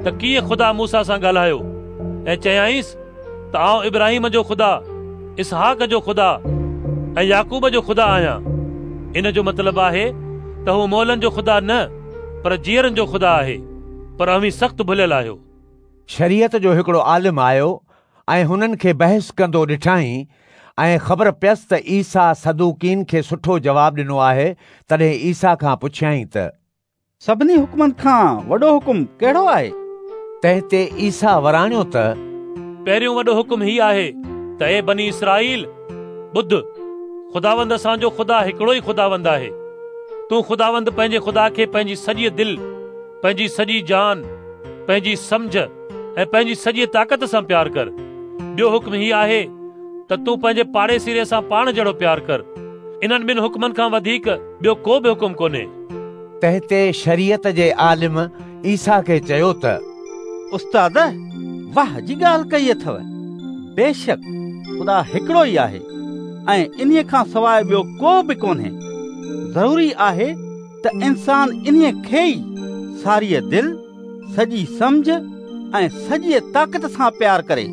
[SPEAKER 9] ته ڪيئن خدا موسيٰ سان ڳالهايو ۽ چيائينس ته آئون ابراهيم جو خدا، اسحاق جو خدا ۽ يعقوب جو خدا آهيان. ان جو مطلب آهي ته هو مئلن جو خدا نه پر جيئرن جو خدا آهي، پر اوهين سخت ڀليل آهيو.
[SPEAKER 1] شريعت جو هڪڙو عالم آيو ۽ هنن کي بحث ڪندو ڏٺائين ۽ خبر پيس ته عيسيٰ صدوقين کي سٺو جواب ڏنو آهي، تڏهن عيسيٰ کان پڇيائين ته.
[SPEAKER 6] سڀني حڪمن کان وڏو حڪم ڪهڙو آهي؟
[SPEAKER 1] تنهن تي عيسيٰ وراڻيو ته.
[SPEAKER 9] پهريون وڏو حڪم هي آهي ته اي بني اسرائيل! ٻڌ، خداوند اسان جو خدا هڪڙو ئي خداوند آهي. تون خداوند پنهنجي خدا کي پنهنجي سڄيء دل، پنهنجي سڄي جان، پنهنجي سمجهه ۽ پنهنجي سڄيء طاقت سان پيار ڪر. ٻيو حڪم هي آهي ته تون پنهنجي پاڙيسريء سان پاڻ جهڙو پيار ڪر. انهن ٻن حڪمن کان وڌيڪ ٻيو ڪو به حڪم ڪونهي.
[SPEAKER 1] تنهن تي شريعت جي عالم عيسيٰ کي چيو ته.
[SPEAKER 6] استاد، واهه جي ڳالهه ڪئي اٿو. بيشڪ خدا هڪڙو ئي آهي ۽ انهيء کان سواء ٻيو ڪو به ڪونهي. ضروري آهي ته انسان انهيء کي ئي ساريء دل، سڄي سمجهه ۽ سڄيء طاقت سان پيار ڪري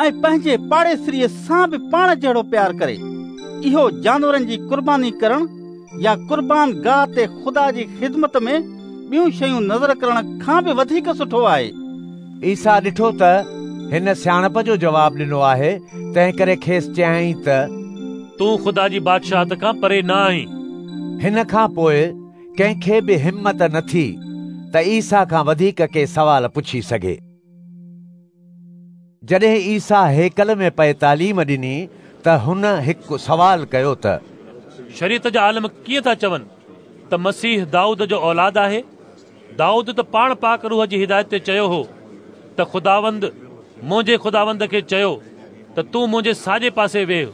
[SPEAKER 6] ۽ پنهنجي پاڙيسريء سان به پاڻ جهڙو پيار ڪري. اهو جانورن جي قرباني ڪرڻ يا قربان گاهه تي خدا جي خدمت ۾ ٻيون شيون نذر ڪرڻ کان به وڌيڪ سٺو آهي.
[SPEAKER 1] عيسيٰ ڏٺو ته هن سياڻپ جو جواب ڏنو آهي، تنهنڪري کيس چيائين ته.
[SPEAKER 9] تون خدا جي بادشاهت کان پري نه آهين.
[SPEAKER 1] هن کان پوء ڪنهن کي به همت نه ٿي ته عيسيٰ کان وڌيڪ ڪي سوال پڇي سگهي. جڏهن عيسيٰ هيڪل ۾ پئي تعليم ڏني ته هن هڪ سوال ڪيو ته.
[SPEAKER 9] شريعت جا عالم ڪيئن ٿا چون ته مسيح دائود جو اولاد آهي؟ دائود ته پاڻ پاڪ روح جي هدايت تي چيو هو ته خداوند منهنجي خداوند کي چيو ته تون منهنجي ساڄي پاسي ويهه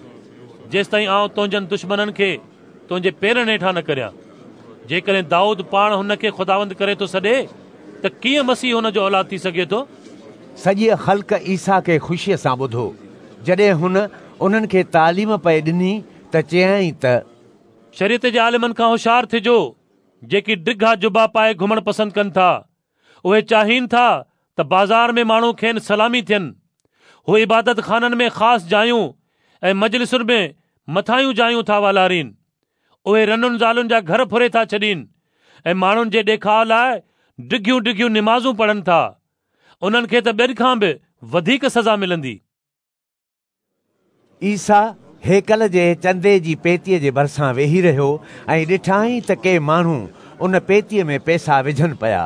[SPEAKER 9] جيستائين آئون تنهنجن دشمنن کي تنهنجي پيرن هيٺان نه ڪريان. جيڪڏهن دائود پاڻ هن کي خداوند ڪري ٿو سڏي ته ڪيئن مسيح هن جو اولاد ٿي سگهي ٿو؟
[SPEAKER 1] سڄيء خلق عيسيٰ کي خوشيء سان ٻڌو. جڏهن هن انهن کي تعليم پئي ڏني ته چيائين ته.
[SPEAKER 9] شريعت جي عالمن کان هوشيار ٿجو، جيڪي ڊگها جبا پائي گهمڻ پسند ڪن ٿا. اهي چاهين ٿا ته بازار ۾ ماڻهو کين سلامي ٿين. هو عبادت خانن ۾ خاص جايون ۽ مجلسن ۾ مٿاهيون جايون ٿا والارين. اهي رنن زالن جا گهر ڦري ٿا ڇڏين ۽ ماڻهن جي ڏيکاء لاء ڊگهيون ڊگهيون نمازون پڙهن ٿا. انهن کي ته ٻين کان به وڌيڪ سزا ملندي.
[SPEAKER 1] عيسيٰ هيڪل جي چندي جي پيتيء جي ڀرسان ويهي رهيو ۽ ڏٺائين ته ڪي ماڻهو ان پيتيء ۾ پئسا وجهن پيا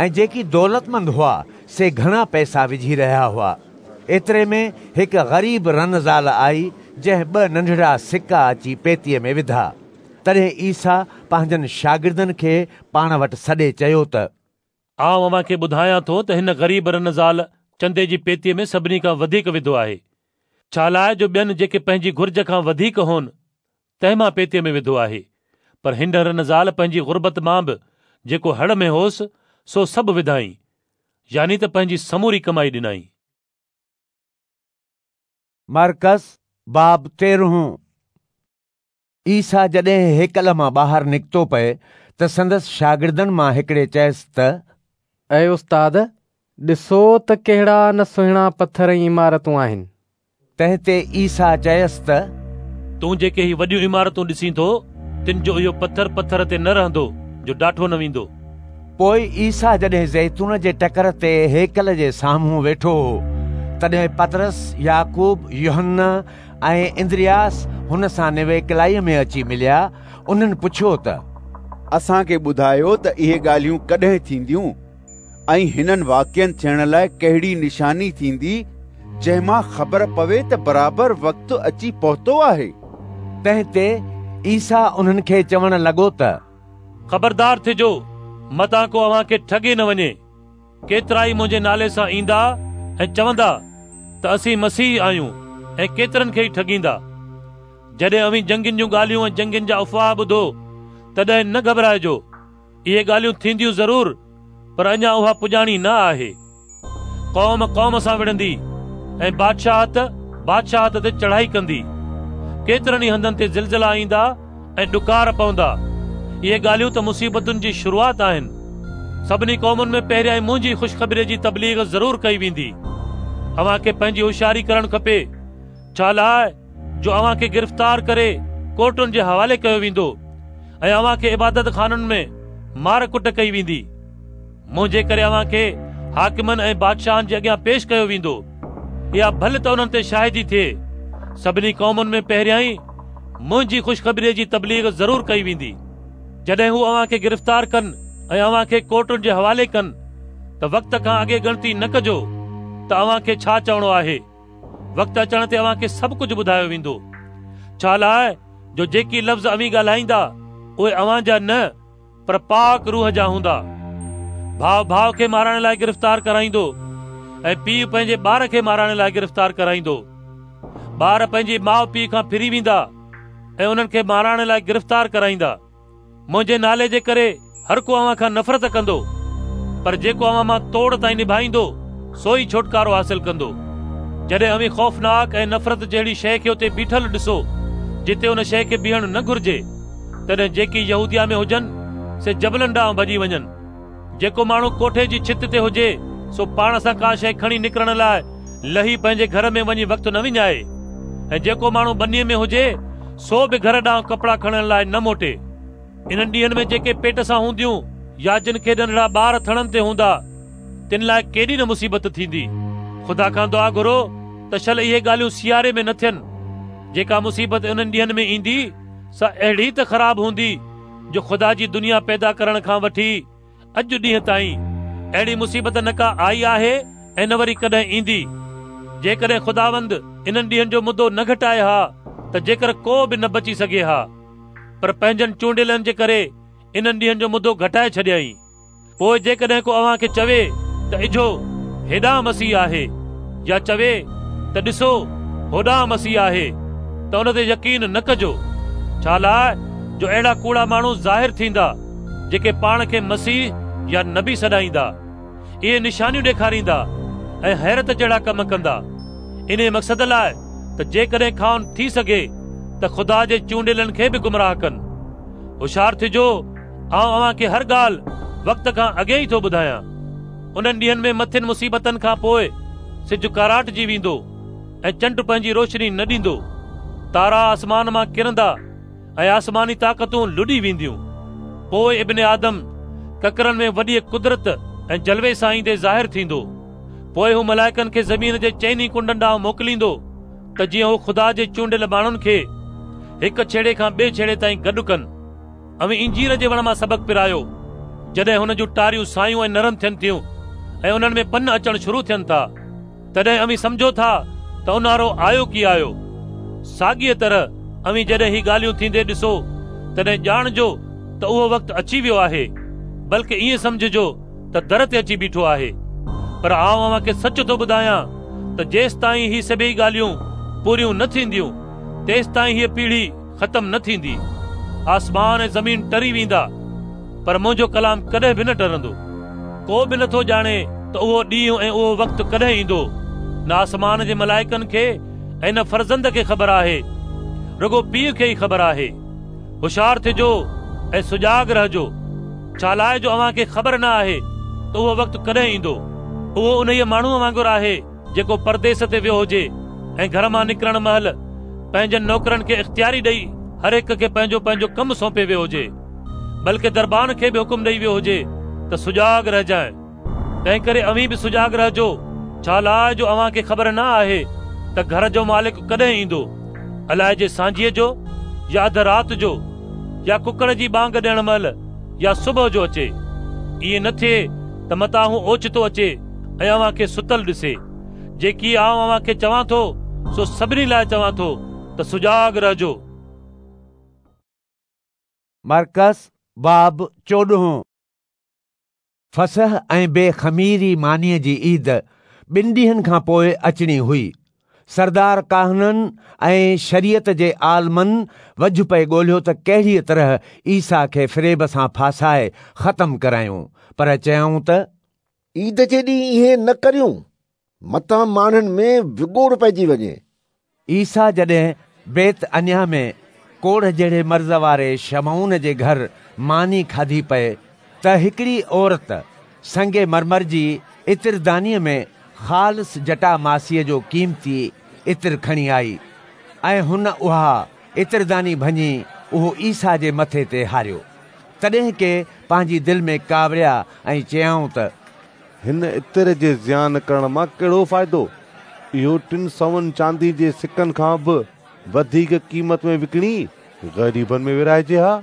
[SPEAKER 1] ۽ جيڪي دولتمند هئا سي گهڻا پئسا وجهي رهيا هئا. ايتري ۾ هڪ غريب رن زال آئي جنهن ٻه ننڍڙا سڪا اچي پيتيء ۾ وڌا. تڏهن عيسيٰ پنهنجن شاگردن کي پاڻ وٽ سڏي چيو ته.
[SPEAKER 9] آئون اوهان کي ٻڌايان ٿو ته هن غريب رن زال چندي جي پيتيء ۾ سڀني کان وڌيڪ وڌو آهي، ڇالاء جو ٻين جيڪي پنهنجي گهرج کان وڌيڪ هون، تنهن مان پيتيء ۾ وڌو آهي، پر هن رن زال پنهنجي غربت مان به جيڪو هڙ ۾ هوس، سو سڀ وڌائين، يعني ته پنهنجي سموري ڪمائي ڏنائين.
[SPEAKER 1] مرقس باب تيرهون. عيسيٰ جڏهن هيڪل مان ٻاهر نڪتو پئي ته سندس شاگردن مان هڪڙي چيس ته.
[SPEAKER 19] اي استاد، ڏسو ته ڪهڙا نه سهڻا پٿر ۽ عمارتون آهن.
[SPEAKER 1] تنهن تي عيسيٰ چيس ته.
[SPEAKER 9] تون جيڪي هي وڏيون عمارتون ڏسين ٿو، تن جو اهو پٿر پٿر تي نه رهندو جو ڊاٺو نه ويندو.
[SPEAKER 1] پوء عيسيٰ جڏهن زيتون جي ٽڪر تي هيڪل جي سامهون ويٺو هو، تڏهن پطرس، يعقوب، يوحنا ۽ اندرياس هن سان نويڪلائيء ۾ اچي مليا. انهن پڇيو ته.
[SPEAKER 8] اسان کي ٻڌايو ته اهي ڳالهيون ڪڏهن ٿينديون ۽ هنن واقعن ٿيڻ لاء ڪهڙي نشاني ٿيندي، جنهن مان خبر پوي ته برابر وقت اچي پهتو آهي؟
[SPEAKER 1] تنهن تي عيسيٰ انهن کي چوڻ لڳو ته.
[SPEAKER 9] خبردار ٿجو متان ڪو اوهان کي ٺڳي نه وڃي. ڪيترائي منهنجي نالي سان ايندا ۽ چوندا ته اسين مسيح آهيون ۽ ڪيترن کي ئي ٺڳيندا. جڏهن اوهين جنگين جون ڳالهيون ۽ جنگين جا افواهه ٻڌو، تڏهن نه گهٻرائجو. اهي ڳالهيون ٿينديون ضرور، پر اڃا اها پڄاڻي نه آهي. قوم قوم سان وڙهندي ۽ بادشاهت بادشاهت تي چڙهائي ڪندي. ڪيترن ئي هنڌن تي زلزلا ايندا ۽ ڏڪار پوندا. اهي ڳالهيون ته مصيبتن جي شروعات آهن. سڀني قومن ۾ پهريائين منهنجي خوشخبريء جي تبليغ ضرور ڪئي ويندي. اوهان کي پنهنجي هوشياري ڪرڻ کپي، ڇا لاء جو اوهان کي گرفتار ڪري ڪورٽن جي حوالي ڪيو ويندو ۽ اوهان کي عبادت خانن ۾ مار ڪٽ ڪئي ويندي. منهنجي ڪري اوهان کي حاڪمن ۽ بادشاهن جي اڳيان پيش ڪيو ويندو. اها ڀل ته انهن تي شاهدي ٿئي. سڀني قومن ۾ پهريائين منهنجي خوشخبريء جي تبليغ ضرور ڪئي ويندي. جڏهن هو اوهان کي گرفتار ڪن ۽ اوهان کي ڪورٽن جي حوالي ڪن ته وقت کان اڳي ڳڻتي نه ڪجو ته اوهان کي ڇا چوڻو آهي. وقت اچڻ تي اوهان کي سڀ ڪجهه ٻڌايو ويندو. ڇا لاء جو جيڪي لفظ اوهين ڳالهائيندا اهي اوهان جا نه پر پاڪ روح جا هوندا. ڀاء ڀاء کي مارائڻ لاء گرفتار ڪرائيندو ۽ پيء پنهنجي ٻار کي مارائڻ لاء گرفتار ڪرائيندو. ٻار پنهنجي ماء پيء کان ڦري ويندا ۽ انهن کي مارائڻ لاء گرفتار ڪرائيندا. منهنجي نالي جي ڪري هر ڪو اوهان کان نفرت ڪندو، پر جيڪو اوهان مان توڙ تائين نڀائيندو، سو ئي ڇوٽڪارو حاصل ڪندو. جڏهن اوهين خوفناڪ ۽ نفرت جهڙي شيء کي اتي بيٺل ڏسو، جتي ان شيء کي بيهڻ نه گهرجي، تڏهن جيڪي يهوديه ۾ هجن، سي جبلن ڏانهن ڀڄي وڃن. جيڪو ماڻهو ڪوٺي جي ڇت تي هجي، سو پاڻ سان ڪا شيء کڻي نڪرڻ لاء لهي پنهنجي گهر ۾ وڃي وقت نه وڃائي، ۽ جيڪو ماڻهو ٻنيء ۾ هجي، سو به گهر ڏانهن ڪپڙا کڻڻ لاء نه موٽي. انهن ڏينهن ۾ جيڪي پيٽ سان هونديون يا جن کي ننڍڙا ٻار ٿڻن تي هوندا، تن لاء ڪيڏي نه مصيبت ٿيندي. خدا کان دعا گهرو ته شل اهي ڳالهيون سياري ۾ نه ٿين. جيڪا مصيبت انهن ڏينهن ۾ ايندي، سا اهڙي ته خراب هوندي جو خدا جي دنيا پيدا ڪرڻ کان وٺي اڄ ڏينهن تائين اهڙي مصيبت نه ڪا آئي آهي ۽ نه وري ڪڏهن ايندي. جيڪڏهن خداوند انهن ڏينهن جو مدو نه گهٽائي ها ته جيڪر ڪو به نه بچي سگهي ها، پر پنهنجن چونڊيلن جي ڪري انهن ڏينهن جو مدو گهٽائي ڇڏيائين. پوء جيڪڏهن ڪو اوهان کي چوي ته اجهو هيڏانهن مسيح آهي يا چوي ته ڏسو هوڏانهن مسيح آهي ته ان تي يقين نه ڪجو، ڇالاء جو اهڙا ڪوڙا ماڻهو ظاهر ٿيندا، جيڪي پاڻ کي مسيح يا نبي سڏائيندا. اهي نشانيون ڏيکاريندا ۽ حيرت جهڙا ڪم ڪندا، انهيء مقصد لاء ته جيڪڏهن کانئن ٿي سگهي ته خدا جي چونڊيلن کي به گمراهه ڪن. هوشيار ٿجو، آئون اوهان کي هر ڳالهه وقت کان اڳي ئي ٿو ٻڌايان. انهن ڏينهن ۾ مٿين مصيبتن کان پوء سج ڪاراٽجي ويندو ۽ چنڊ پنهنجي روشني نه ڏيندو. تارا آسمان مان ڪرندا ۽ آسماني طاقتون لڏي وينديون. پوء ابن آدم ڪڪرن ۾ وڏيء قدرت ۽ جلوي سان ايندي ظاهر ٿيندو. پوء هو ملائڪن کي زمين جي چئني ڪنڊن ڏانهن موڪليندو ته جيئن هو خدا جي چونڊيل ماڻهن کي هڪ ڇيڙي کان ٻئي ڇيڙي تائين گڏ ڪن. اوهين انجير جي وڻ مان سبق پرايو. جڏهن هن جون ٽاريون سايون ۽ نرم ٿين ٿيون ۽ انهن ۾ پن اچڻ شروع ٿين ٿا، تڏهن اوهين سمجهو ٿا ته اونهارو آيو ڪي آيو. ساڳيء طرح اوهين جڏهن هي ڳالهيون ٿيندي ڏسو، تڏهن ڄاڻجو ته اهو وقت اچي ويو آهي، بلڪ ائين سمجهجو ته در تي اچي بيٺو آهي. پر آئون اوهان کي سچ ٿو ٻڌايان ته جيستائين هي سڀيئي ڳالهيون پوريون نه ٿينديون، تيستائين هيء پيڙهي ختم نه ٿيندي. آسمان ۽ زمين ٽري ويندا، پر منهنجو ڪلام ڪڏهن به نه ٽرندو. ڪو به نٿو ڄاڻي ته اهو ڏينهن ۽ اهو وقت ڪڏهن ايندو. نه آسمان جي ملائڪن کي ۽ نه فرزند کي خبر آهي، رڳو پيء کي ئي خبر آهي. هوشيار ٿجو ۽ سجاڳ رهجو، ڇالاء جو اوهان کي خبر نه آهي ته اهو وقت ڪڏهن ايندو. اهو انهيء ماڻهوء وانگر آهي جيڪو پرديس تي ويو هجي ۽ گهر مان نڪرڻ مهل پنهنجن نوڪرن کي اختياري ڏئي هر هڪ کي پنهنجو پنهنجو ڪم سونپي ويو هجي، بلڪه دربان کي به حڪم ڏئي ويو هجي ته سجاڳ رهجانء. تنهنڪري اوهين به سجاڳ رهجو، ڇالاء جو اوهان کي خبر نه آهي ته گهر جو مالڪ ڪڏهن ايندو، الائجي سانجهيء جو يا اڌ رات جو يا ڪڪڙ جي ٻانگ ڏيڻ مهل يا صبح جو اچي. ائين نه ٿئي ته متان هو اوچتو اچي ۽ اوهان کي ستل ڏسي. جيڪي آئون اوهان کي چوان ٿو، سو سڀني لاء چوان ٿو ته سجاڳ رهجو.
[SPEAKER 1] مرقس باب 14. فصح ۽ بي خميري مانيء جي عيد ٻن ڏينهن کان پوء اچڻي هئي. سردار ڪاهنن ۽ شريعت جي عالمن وجهه پئي ڳولهيو ته ڪهڙيء طرح عيسيٰ کي فريب سان ڦاسائي ختم ڪرايون، پر چيائون ته،
[SPEAKER 11] عيد جي ڏينهن ائين نه ڪريون، متان ماڻهن ۾ وڳوڙ پئجي وڃي.
[SPEAKER 1] عيسيٰ جڏهن بيت عنيا ۾ ڪوڙهه جهڙي مرض واري شمعون جي گهر ماني کاڌي پئي ته هڪڙي عورت سنگ مرمر جي عطردانيء ۾ خالص جٽاماسيء جو قيمتي عطر کڻي آئي ۽ هن اها عطرداني ڀڃي اهو عيسيٰ جي مٿي تي هاريو. تڏهن ڪي پنهنجي دل ۾ ڪاوڙيا ۽ چيائون ته.
[SPEAKER 7] هن عطر جي زيان ڪرڻ مان ڪهڙو فائدو؟ اهو ٽن سون چاندي جي سڪن کان به وڌيڪ قيمت ۾ وڪڻي غريبن ۾ ورهائجي ها.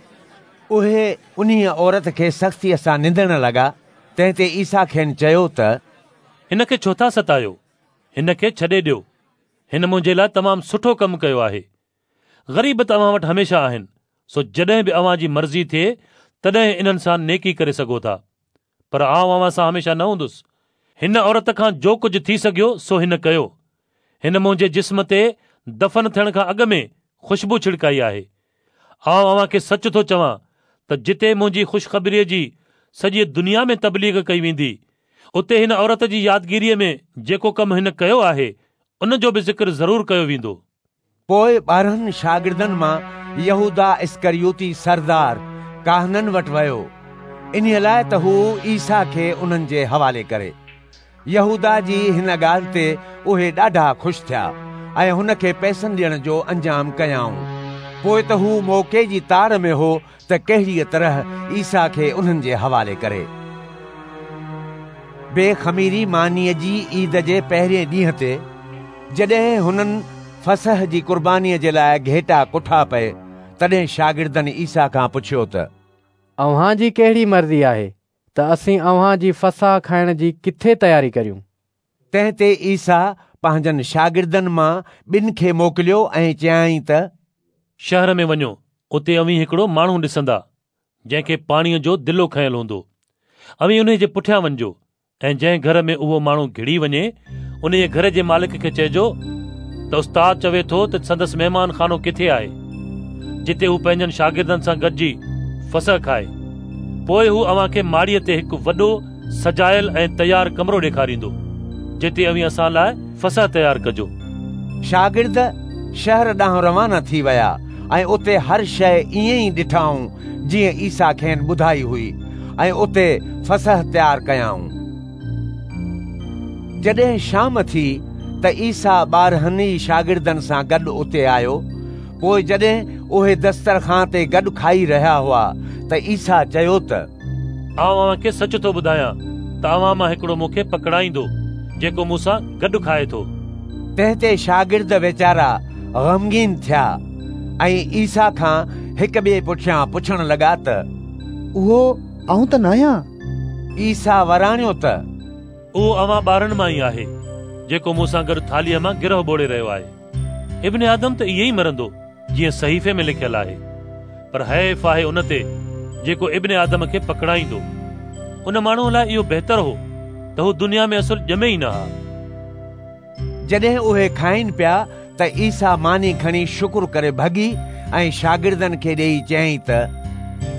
[SPEAKER 1] اهي انهيء عورت کي سختيء سان نندڻ لڳا، تنهن تي عيسيٰ کين چيو ته.
[SPEAKER 9] هن کي ڇو ٿا ستايو؟ هن کي ڇڏي ڏيو. هن منهنجي لاء تمام سٺو ڪم ڪيو آهي. غريب ته اوهان وٽ هميشه آهن، سو جڏهن به اوهان جي مرضي ٿئي تڏهن انهن سان نيڪي ڪري سگهو ٿا. پر آئون اوهان سان هميشه نه هوندس. هن عورت کان جو ڪجهه ٿي سگهيو سو هن ڪيو. هن منهنجي جسم تي دفن ٿيڻ کان اڳ ۾ خوشبو ڇڙڪائي آهي. آئون اوهان کي سچ ٿو چوان ته جتي منهنجي خوشخبريء جي سڄيء دنيا ۾ تبليغ ڪئي ويندي، اتي هن عورت جي يادگيريء ۾ جيڪو ڪم هن ڪيو آهي، ان جو به ذڪر ضرور ڪيو ويندو.
[SPEAKER 1] پوء 12 شاگردن مان يهوداه اسڪريوتي سردار ڪاهنن وٽ ويو، انهيء لاء ته هو عيسيٰ کي انهن جي حوالي ڪري. يهوداه جي هن ڳالهه تي اهي ڏاڍا خوش ٿيا ۽ هن کي پئسن ڏيڻ جو انجام ڪيائون. پوء ته هو موقعي جي تاڙ ۾ هو ته ڪهڙيء طرح عيسيٰ کي انهن جي حوالي ڪري. بي خميري مانيء جي عيد جي پهرين ڏينهن تي، جڏهن هنن فصح جي قربانيء جي لاء گهيٽا ڪٺا پئي، تڏهن شاگردن عيسيٰ کان پڇيو ته.
[SPEAKER 19] اوهان جي ڪهڙي مرضي آهي ته اسين اوهان جي فصح کائڻ جي ڪٿي تياري ڪريون؟
[SPEAKER 1] تنهن تي عيسيٰ پنهنجن شاگردن مان ٻن کي موڪليو ۽ چيائين ته.
[SPEAKER 9] شهر ۾ وڃو، اتي اوهين هڪڙو ماڻهو ڏسندا، جنهن کي پاڻيء جو دلو کنيل هوندو. اوهين انهي جي پٺيان وڃجو ۽ جنهن گهر ۾ اهو ماڻهو گهڙي وڃي، انهيء گهر جي مالڪ کي چئجو ته استاد چوي ٿو ته سندس مهمان خانو ڪٿي آهي، جتي هو پنهنجن شاگردن سان گڏجي فصح کائي. پوء هو اوهان کي ماڙيء تي هڪ وڏو سجايل ۽ تيار ڪمرو ڏيکاريندو، جتي اوهين اسان لاء فصح تيار ڪجو.
[SPEAKER 1] شاگرد شهر ڏانهن روانا ٿي ويا ۽ اتي هر شيء ائين ئي ڏٺائون جيئن عيسيٰ کين ٻڌائي هئي ۽ اتي فصح تيار ڪيائون. جڏهن شام ٿي ته عيسيٰ 12 ئي شاگردن سان گڏ اتي آيو. پوء جڏهن اهي دسترخوان تي گڏ کائي رهيا هئا ته عيسيٰ چيو ته.
[SPEAKER 9] آئون اوهان کي سچ ٿو ٻڌايان ته اوهان مان هڪڙو مون کي پڪڙائيندو، جيڪو مون سان گڏ کائي ٿو.
[SPEAKER 1] تنهن تي شاگرد ويچارا غمگين ٿيا ۽ عيسيٰ کان هڪ ٻئي پٺيان پڇڻ لڳا ته.
[SPEAKER 14] اهو آئون ته ناهيان؟
[SPEAKER 1] عيسيٰ وراڻيو ته.
[SPEAKER 9] اهو اوهان 12 مان ئي آهي، جيڪو مون سان گڏ ٿالهيء مان گرهه ٻوڙي رهيو آهي. ابن آدم ته ائين ئي مرندو، جيئن صحيفي ۾ لکيل آهي، پر حيف آهي ان تي جيڪو ابن آدم کي پڪڙائيندو. ان ماڻهوء لاء اهو بهتر هو ته هو دنيا ۾ اصل ڄمي ئي نه ها.
[SPEAKER 1] جڏهن اهي کائين پيا ته عيسيٰ ماني کڻي شڪر ڪري ڀڳي ۽ شاگردن کي ڏيئي چيائين ته.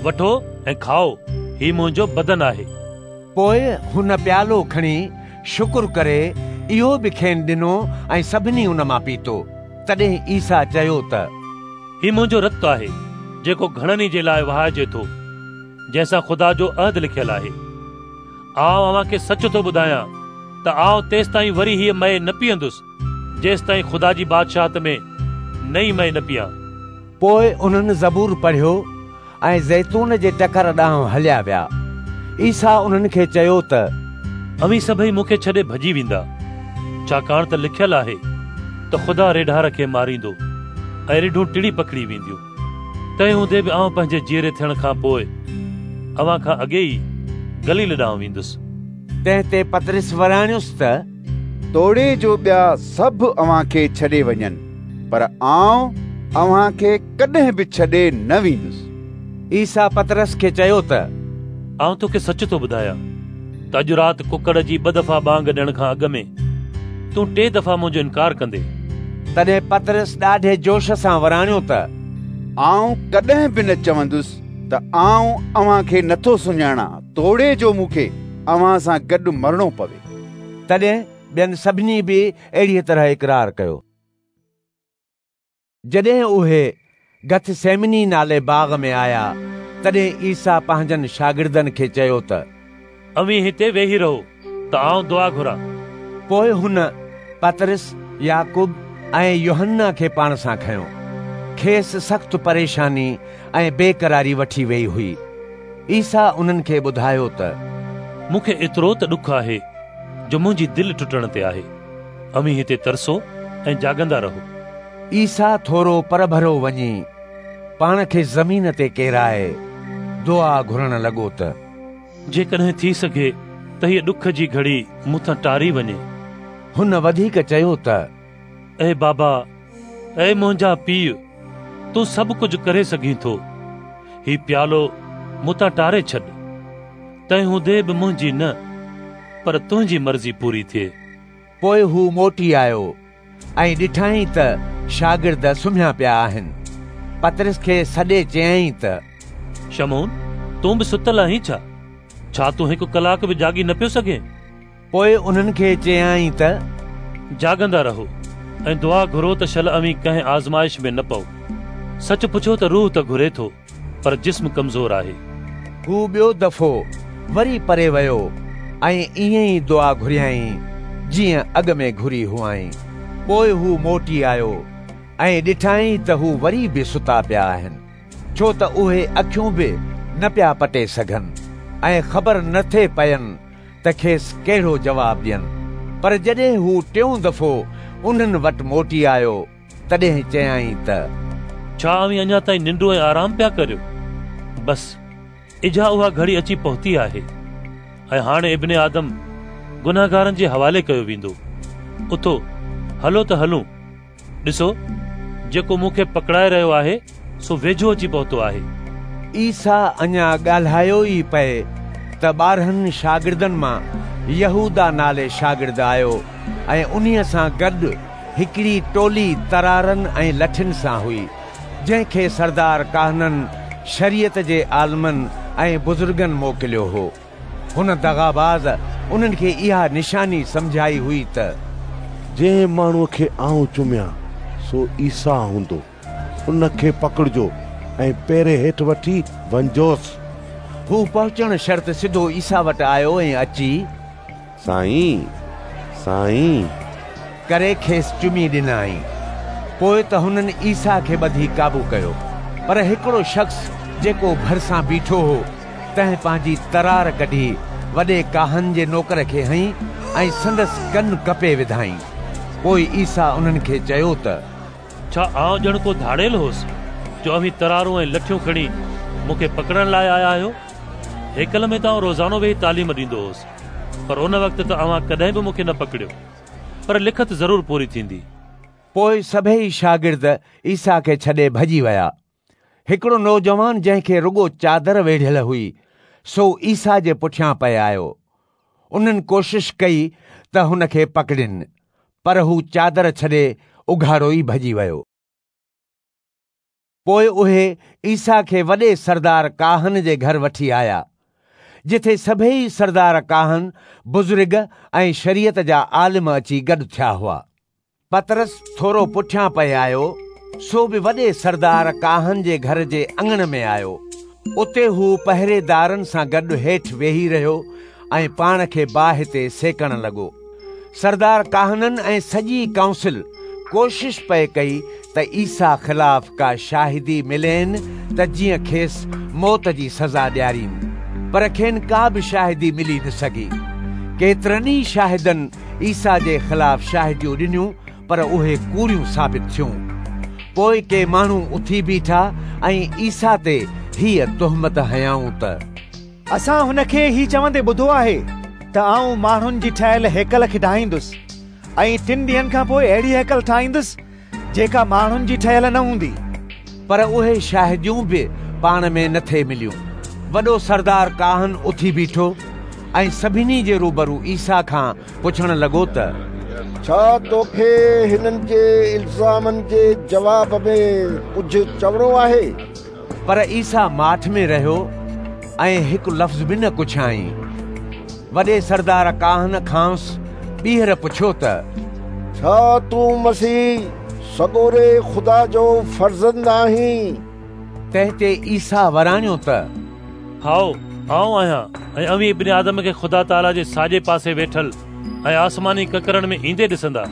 [SPEAKER 9] وٺو ۽ کائو، هي منهنجو بدن آهي.
[SPEAKER 1] پوء هن پيالو کڻي شڪر ڪري اهو به کين ڏنو ۽ سڀني ان مان پيتو. تڏهن عيسيٰ چيو ته.
[SPEAKER 9] هي منهنجو رت آهي، جيڪو گهڻن ئي جي لاء وهائجي ٿو، جنهن سان خدا جو عهد لکيل آهي. آئون اوهان کي سچ ٿو ٻڌايان ته آئون تيستائين وري هيء مئي نه پيئندس، جيستائين خدا جي بادشاهت ۾ نئين مئي نه پيئان.
[SPEAKER 1] پوء انهن زبور پڙهيو ۽ زيتون جي ٽڪر ڏانهن هليا ويا. عيسيٰ انهن کي چيو ته.
[SPEAKER 9] اوهين سڀئي مون کي ڇڏي ڀڄي ويندا، ڇاڪاڻ ته لکيل آهي ته خدا ريڍار کي ماريندو ۽ رڍون ٽڙي پکڙي وينديون. تنهن هوندي به آئون پنهنجي جيئري ٿيڻ کان پوء اوهان کان اڳي ئي گليل ڏانهن ويندس.
[SPEAKER 1] تنهن تي پطرس وراڻيس ته.
[SPEAKER 8] توڙي جو ٻيا سڀ اوهان کي ڇڏي وڃن، پر آئون اوهان کي ڪڏهن به ڇڏي نه ويندس.
[SPEAKER 1] عيسيٰ پطرس کي چيو ته.
[SPEAKER 9] آئون توکي سچ ٿو ٻڌايان ته اڄ رات ڪڪڙ جي ٻه دفعا ٻانگ ڏيڻ کان اڳ ۾ تون ٽي دفعا منهنجو انڪار ڪندين.
[SPEAKER 1] تڏهن پطرس ڏاڍي جوش سان وراڻيو ته
[SPEAKER 8] آئون ڪڏهن به نه چوندس ته آئون اوهان کي نٿو سڃاڻان، توڙي جو مون کي اوهان سان گڏ مرڻو پوي.
[SPEAKER 1] تڏهن ٻين سڀني به اهڙيء طرح اقرار ڪيو. جڏهن اهي گتسيمني نالي باغ ۾ آيا، تڏهن عيسيٰ پنهنجن شاگردن کي چيو ته،
[SPEAKER 9] اوهين هتي ويهي رهو ته آئون دعا گهران.
[SPEAKER 1] پوء هن پطرس، يعقوب ۽ يوحنا کي پاڻ سان کنيو. کيس سخت پريشاني ۽ بيقراري وٺي ويئي هئي. عيسيٰ انهن کي ٻڌايو ته،
[SPEAKER 9] مون کي ايترو ته ڏک آهي جو منهنجي دل ٽٽڻ تي آهي. اوهين هتي ترسو ۽ جاڳندا رهو.
[SPEAKER 1] عيسيٰ ٿورو پرڀرو وڃي پاڻ کي زمين تي ڪيرائي دعا گهرڻ لڳو ته،
[SPEAKER 9] جيڪڏهن ٿي سگهي ته هيء ڏک جي گهڙي مون تان ٽاري وڃي.
[SPEAKER 1] هن وڌيڪ چيو ته،
[SPEAKER 9] اي بابا، اي منهنجا پيء، تون سڀ ڪجهه ڪري سگهين ٿو. هي پيالو مون تان ٽاري ڇڏ. تنهن هوندي به منهنجي نه، پر تنهنجي مرضي پوري ٿئي.
[SPEAKER 1] پوء هو موٽي آيو ۽ ڏٺائين ته شاگرد سمهيا پيا آهن. پطرس کي سڏي چيائين ته،
[SPEAKER 9] شمعون، تون به ستل آهين ڇا؟ ڇا تون هڪ ڪلاڪ به جاڳي نه پيو سگهين؟
[SPEAKER 1] پوء انهن کي چيائين ته،
[SPEAKER 9] جاڳندا رهو ۽ دعا گهرو ته شل اوهين ڪنهن آزمائش ۾ نه پئو. سچ پڇو ته روح ته گهري ٿو، پر جسم ڪمزور آهي.
[SPEAKER 1] هو ٻيو دفعو وري پري ويو ۽ ائين ئي دعا گهريائين، جيئن اڳ ۾ گهري هئائين. پوء هو موٽي آيو ۽ ڏٺائين ته هو وري به ستا پيا آهن، ڇو ته اهي اکيون به نه پيا پٽي سگهن ۽ خبر نه ٿي پين ته کيس ڪهڙو جواب ڏين. پر جڏهن هو ٽيون دفعو انهن وٽ موٽي آيو، تڏهن چيائين ته.
[SPEAKER 9] ڇا اوهين اڃا تائين ننڊون ۽ آرام پيا ڪريو؟ بس، اجها اها گهڙي اچي پهتي آهي، ۽ هاڻي ابن آدم گنهگارن جي حوالي ڪيو ويندو. اٿو، هلو ته هلون. ڏسو، جيڪو مون کي پڪڙائي رهيو آهي، سو ويجهو اچي پهتو آهي.
[SPEAKER 1] عيسيٰ اڃا ڳالهايو ئي پئي ته 12 شاگردن مان يهوداه نالي شاگرد آيو ۽ انهيء سان گڏ هڪڙي ٽولي ترارن ۽ لٺين سان هئي، جنهن کي سردار ڪاهنن، شريعت جي عالمن ۽ بزرگن موڪليو هو. هن دغاباز انهن کي اها نشاني سمجهائي هئي ته.
[SPEAKER 7] جنهن ماڻهوء کي آئون چميان، سو عيسيٰ هوندو. ان کي پڪڙجو ۽ پهري هيٺ وٺي وڃجوس.
[SPEAKER 1] هو پهچڻ شرط سڌو عيسيٰ وٽ آيو ۽ اچي،
[SPEAKER 7] سائين! سائين!
[SPEAKER 1] ڪري کيس چمي ڏنائين. پوء ته هنن عيسيٰ کي ٻڌي قابو ڪيو. پر هڪڙو شخص جيڪو ڀرسان بيٺو هو، تنهن پنهنجي ترار ڪڍي وڏي ڪاهن جي نوڪر کي هنئي ۽ سندس ڪن ڪپي وڌائين. پوء عيسيٰ انهن کي چيو ته.
[SPEAKER 9] ڇا آئون ڄڻ ڪو ڌاڙيل هوس، جو اوهين ترارون ۽ لٺيون کڻي مون کي پڪڙڻ لاء آيا آهيو؟ هيڪل ۾ ته آئون روزانو ويهي تعليم ڏيندو هوس، پر ان وقت ته اوهان ڪڏهن به مون کي نه پڪڙيو. پر لکت ضرور پوري ٿيندي.
[SPEAKER 1] پوء سڀيئي شاگرد عيسيٰ کي ڇڏي ڀڄي ويا. هڪڙو نوجوان جنهن کي رڳو چادر ويڙهيل هئي، سو عيسيٰ جي پٺيان پئي آيو. انهن ڪوشش ڪئي ته هن کي پڪڙين، پر هو چادر ڇڏي اگهاڙو ئي ڀڄي ويو. پوء اهي عيسيٰ کي وڏي سردار ڪاهن جي گهر وٺي آيا، جتي سڀيئي سردار ڪاهن، بزرگ ۽ شريعت جا عالم اچي گڏ ٿيا هئا. پطرس ٿورو پٺيان پئي آيو، سو به وڏي سردار ڪاهن جي گهر جي اڱڻ ۾ آيو. اتي هو پهريدارن سان گڏ هيٺ ويهي رهيو ۽ پاڻ کي باهه تي سيڪڻ لڳو. سردار ڪاهنن ۽ سڄي ڪائونسل ڪوشش پئي ڪئي ته عيسيٰ خلاف ڪا شاهدي ملين ته جيئن کيس موت جي سزا ڏيارين، پر کين ڪا به شاهدي ملي نه سگهي. ڪيترن ئي شاهدن عيسيٰ جي خلاف شاهديون ڏنيون، پر اهي ڪوڙيون ثابت ٿيون. پوء ڪي ماڻهو اٿي بيٺا ۽ عيسيٰ تي هيء تهمت هنيائون ته،
[SPEAKER 12] اسان هن کي هي چوندي ٻڌو آهي ته آئون ماڻهن جي ٺاهيل هيڪل کي ڊاهيندس ۽ ٽن ڏينهن کان پوء اهڙي هيڪل ٺاهيندس جيڪا ماڻهن جي ٺهيل نه هوندي.
[SPEAKER 1] پر اهي شاهديون به پاڻ ۾ نه ٿي مليون. وڏو سردار ڪاهن اٿي بيٺو ۽ سڀني جي روبرو عيسيٰ کان پڇڻ لڳو ته
[SPEAKER 11] ڇا توکي هنن جي الزامن جي جواب ۾ ڪجهه چوڻو آهي؟
[SPEAKER 1] پر عيسيٰ ماٺ ۾ رهيو ۽ هڪ لفظ به نه ڪڇيائين. وڏي سردار ڪاهن کانئس ٻيهر پڇيو ته
[SPEAKER 11] ڇا تون مسيح سڳوري خدا جو فرزند آهين؟
[SPEAKER 1] تنهن تي عيسيٰ وراڻيو ته
[SPEAKER 9] هائو، آئون آهيان ۽ اوهين ابن آدم کي خدا تعاليٰ جي ساڄي پاسي ويٺل ۽ آسماني ڪڪرن ۾ ايندي ڏسندا.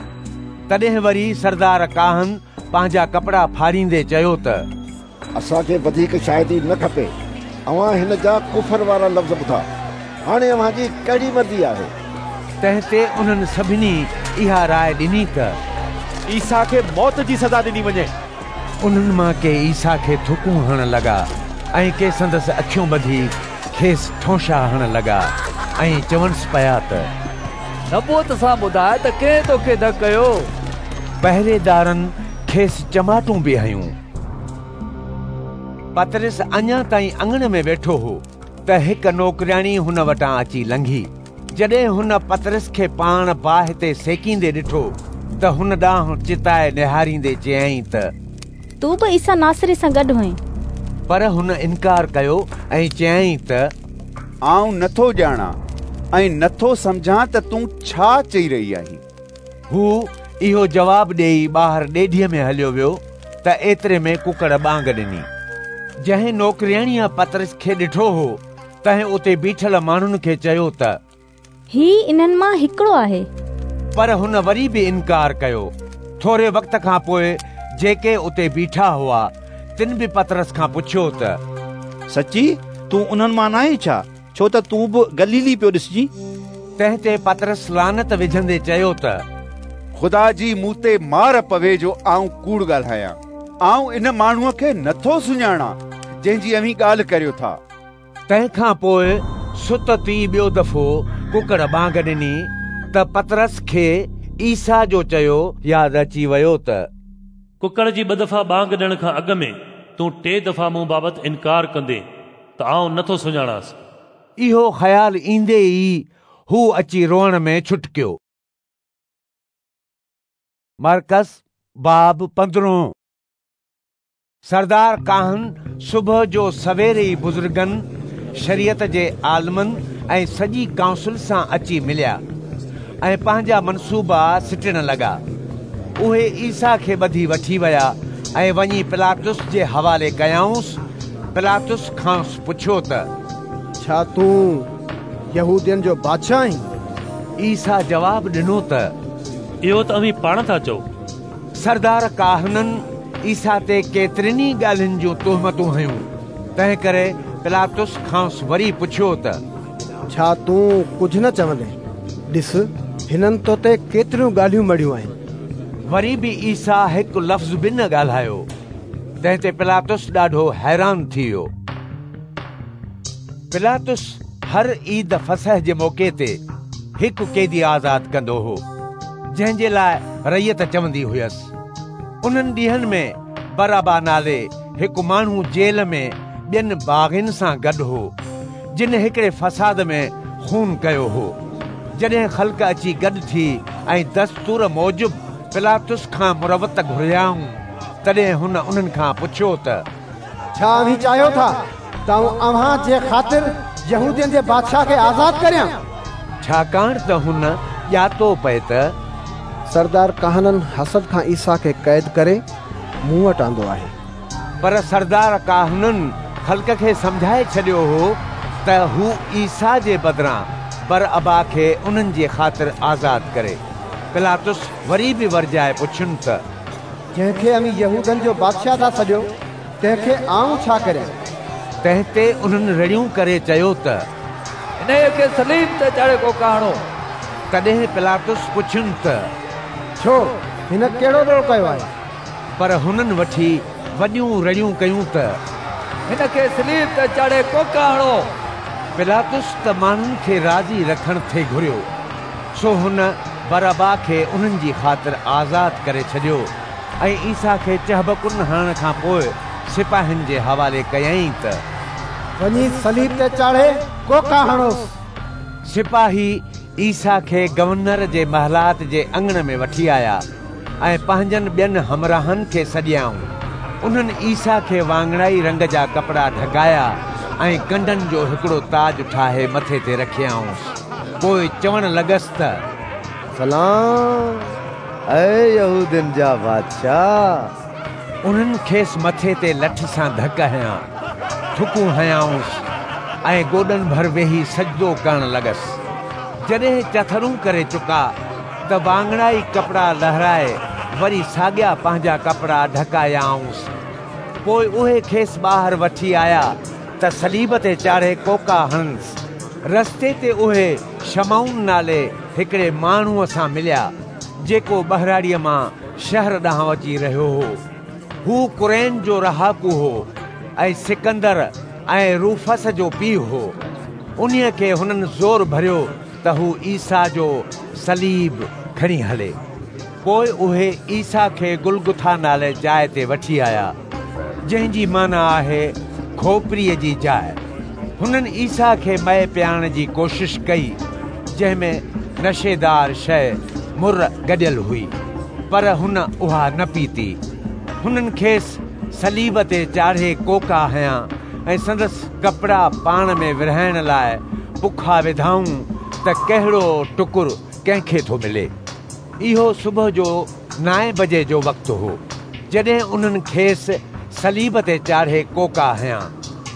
[SPEAKER 1] تڏهن وري سردار ڪاهن پنهنجا ڪپڙا ڦاڙيندي چيو ته
[SPEAKER 11] اسان کي وڌيڪ شاهدي نه کپي. اوهان هن جا ڪفر وارا لفظ ٻڌا. هاڻي اوهان جي ڪهڙي مرضي آهي؟
[SPEAKER 1] تنهن تي انهن سڀني اها راء ڏني ته
[SPEAKER 17] عيسيٰ کي موت جي سزا ڏني وڃي.
[SPEAKER 1] انهن مان ڪي عيسيٰ کي ٿڪون هڻڻ لڳا ۽ ڪي سندس اکيون ٻڌي کيس ٺونشا هڻڻ لڳا ۽ چونس پيا ته
[SPEAKER 13] نبوت سان ٻڌاء ته ڪنهن توکي ڌڪ ڪيو؟
[SPEAKER 1] پهريدارن کيس چماٽون به هنيون. پطرس اڃا تائين اڱڻ ۾ ويٺو هو ته هڪ نوڪرياڻي هن وٽان اچي لنگهي. جڏهن هن پطرس کي پاڻ باهه تي سيڪيندي ڏٺو ته هن ڏانهن چتائي نهاريندي چيائين ته
[SPEAKER 18] تون به عيسيٰ ناصري سان گڏ هئين.
[SPEAKER 1] پر هن انڪار ڪيو ۽ چيائين ته
[SPEAKER 8] آئون نٿو ڄاڻان ۽ نٿو سمجهان ته تون ڇا چئي رهي آهين.
[SPEAKER 1] هو اهو جواب ڏيئي ٻاهر ڏيڍيء ۾ هليو ويو ته ايتري ۾ ڪڪڙ ٻانگ ڏني. جنهن نوڪرياڻيء پطرس کي ڏٺو هو، تنهن اتي بيٺل ماڻهن کي چيو ته
[SPEAKER 18] هي انهن مان هڪڙو آهي.
[SPEAKER 1] پر هن وري به انڪار ڪيو. ٿوري وقت کان پوء جيڪي اتي بيٺا هئا، تن به پطرس کان پڇيو ته
[SPEAKER 8] سچي تون انهن مان ناهين ڇا؟ ڇو ته تون به گليلي پيو ڏسجين.
[SPEAKER 1] تنهن تي پطرس لعنت وجهندي چيو ته
[SPEAKER 8] خدا جي مون تي مار پوي جو آئون ڪوڙ ڳالهايان. آئون ان ماڻهوء کي نٿو سڃاڻان، جنهن جي اوهين ڳالهه ڪريو ٿا.
[SPEAKER 1] تنهن کان پوء ستت ئي ٻيو دفعو ڪڪڙ ٻانگ ڏني ته پطرس کي عيسيٰ جو چيو ياد اچي ويو ته.
[SPEAKER 9] ڪڪڙ جي ٻه دفعا ٻانگ ڏيڻ کان اڳ ۾ تون ٽي دفعا مون بابت انڪار ڪندين ته آئون نٿو سڃاڻانس.
[SPEAKER 1] اهو خيال ايندي ئي هو اچي روئڻ ۾ ڇٽڪيو. مرقس باب پندرهون. سردار ڪاهن صبح جو سوير ئي بزرگن، شريعت جي عالمن ۽ سڄي ڪائونسل سان اچي مليا ۽ پنهنجا منصوبا سٽڻ لڳا. اهي عيسيٰ کي ٻڌي وٺي ويا ۽ وڃي پلاطس جي حوالي ڪيائونس. پلاطس کانئس پڇيو ته
[SPEAKER 15] ڇا تون يهودين جو بادشاهه آهين؟
[SPEAKER 1] عيسيٰ جواب ڏنو ته
[SPEAKER 9] اهو ته اوهين پاڻ ٿا چئو.
[SPEAKER 1] سردار ڪاهنن عيسيٰ تي ڪيترين ئي ڳالهين جون تهمتون هنيون، تنهنڪري پلاطس کانئس وري پڇيو ته.
[SPEAKER 15] ڇا تون ڪجهه نه چوندين؟ ڏس، هنن تو تي ڪيتريون ڳالهيون مڙهيون آهن.
[SPEAKER 1] وري به عيسيٰ هڪ لفظ به نه ڳالهايو، تنهن تي پلاطس ڏاڍو حيران ٿي ويو. پلاطس هر عيد فصح جي موقعي تي هڪ قيدي آزاد ڪندو هو، جنهن جي لاء رعيت چوندي هيس. انهن ڏينهن ۾ برابا نالي هڪ ماڻهو جيل ۾ ٻين باغين سان گڏ هو، جن هڪڙي فساد ۾ خون ڪيو هو. جڏهن خلق اچي گڏ ٿي ۽ دستور موجب پلاطس کان مروت گهريائون، تڏهن هن انهن کان پڇيو ته
[SPEAKER 15] ڇا اوهين چاهيو ٿا ته آئون اوهان جي خاطر يهودين جي بادشاهه کي آزاد ڪريان؟
[SPEAKER 1] ڇاڪاڻ ته هن ڄاتو پئي ته.
[SPEAKER 15] سردار ڪاهنن حسد کان عيسيٰ کي قيد ڪري مون وٽ آندو آهي.
[SPEAKER 1] پر سردار ڪاهنن خلق کي سمجهائي ڇڏيو هو ته هو عيسيٰ جي بدران برابا کي انهن جي خاطر آزاد ڪري. پلاطس وري به ورجائي پڇين ته.
[SPEAKER 15] جنهن کي اوهين يهودن جو بادشاهه ٿا سڏيو، تنهن کي آئون ڇا ڪريان؟
[SPEAKER 1] تنهن تي انهن رڙيون ڪري چيو ته.
[SPEAKER 13] انهيء کي صليب تي چاڙهي ڪوڪا هڻو.
[SPEAKER 1] تڏهن پلاطس پڇين ته.
[SPEAKER 15] ڇو، هن ڪهڙو ڏوهه ڪيو آهي؟
[SPEAKER 1] پر هنن وٺي وڏيون رڙيون ڪيون ته.
[SPEAKER 13] هن کي صليب تي چاڙهي ڪوڪا هڻو.
[SPEAKER 1] پلاطس ته ماڻهن کي راضي رکڻ ٿي گهريو، سو هن برابا کي انهن جي خاطر آزاد ڪري ڇڏيو ۽ عيسيٰ کي چهبڪن هڻڻ کان پوء سپاهين جي حوالي ڪيائين ته.
[SPEAKER 15] وڃي صليب تي چاڙهي ڪوڪا هڻوس.
[SPEAKER 1] سپاهي عيسيٰ کي گورنر جي محلات جي اڱڻ ۾ وٺي آيا ۽ پنهنجن ٻين همراهن کي سڏيائون. انهن عيسيٰ کي واڱڻائي رنگ جا ڪپڙا ڍڪايا ۽ ڪنڊن جو هڪڙو تاج ٺاهي مٿي تي رکيائونس. پوء چوڻ لڳس ته
[SPEAKER 3] سلام، اي يهودين جا بادشاهه!
[SPEAKER 1] انهن کيس مٿي تي لٺ سان ڌڪ هنيا، ٿڪون هنيائونس ۽ گوڏن ڀر ويهي سجدو ڪرڻ لڳس. جڏهن چٿرون ڪري چڪا ته واڱڻائي ڪپڙا لهرائي وري ساڳيا پنهنجا ڪپڙا ڍڪايائونس. پوء اهي کيس ٻاهر وٺي آيا ته صليب تي چاڙهي ڪوڪا هڻنس. رستي تي اهي شمعون نالي هڪڙي ماڻهوء سان مليا، جيڪو ٻهراڙيء مان شهر ڏانهن اچي رهيو هو. هو ڪرين جو رهاڪو هو ۽ سڪندر ۽ روفس جو پيء هو. انهيء کي هنن زور ڀريو ته هو عيسيٰ جو صليب کڻي هلي. پوء اهي عيسيٰ کي گلگٿا نالي جاء تي وٺي آيا، جنهن جي معنيٰ آهي کوپريء جي جاء. هنن عيسيٰ کي مئي پيارڻ جي ڪوشش ڪئي، جنهن ۾ نشيدار شيء مر گڏيل هئي، پر هن اها نه پيتي. هنن کيس صليب تي چاڙهي ڪوڪا هنيا ۽ سندس ڪپڙا پاڻ ۾ ورهائڻ لاء پکا وڌائون ته ڪهڙو ٽڪر ڪنهن کي ٿو ملي. اهو صبح جو نائين بجي جو وقت هو، جڏهن انهن کيس صليب تي چاڙهي ڪوڪا هنيا.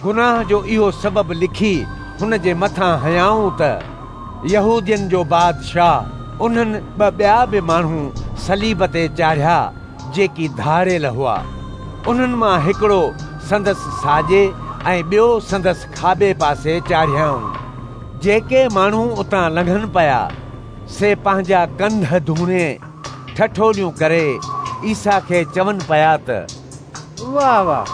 [SPEAKER 1] گناهه جو اهو سبب لکي هن جي مٿان هنيائون ته، يهودين جو بادشاهه. انهن ٻه ٻيا به ماڻهو صليب تي چاڙهيا، جيڪي ڌاڙيل هئا. انهن مان هڪڙو سندس ساڄي ۽ ٻيو سندس کاٻي پاسي چاڙهيائون. جيڪي ماڻهو اتان لنگهن پيا، سي پنهنجا ڪنڌ ڌوڻي ٺٺوليون ڪري عيسيٰ کي چون پيا ته،
[SPEAKER 19] واهه واهه،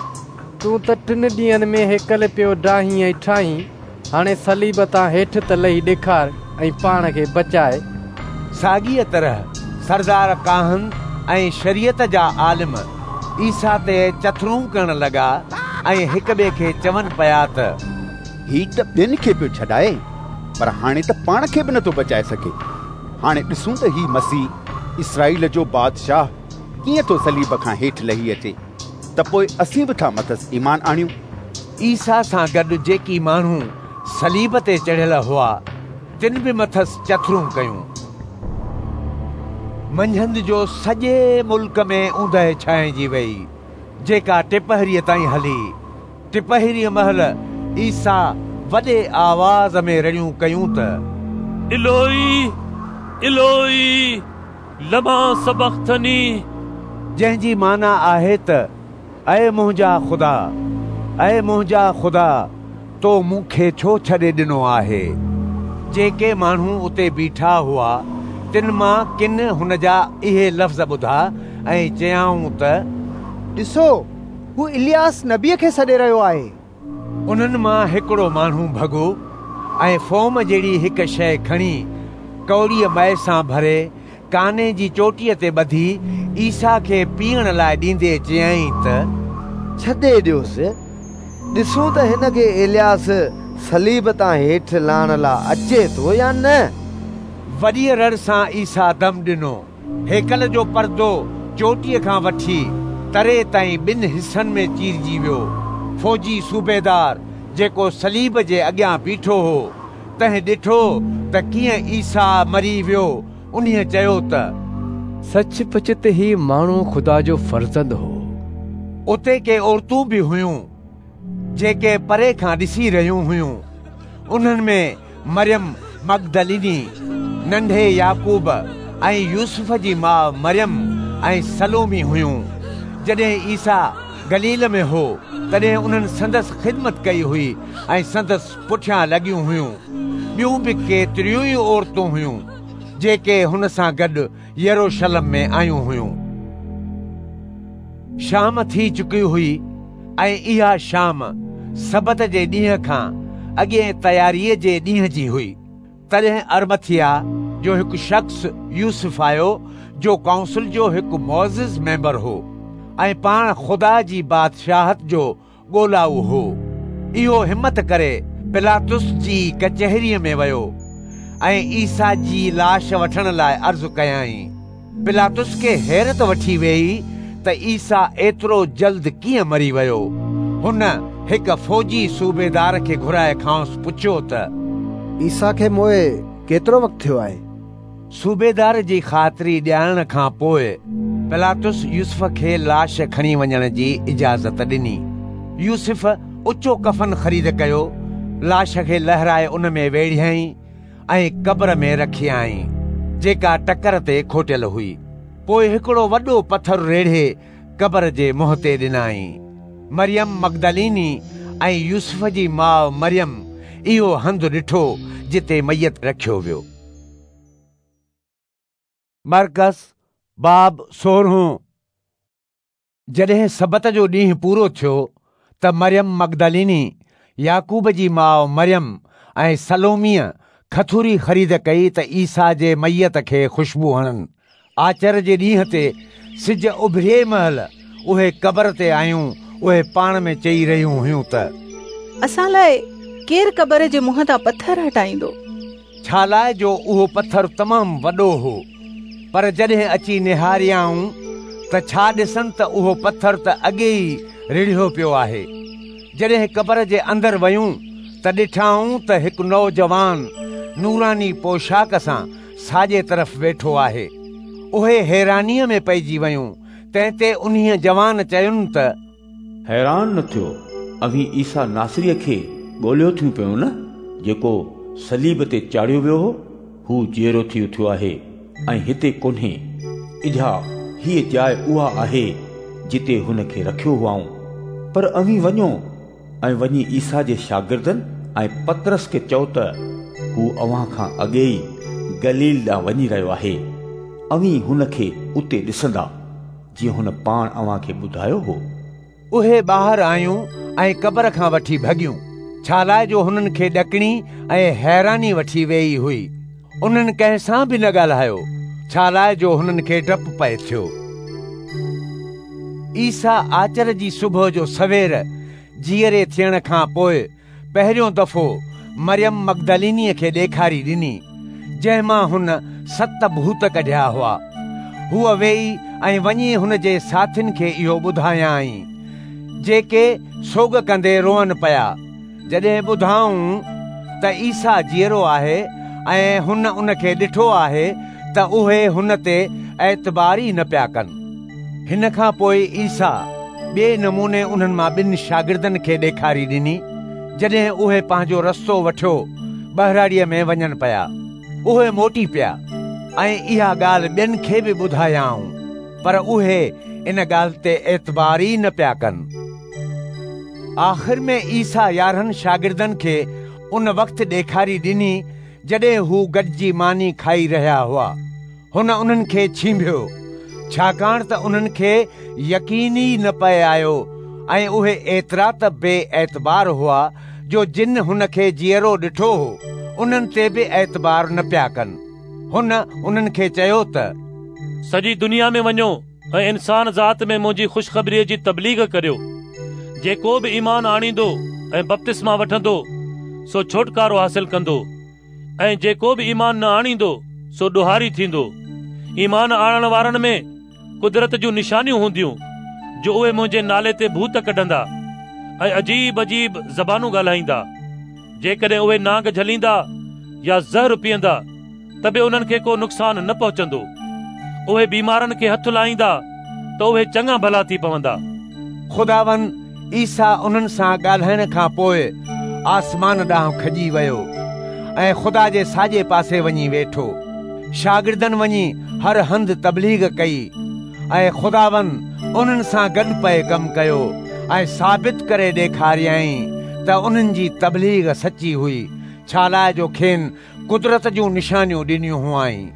[SPEAKER 19] تون ته ٽن ڏينهن ۾ هيڪل پيو ڊاهين ۽ ٺاهين، هاڻي صليب تان هيٺ ته لهي ڏيکار ۽ پاڻ کي بچاء.
[SPEAKER 1] ساڳيء طرح سردار ڪاهن ۽ شريعت جا عالم عيسيٰ تي چٿرون ڪرڻ لڳا ۽ هڪٻئي کي چون پيا ته،
[SPEAKER 8] هي ته ٻين کي پيو ڇڏائي، پر هاڻي ته پاڻ کي به نٿو بچائي سگهي. هاڻي ڏسون ته هي مسيح، اسرائيل جو بادشاهه، ڪيئن ٿو صليب کان هيٺ لهي اچي، ته پوء اسين به ٿا مٿس ايمان آڻيون.
[SPEAKER 1] عيسيٰ سان گڏ جيڪي ماڻهو صليب تي چڙهيل هئا، تن به مٿس چٿرون ڪيون. منجهند جو سڄي ملڪ ۾ اوندهه ڇانئجي ويئي، جيڪا ٽپهريء تائين هلي. ٽپهريء مهل عيسيٰ وڏي آواز ۾ رڙيون ڪيون ته،
[SPEAKER 9] الوئي، الوئي، لما سبختني؟
[SPEAKER 1] جنهن جي معنيٰ آهي ته اي منهنجا خدا، اي منهنجا خدا، تو مون کي ڇو ڇڏي ڏنو آهي؟ جيڪي ماڻهو اتي بيٺا هئا، تن مان ڪن هن جا اهي لفظ ٻڌا ۽ چيائون ته،
[SPEAKER 14] ڏسو، هو الياس نبيء کي سڏي رهيو آهي.
[SPEAKER 1] انهن مان هڪڙو ماڻهو ڀڳو ۽ فوم جهڙي هڪ شيء کڻي ڪؤڙيء مئي سان ڀري ڪاني جي چوٽيء تي ٻڌي عيسيٰ کي پيئڻ لاء ڏيندي چيائين ته،
[SPEAKER 3] ڇڏي ڏيوس، ڏسون ته هن کي الياس صليب تان هيٺ لاهڻ لاء اچي ٿو يا نه.
[SPEAKER 1] وڏيء رڙ سان عيسيٰ دم ڏنو. هيڪل جو پردو چوٽيء کان وٺي تري تائين ٻن حصن ۾ چيرجي ويو. فوجي صوبيدار جيڪو صليب جي اڳيان بيٺو هو، تنهن ڏٺو ته ڪيئن عيسيٰ مري ويو، انهيء چيو ته،
[SPEAKER 16] سچ پچ ته هي ماڻهو خدا جو فرزند هو.
[SPEAKER 1] اتي ڪي عورتون به هيون، جيڪي پري کان ڏسي رهيون هيون. انهن ۾ مريم مگدليني، ننڍي يعقوب ۽ يوسف جي ماء مريم ۽ سلومي هيون. جڏهن عيسيٰ گليل ۾ هو، تڏهن انهن سندس خدمت ڪئي هئي ۽ سندس پٺيان لڳيون هيون. ٻيون به ڪيتريون ئي عورتون هيون، جيڪي هن سان گڏ يروشلم ۾ آيون هيون. شام ٿي چڪي هئي ۽ اها شام سبت جي ڏينهن کان اڳئين تياريء جي ڏينهن جي هئي. تڏهن ارمٿيا جو هڪ شخص يوسف آيو، جو ڪائونسل جو هڪ معزز ميمبر هو ۽ پاڻ خدا جي بادشاهت جو ڳولائو هو. اهو همت ڪري پلاطس جي ڪچهريء ۾ ويو ۽ عيسيٰ جي لاش وٺڻ لاء عرض ڪيائين. پلاطس کي حيرت وٺي ويئي ته عيسيٰ ايترو جلد ڪيئن مري ويو. هن هڪ فوجي صوبيدار کي گهرائي کانئس پڇيو ته،
[SPEAKER 15] عيسيٰ کي موئي ڪيترو وقت ٿيو آهي؟
[SPEAKER 1] صوبيدار جي خاطري ڏيارڻ کان پوء پلاطس يوسف کي لاش کڻي وڃڻ جي اجازت ڏني. يوسف اچو ڪفن خريد ڪيو، لاش کي لهرائي ان ۾ ويڙهيائين ۽ قبر ۾ رکيائين، جيڪا ٽڪر تي کوٽيل هئي. پوء هڪڙو وڏو پٿر ريڙهي قبر جي منهن تي ڏنائين. مريم مگدليني ۽ يوسف جي ماء مريم اهو هنڌ ڏٺو جتي ميت رکيو ويو. مرقس باب 16. جڏهن سبت جو ڏينهن پورو ٿيو ته مريم مگدليني، يعقوب جي ماء مريم ۽ سلوميء کٿوري خريد ڪئي ته عيسيٰ جي ميت کي خوشبو هڻن. آچر جي ڏينهن تي سج اڀرئي مهل اهي قبر تي آيون. اهي پاڻ ۾ چئي رهيون هيون ته
[SPEAKER 20] اسان لاء ڪير قبر جي منهن تان پٿر هٽائيندو؟
[SPEAKER 1] ڇا لاء جو اهو پٿر تمام وڏو هو. پر جڏهن اچي نهاريائون ته ڇا ڏسن ته اهو پٿر ته اڳي ئي رڙهيو پيو آهي. جڏهن قبر جي اندر ويون ته ڏٺائون ته هڪ نوجوان نوراني پوشاڪ سان ساڄي طرف ويٺو آهي. اهي حيرانيء ۾ پئجي ويون. تنهن تي انهيء جوان چين ته
[SPEAKER 2] حيران نه ٿيو، اوهين عيسيٰ ناصريء کي ڳوليو ٿيون پيون نه، جيڪو صليب تي چاڙهيو ويو هو؟ هو جيئرو ٿي اٿيو آهي ۽ هتي ڪونهي. اجها هيء جاء اها آهي، جتي هن کي رکيو هئائون. پر اوهين وڃو ۽ وڃي عيسيٰ جي شاگردن ۽ پطرس کي چئو ته هو اوهان کان اڳي ئي گليل ڏانهن وڃي رهيو آهي. اوهين هن کي اتي ڏسندا. جيئن هن پاڻ اوهان کي ٻڌايو هو.
[SPEAKER 1] اهي ٻاهر آيون ۽ قبر کان وٺي ڀڳيون، ڇالاء جو هنن کي ڏڪڻي ۽ حيراني وٺي ويئي هئي. انهن ڪنهن سان به نه ڳالهايو، ڇالاء جو هنن کي ڊپ پئي ٿيو. عيسيٰ آچر جي صبح جو سوير جيئري ٿيڻ کان پوء پهريون دفعو مريم مگدلينيء کي ڏيکاري ڏني، جنهن مان هن 7 ڀوت ڪڍيا هئا. هوء ويئي ۽ وڃي هن جي ساٿين کي اهو ٻڌايائين، جيڪي سوڳ ڪندي روئن پيا. جڏهن ٻڌائون ته عيسيٰ جيئرو آهي ۽ هن ان کي ڏٺو آهي ته اهي هن تي اعتبار ئي نه پيا ڪن. هن کان پوء عيسيٰ ٻئي نموني انهن مان ٻن شاگردن کي ڏيکاري ڏني، جڏهن اهي پنهنجو رستو وٺيو ٻهراڙيء ۾ وڃن پيا. اهي موٽي پيا ۽ اها ڳالهه ٻين کي به ٻڌايائون، پر اهي ان ڳالهه تي اعتبار ئي نه پيا ڪن. آخر ۾ عيسيٰ 11 شاگردن کي ان وقت ڏيکاري ڏني، جڏهن هو گڏجي ماني کائي رهيا هئا. هن انهن کي ڇينڀيو، ڇاڪاڻ ته انهن کي يقين ئي نه پئي آيو ۽ اهي ايترا ته بي اعتبار هئا جو جن هن کي جيئرو ڏٺو هو، انهن تي به اعتبار نه پيا ڪن. هن انهن کي چيو ته
[SPEAKER 9] سڄي دنيا ۾ وڃو ۽ انسان ذات ۾ منهنجي خوشخبريء جي تبليغ ڪريو. جيڪو به ايمان آڻيندو ۽ بپتسما وٺندو، سو ڇوٽڪارو حاصل ڪندو. ۽ جيڪو به ايمان نه آڻيندو سو ڏوهاري ٿيندو. ايمان آڻڻ وارن ۾ قدرت جون نشانيون هونديون، جو اهي منهنجي نالي تي ڀوت ڪڍندا ۽ عجيب عجيب زبانون ڳالهائيندا. جيڪڏهن اهي نانگ جهليندا يا زهر پيئندا ته به انهن کي ڪو نقصان نه پهچندو. اهي بيمارن کي هٿ لائيندا ته اهي چڱا ڀلا ٿي پوندا.
[SPEAKER 1] خداوند عيسيٰ انهن سان ڳالهائڻ کان پوء آسمان ڏانهن کڄي ويو ۽ خدا جي ساڄي پاسي وڃي ويٺو. شاگردن وڃي هر هنڌ تبليغ ڪئي ۽ خداوند انهن سان گڏ پئي ڪم ڪيو ۽ ثابت ڪري ڏيکاريائين ته انهن جي تبليغ سچي هئي، ڇالاء جو کين قدرت جون نشانيون ڏنيون هئائين.